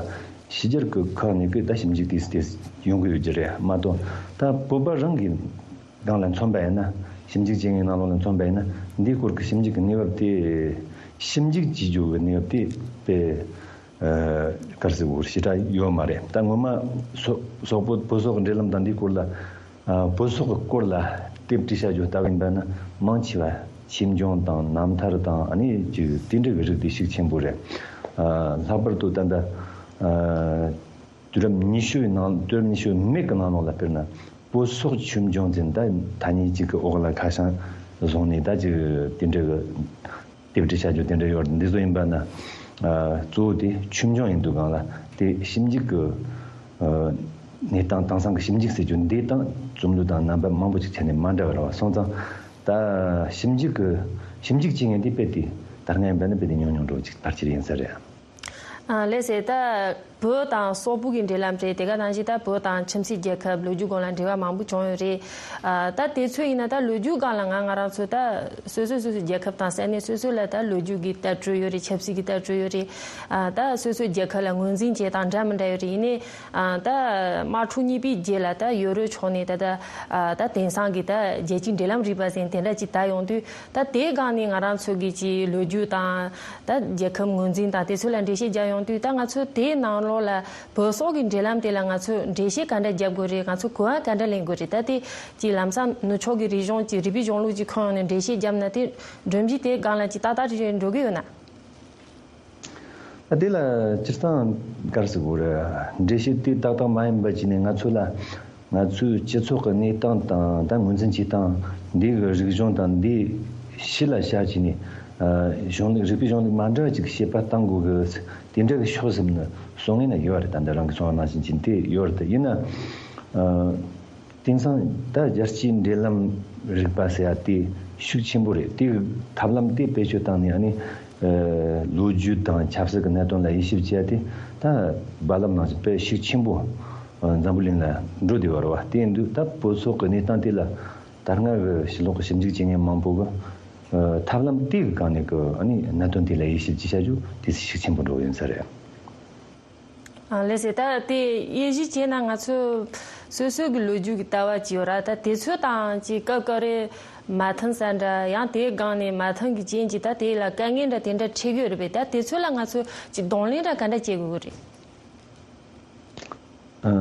ཕྱི་རྒྱལ་གི་ཁག་ནས་གི་ད་ཞིབ་འཇུག་དེ་དེ་ཡོང་གི་ཡོད་ཀྱི་རེད་མ་གཏོགས། ད་བོད་པ་རང་གི་སྒང་ལ་མཚོན་པ་ཡིན་ན། ཞིབ་འཇུག་བྱེད་མཁན་ནང་ལོགས་ལ་མཚོན་པ་ཡིན་ན། འདིའི་སྐོར་གི་ཞིབ་འཇུག་གི་གནས་བབ་དེ། ཞིབ་འཇུག་བྱེད་རྒྱུ་གི་གནས་བབ་དེ་དཔེ་ཨ་ག་རེ་ཟེར་དགོས་རེད། ཞེ་དྲག་ཡོད་མ་རེད། ད་ངོ་མ་སོ་སོག་པོ་བོད་སོག་གི་འབྲེལ་ལམ་དང་འདིའི་སྐོར་ལ། ཨ་བོད་སོག་གི་སྐོར་ལ་དེབ་བྲིས་བྱ་རྒྱུ་ལྟ་བུ་ཡིན་པ་ན་མང་ཆེ་བ་ཆོས་འབྱུང་དང་རྣམ་ཐར་དང་། ཨ་ནི་ཅིག་དེ་འདྲ་གི་རིགས་དེ་ཤུགས་ཆེན་པོ་རེད། ཨ་ལྷག་པར་དུ་ད་ལྟ་ཨ་དུས་རབས་ཉི་ཤུ་ཡི་ནང་། དུས་རབས་ཉི་ཤུ་མེད་ཀྱི་ནང་ལོགས་ལ་དཔེར་ན་བོད་སོག་ཆོས་འབྱུང་ཟེར་ད་ཐ་སྙད་ཅིག་གི་འོག་ལ་ཁ་བྱང་བཟུང་ནས་ད་ཅིག་དེ་འདྲ་གི་དེབ་བྲིས་བྱ་རྒྱུ་དེ་འདྲ་ཡོད་རེད། འདི་ཚོ་ཡིན་པ་ན་ཨ་གཙོ་བོ་དེ་ཆོས་འབྱུང་ཡིན་དུས་སྒང་ལ་དེ་ཞིབ་འཇུག་གི་ཨ་གནས་སྟངས་དེང་སང་གི་ཞིབ་འཇུག་ཟེར་རྒྱུ་འདི་དང་རྩོམ་ལུས་དང་རྣམ་པ་མང་པོ་ཅིག་ཆ་ནས་མ་འདྲ་བ་རེད་བ། སོང་ཙང་ད་ཞིབ་འཇུག་གི་ཞིབ་འཇུག་བྱེད་མཁན་དེ་དཔེ་དེ་ ད་སྔ་ཡིན་པ་ནི་དཔེ་དེ་ཉུང་ཉུང་འགྲོ་ཅིག་ཕལ་ཆེར་ཡིན་ས་རེད། ཨ་ལགས་སེ། ད་བོད་དང་སོག་པོ་གི་འབྲེལ་ལམ་རེད། དེ་ག་ནང་བཞིན་ད་བོད་དང་ཁྱིམ་མཚེས་རྒྱལ་ཁབ་ལོ་རྒྱུས་སྒང་ལ་འབྲེལ་བ་མང་པོ་བྱུང་ཡོད་རེད། ཨ་ད་དེ་ཚོ་ཡིན་ན་ད་ལོ་རྒྱུས་སྒང་ལ་ང་ང་རང་ཚོ་ད་སོ་སོ་སོ་སོའི་རྒྱལ་ཁབ་དང་ས་གནས་སོ་སོ་ལ་ད་ལོ་རྒྱུས་ཀྱི་ལྟ་གྲུབ་ཡོད་རེད། ཆབ་སྲིད་ཀྱི་ལྟ་གྲུབ་ཡོད་རེད། ཨ་ད་སོ་སོའི་རྒྱལ་ཁབ་ལ་ངོས་འཛིན་བྱེད་སྟངས་འདྲ་མི་འདྲ་ཡོད་རེད། ཡིན་ནའི་ཨ་ད་དམག་འཁྲུག་གཉིས་པའི་རྗེས་ལ་ད་ཡོ་རོབ་ཕྱོགས་ནས་ད་ད་ཨ་ད་དེང་སང་གི་ད་རྒྱལ་སྤྱིའི་འབྲེལ་ལམ་རིག་པ་ཟེར་དེ་འདྲ་ཅིག་དར་ཡོང་དུས། ད་དེའི་སྒང་ནས་ང་རང་ཚོ་གི་ཅིག་ལོ་རྒྱུས་དང་ད་རྒྱལ་ཁབ་ངོས་འཛིན་དང་དེ་ཚོ་ལ་འགྲེལ་བཤད་རྒྱག་ཡོང་དུས། ད་ང་ཚོ་དེའི་ནང་ལོགས་ལ་བོད་སོག་གི་འབྲེལ་ལམ་དེ་ལ་ང་ཚོས་འགྲེལ་བཤད་ག་འདྲ་རྒྱབ་དགོས་རེད། ང་ཚོས་གོ་བ་ག་འདྲ་ལེན་དགོས་རེད། ད་དེ་ཅིག་ལམ་སང་ནུབ་ཕྱོགས་ཀྱི་རིག་གཞུང་ཅིག་རིག་པའི་གཞུང་ལུགས་ཅིག་ཁོངས་ཡོང་ནས་འགྲེལ་བཤད་བརྒྱབ་ན། དེ་སྒྲོམ་གཞི་དེའི་སྒང་ལ་ཅིག་ཏག་ཏག་ཅིག་འགྲོ་གི་ཡོད་ན། ད་དེ་ལ་སྤྱིར་བཏང་ག་རེ་ཟེར་དགོས་རེད། འགྲེལ་བཤད་དེ་ཏག་ཏག་མ་ཡིན་པ་བྱས་ནས་ང་ཚོ་ལ། ང་ཚོའི་སྤྱི་ཚོགས་ཀྱི་གནས་སྟངས་དང་ད་ངོས་འཛིན་བྱེད་སྟངས། འདི་གི་རིག་གཞུང་དང་འདི་ཕྱི་ལ་ཤར་བྱས་ནས། ཨ་གཞུང་ལུགས། རིག་པའི་གཞུང་ལུགས་མ་འདྲ་བ་ཅིག་བཤད་པ་གཏང་དགོས་གི། དེ་འདྲ་གི་ཕྱོགས་ཟིན་ནི་སོང་ངེས་ན་ཡོད་རེད། ད་འདི་རང་གི་སོང་བ་ནང་བཞིན་གྱི་དེ་ཡོད་རེད། ད་ཡིན་ན། ཨ་དེང་སང་ད་རྒྱལ་སྤྱིའི་འབྲེལ་ལམ་རིག་པ་ཟེར་ཡ་དེ་ཤུགས་ཆེན་པོ་རེད། དེ་གི་ཐབས་ལམ་དེ་བེད་སྤྱོད་བཏང་ནས། ཨ་ནི་ཨ་ལོ་རྒྱུས་དང་ཆབ་སྲིད་ཀྱི་གནད་དོན་ལ་དབྱེ་ཞིབ་བྱས་ཏེ། ད་རྦ་རླབས་ནང་བཞིན་དཔེ་ཤུགས་ཆེན་པོ་ཨ་འཛམ་བུ་གླིང་ལ་འགྲོ་བསྡད་ཡོད་རེད་བ། དེ་ཡིན་དུས་ད་བོད་སོག་གི་གནས་སྟངས་དེ་ལ་ད་སྔ་གི་ཕྱི་ལོགས་ཀྱི་ཞིབ་འཇུག་བྱེད་མཁན་མང་པོ་གི་ཨ་ཐབས་ལམ་དེ་གི་སྒང་ནས་གི་ཨ་ནི་གནད་དོན་དེ་ལ་དབྱེ་ཞིབ་ཅིག་བྱ་རྒྱུ་དེ་ཤུགས་ཆེན་པོ་འགྲོ་གི་ཡིན་ས་རེད། ཨ་ལགས་སེ། ད་དེ་དབྱེ་ཞིབ་བྱས་ན་ང་ཚོ་སོ་སོ་གི་ལོ་རྒྱུས་ཀྱི་ལྟ་བ་ཅིག་ཡོད་ར། ད་དེ་ཚོ་དང་ཅིག་སྐབས་སྐབས་རེ་མ་མཐུན་ས་འདྲ། ཡང་དེའི་སྒང་ནས་མ་མཐུན་གྱི་རྐྱེན་གྱིས་ད་དེ་ལ་དཀའ་ངལ་འདྲ་དེ་འདྲ་འཕྲད་ཀྱི་ཡོད་རེད་པས། ད་དེ་ཚོ་ལ་ང་ཚོ་ཅིག་གདོང་ལེན་འདྲ་ག་འདྲ་བྱེད་དགོས་ཀྱི་རེད། ཨ་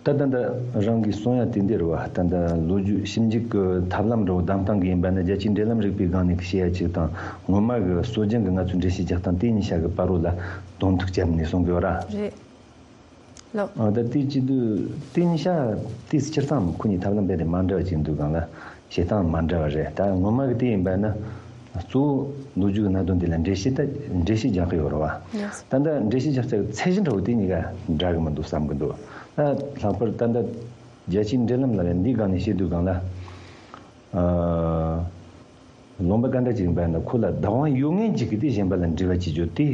ད་ད་ལྟ་རང་གིས་གསུང་ཡ་དེ་འདི་རེད་བ། ད་ལྟ་ལོ་རྒྱུས་ཞིབ་འཇུག་གི་ཐབས་ལམ་འདྲ་བོ་བདམས་སྟངས་ཀྱི་ཡིན་པ་ན། རྒྱལ་སྤྱིའི་འབྲེལ་ལམ་རིག་པའི་སྒང་ནས་བཤད་ཡ་ཅིག་དང་། སྔོན་མ་གི་སྲོལ་རྒྱུན་གྱི་ང་ཚོའི་འགྲེལ་བཤད་རྒྱག་སྟངས་དེ་གཉིས་ཆ་གི་བར་རོ་ལ་གདོང་ཐུག་བརྒྱབ་ནས་གསུང་གི་ཡོད་ར། རེད། ལགས། ཨ་ད་དེ་བྱེད་དུས་དེ་གཉིས་ཆ་དེ་སྤྱིར་བཏང་ཁོ་གཉིས་ཐབས་ལམ་རྦད་དེ་མ་འདྲ་བ་ཅིག་འདུག་གང་ལ། བྱེད་སྟངས་མ་འདྲ་བ་རེད། ད་སྔོན་མ་གི་དེ་ཡིན་པ་ན་གཙོ་བོ་ལོ་རྒྱུས་ཀྱི་གནད་དོན་དེ་ལ་འགྲེལ་བཤད། ད་འགྲེལ་བཤད་རྒྱག་གི་ཡོད་རེད་བ། ཡེས། ད་ལྟ་འགྲེལ་བཤད་རྒྱག་ཚད་ཚད་གཞི་འདྲ་བོ་དེ་གཉིས་ཀ་འདྲ་གི་མི་འདུག་བསམ་གི་འདུག་ད་ལྷག་པར་ད་ལྟ་རྒྱལ་སྤྱིའི་འབྲེལ་ལམ་ལ་ཡང་འདིའི་སྒང་ནས་བཤད་དུས་སྒང་ལ། ཨ་ལུང་པ་ག་འདྲ་ཅིག་ཡིན་པ་ཡིན་ན། ཁོ་ལ་བདག་དབང་ཡོད་མཁན་ཅིག་གིས་དེ་གཞན་པ་ལ་འབྲེལ་བ་བྱེད་རྒྱུ་དེ་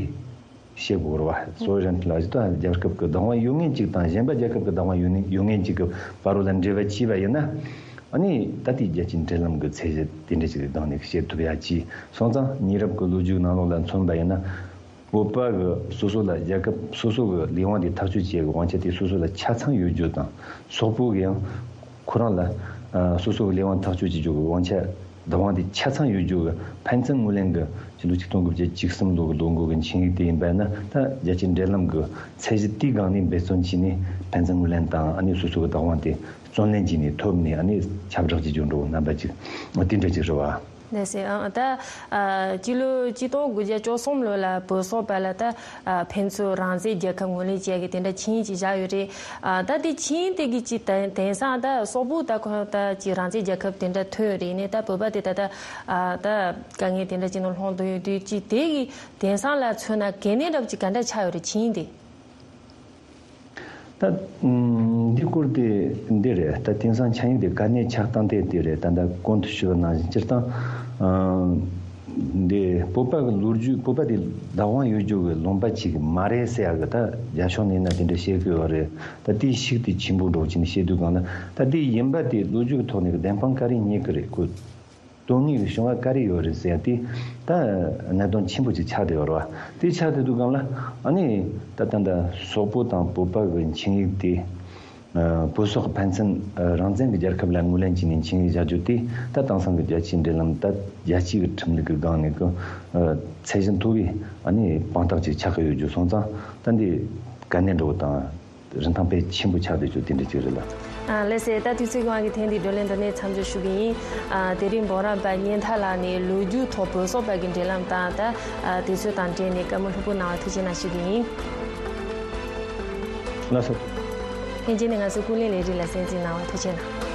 བཤད་དགོས་རེད་བ། སོ་ཝེ་རན་ལ་ཇི་ལྟ་རྒྱལ་ཁབ་ཀྱི་བདག་དབང་ཡོད་མཁན་ཅིག་དང་གཞན་པ་རྒྱལ་ཁབ་ཀྱི་བདག་དབང་ཡོད་ནི་ཡོད་མཁན་ཅིག་གི་བར་རོ་ལ་འབྲེལ་བ་བྱས་པ་ཡིན་ན། ཨ་ནི་ད་ལྟའི་རྒྱལ་སྤྱིའི་འབྲེལ་ལམ་གྱི་ཚད་གཞི་དེ་འདྲ་ཅིག་གི་སྒང་ནས་བཤད་ཐུབ་ཡ་ཅིག་སོང་ཙང་། མི་རབས་ཀྱི་ལོ་རྒྱུས་ནང་ལོགས་ལ་མཚོན་པ་ཡིན་ན། བོད་པ་གི་སོ་སོ་ལ་རྒྱལ་ཁབ་སོ་སོ་གི་ལས་དབང་དེ་ཐག་གཅོད་བྱེད་ཡ་གི་དབང་ཆ་དེ་སོ་སོ་ལ་ཆ་ཚང་ཡོད་རྒྱུ་དང་། སོག་པོ་གི་ཡང་ཁོ་རང་ལ་ཨ་སོ་སོ་གི་ལས་དབང་ཐག་གཅོད་བྱེད་རྒྱུ་གི་དབང་ཆ། བདག་དབང་དེ་ཆ་ཚང་ཡོད་རྒྱུ་གི་ཕན་ཚུན་ངོས་ལེན་གི་ཕྱི་ལོ་ཆིག་སྟོང་དགུ་བརྒྱ་བཅུ་གསུམ་ལོ་གི་ལོ་འགོ་གི་ཆིངས་ཡིག་དེ་ཡིན་པ་ན། ད་རྒྱལ་སྤྱིའི་འབྲེལ་ལམ་གི་ཚད་གཞི་དེའི་སྒང་ནས་འབད་བརྩོན་བྱས་ནས་ཕན་ཚུན་ངོས་ལེན་དང་། ཨ་ནི་སོ་སོ་གི་བདག་དབང་དེ་བརྩོན་ལེན་བྱས་ནས་ཐོབ་ནས། ཨ་ནི་ཁྱབ་བསྒྲགས་བྱེད་རྒྱུ་འདྲ་བོ་རྣམ་པ་ཅིག་དེ་འདྲ་ཅིག་རེད་བ། ལགས་སེ། ཨ་ད་ཨ་སྤྱི་ལོ་ཆིག་སྟོང་དགུ་བརྒྱ་བཅུ་གསུམ་ལོ་ལ་བོད་སོག་བར་ལ་ད་ཨ་ཕན་ཚུན་རང་བཙན་རྒྱལ་ཁབ་ངོས་ལེན་བྱེད་ཡ་གི་དེ་འདྲ་ཆིངས་ཡིག་ཅིག་བཞག་ཡོད་རེད། ཨ་ད་དེ་ཆིངས་ཡིག་དེ་གི་ཅིག་དེང་དེང་སང་ད་སོག་པོ་ད་ཁོ་ད་ཅིག་རང་བཙན་རྒྱལ་ཁབ་དེ་འདྲ་ཐོན་ཡོད་རེད། ནས་ད་བོད་པ་དེ་ད་ད་ཨ་ད་དཀའ་ངལ་དེ་འདྲ་ཅིག་ནང་ལྷུང་བསྡད་ཡོད་དུས། ཅིག་དེ་གི་དེང་སང་ལ་མཚོན་ན་གལ་གནད་འདྲ་པོ་ཅིག་ག་འདྲ་ཆགས་ཡོད་རེད། ཆིངས་ཡིག་དེ། ད་ཨུམ་འདི་སྐོར་དེ་འདི་རེད། ད་དེང་སང་ཆིངས་ཡིག་དེ་གལ་གནད་ཆགས་སྟངས་དེ་དེ་རེད། ད་ད་གོང་དུ་ཞུས་པ་ནང་བཞིན་སྤྱིར་བཏང་ཨ་འདི་བོད་པ་གི་ལོ་རྒྱུས། བོད་པ་དེ་བདག་དབང་ཡོད་རྒྱུ་གི་ལུང་པ་ཅིག་མ་རེད་ཟེར་ཡ་གི་ད་རྒྱ་ཕྱོགས་ནས་ན་དེ་འདྲ་བཤད་གི་ཡོད་རེད། ད་དེའི་ཤུགས་དེ་ཆེན་པོ་འགྲོ་བྱས་ནས་བཤད་དུས་སྒང་ལ། ད་དེ་ཡིན་པ་དེ་ལོ་རྒྱུས་ཀྱི་ཐོག་ནས་གི་བདེན་དཔང་ག་རེ་རྙེད་གི་རེད། ཁོ་དོན་དངོས་ཀྱི་བྱུང་བ་ག་རེ་ཡོད་རེད་ཟེར་ཡ་དེ་ད་གནད་དོན་ཆེན་པོ་ཅིག་ཆགས་བསྡད་ཡོད་རེད་བ། དེ་ཆགས་བསྡད་དུས་སྒང་ལ། ཨ་ནི་ད་ད་ད་སོག་པོ་དང་བོད་པ་གི་ཆིངས་ཡིག་དེ་ཨ་བོད་སོག་ཕན་ཚུན་ཨ་རང་བཙན་གྱི་རྒྱལ་ཁབ་ལ་ངོས་ལེན་བྱས་ནས་ཆིངས་ཡིག་བཞག་རྒྱུ་དེ། ད་དེང་སང་གི་རྒྱལ་སྤྱིའི་འབྲེལ་ལམ། ད་རྒྱལ་སྤྱིའི་གི་ཁྲིམས་ལུགས་ཀྱི་སྒང་ནས་གི་ཨ་ཚད་གཞི་མཐོ་བའི་ཨ་ནི་དཔང་རྟགས་ཅིག་ཆགས་ཀྱི་ཡོད་རྒྱུ་སོང་ཙང་། ད་འདི་གལ་གནད་འགྲོ་བོ་དང་། རིན་ཐང་དཔེ་ཆེན་པོ་ཆགས་བསྡད་རྒྱུ་དེ་འདྲ་ཅིག་རེད་ལ། ཨ་ལགས་སེ། ད་དུས་ཚོད་ཀྱི་དབང་གིས་ཐེངས་འདིའི་བགྲོ་གླེང་འདི་ནས་མཚམས་འཇོག་ཞུ་གི་ཡིན། ཨ་དེ་རིང་འབུམ་རམས་པ་གཉན་ཐར་ལགས་ནས་ལོ་རྒྱུས་ཐོག་བོད་སོག་བར་གྱི་འབྲེལ་ལམ་དང་། ད་ཨ་དུས་ཚོད་དང་འབྲེལ་ནས་བཀའ་མོལ་ལྷུག་པོ་གནང་བ་ཐུགས་རྗེ་གནང་ཞུ་གི་ཡིན། ལགས་སོ། ལྷན་རྒྱས་ནས་ང་ཚོའི་ཀུན་གླེང་ལས་རིགས་ལ་གསན་གཟིགས་གནང་བ་ཐུགས་རྗེ་གནང་།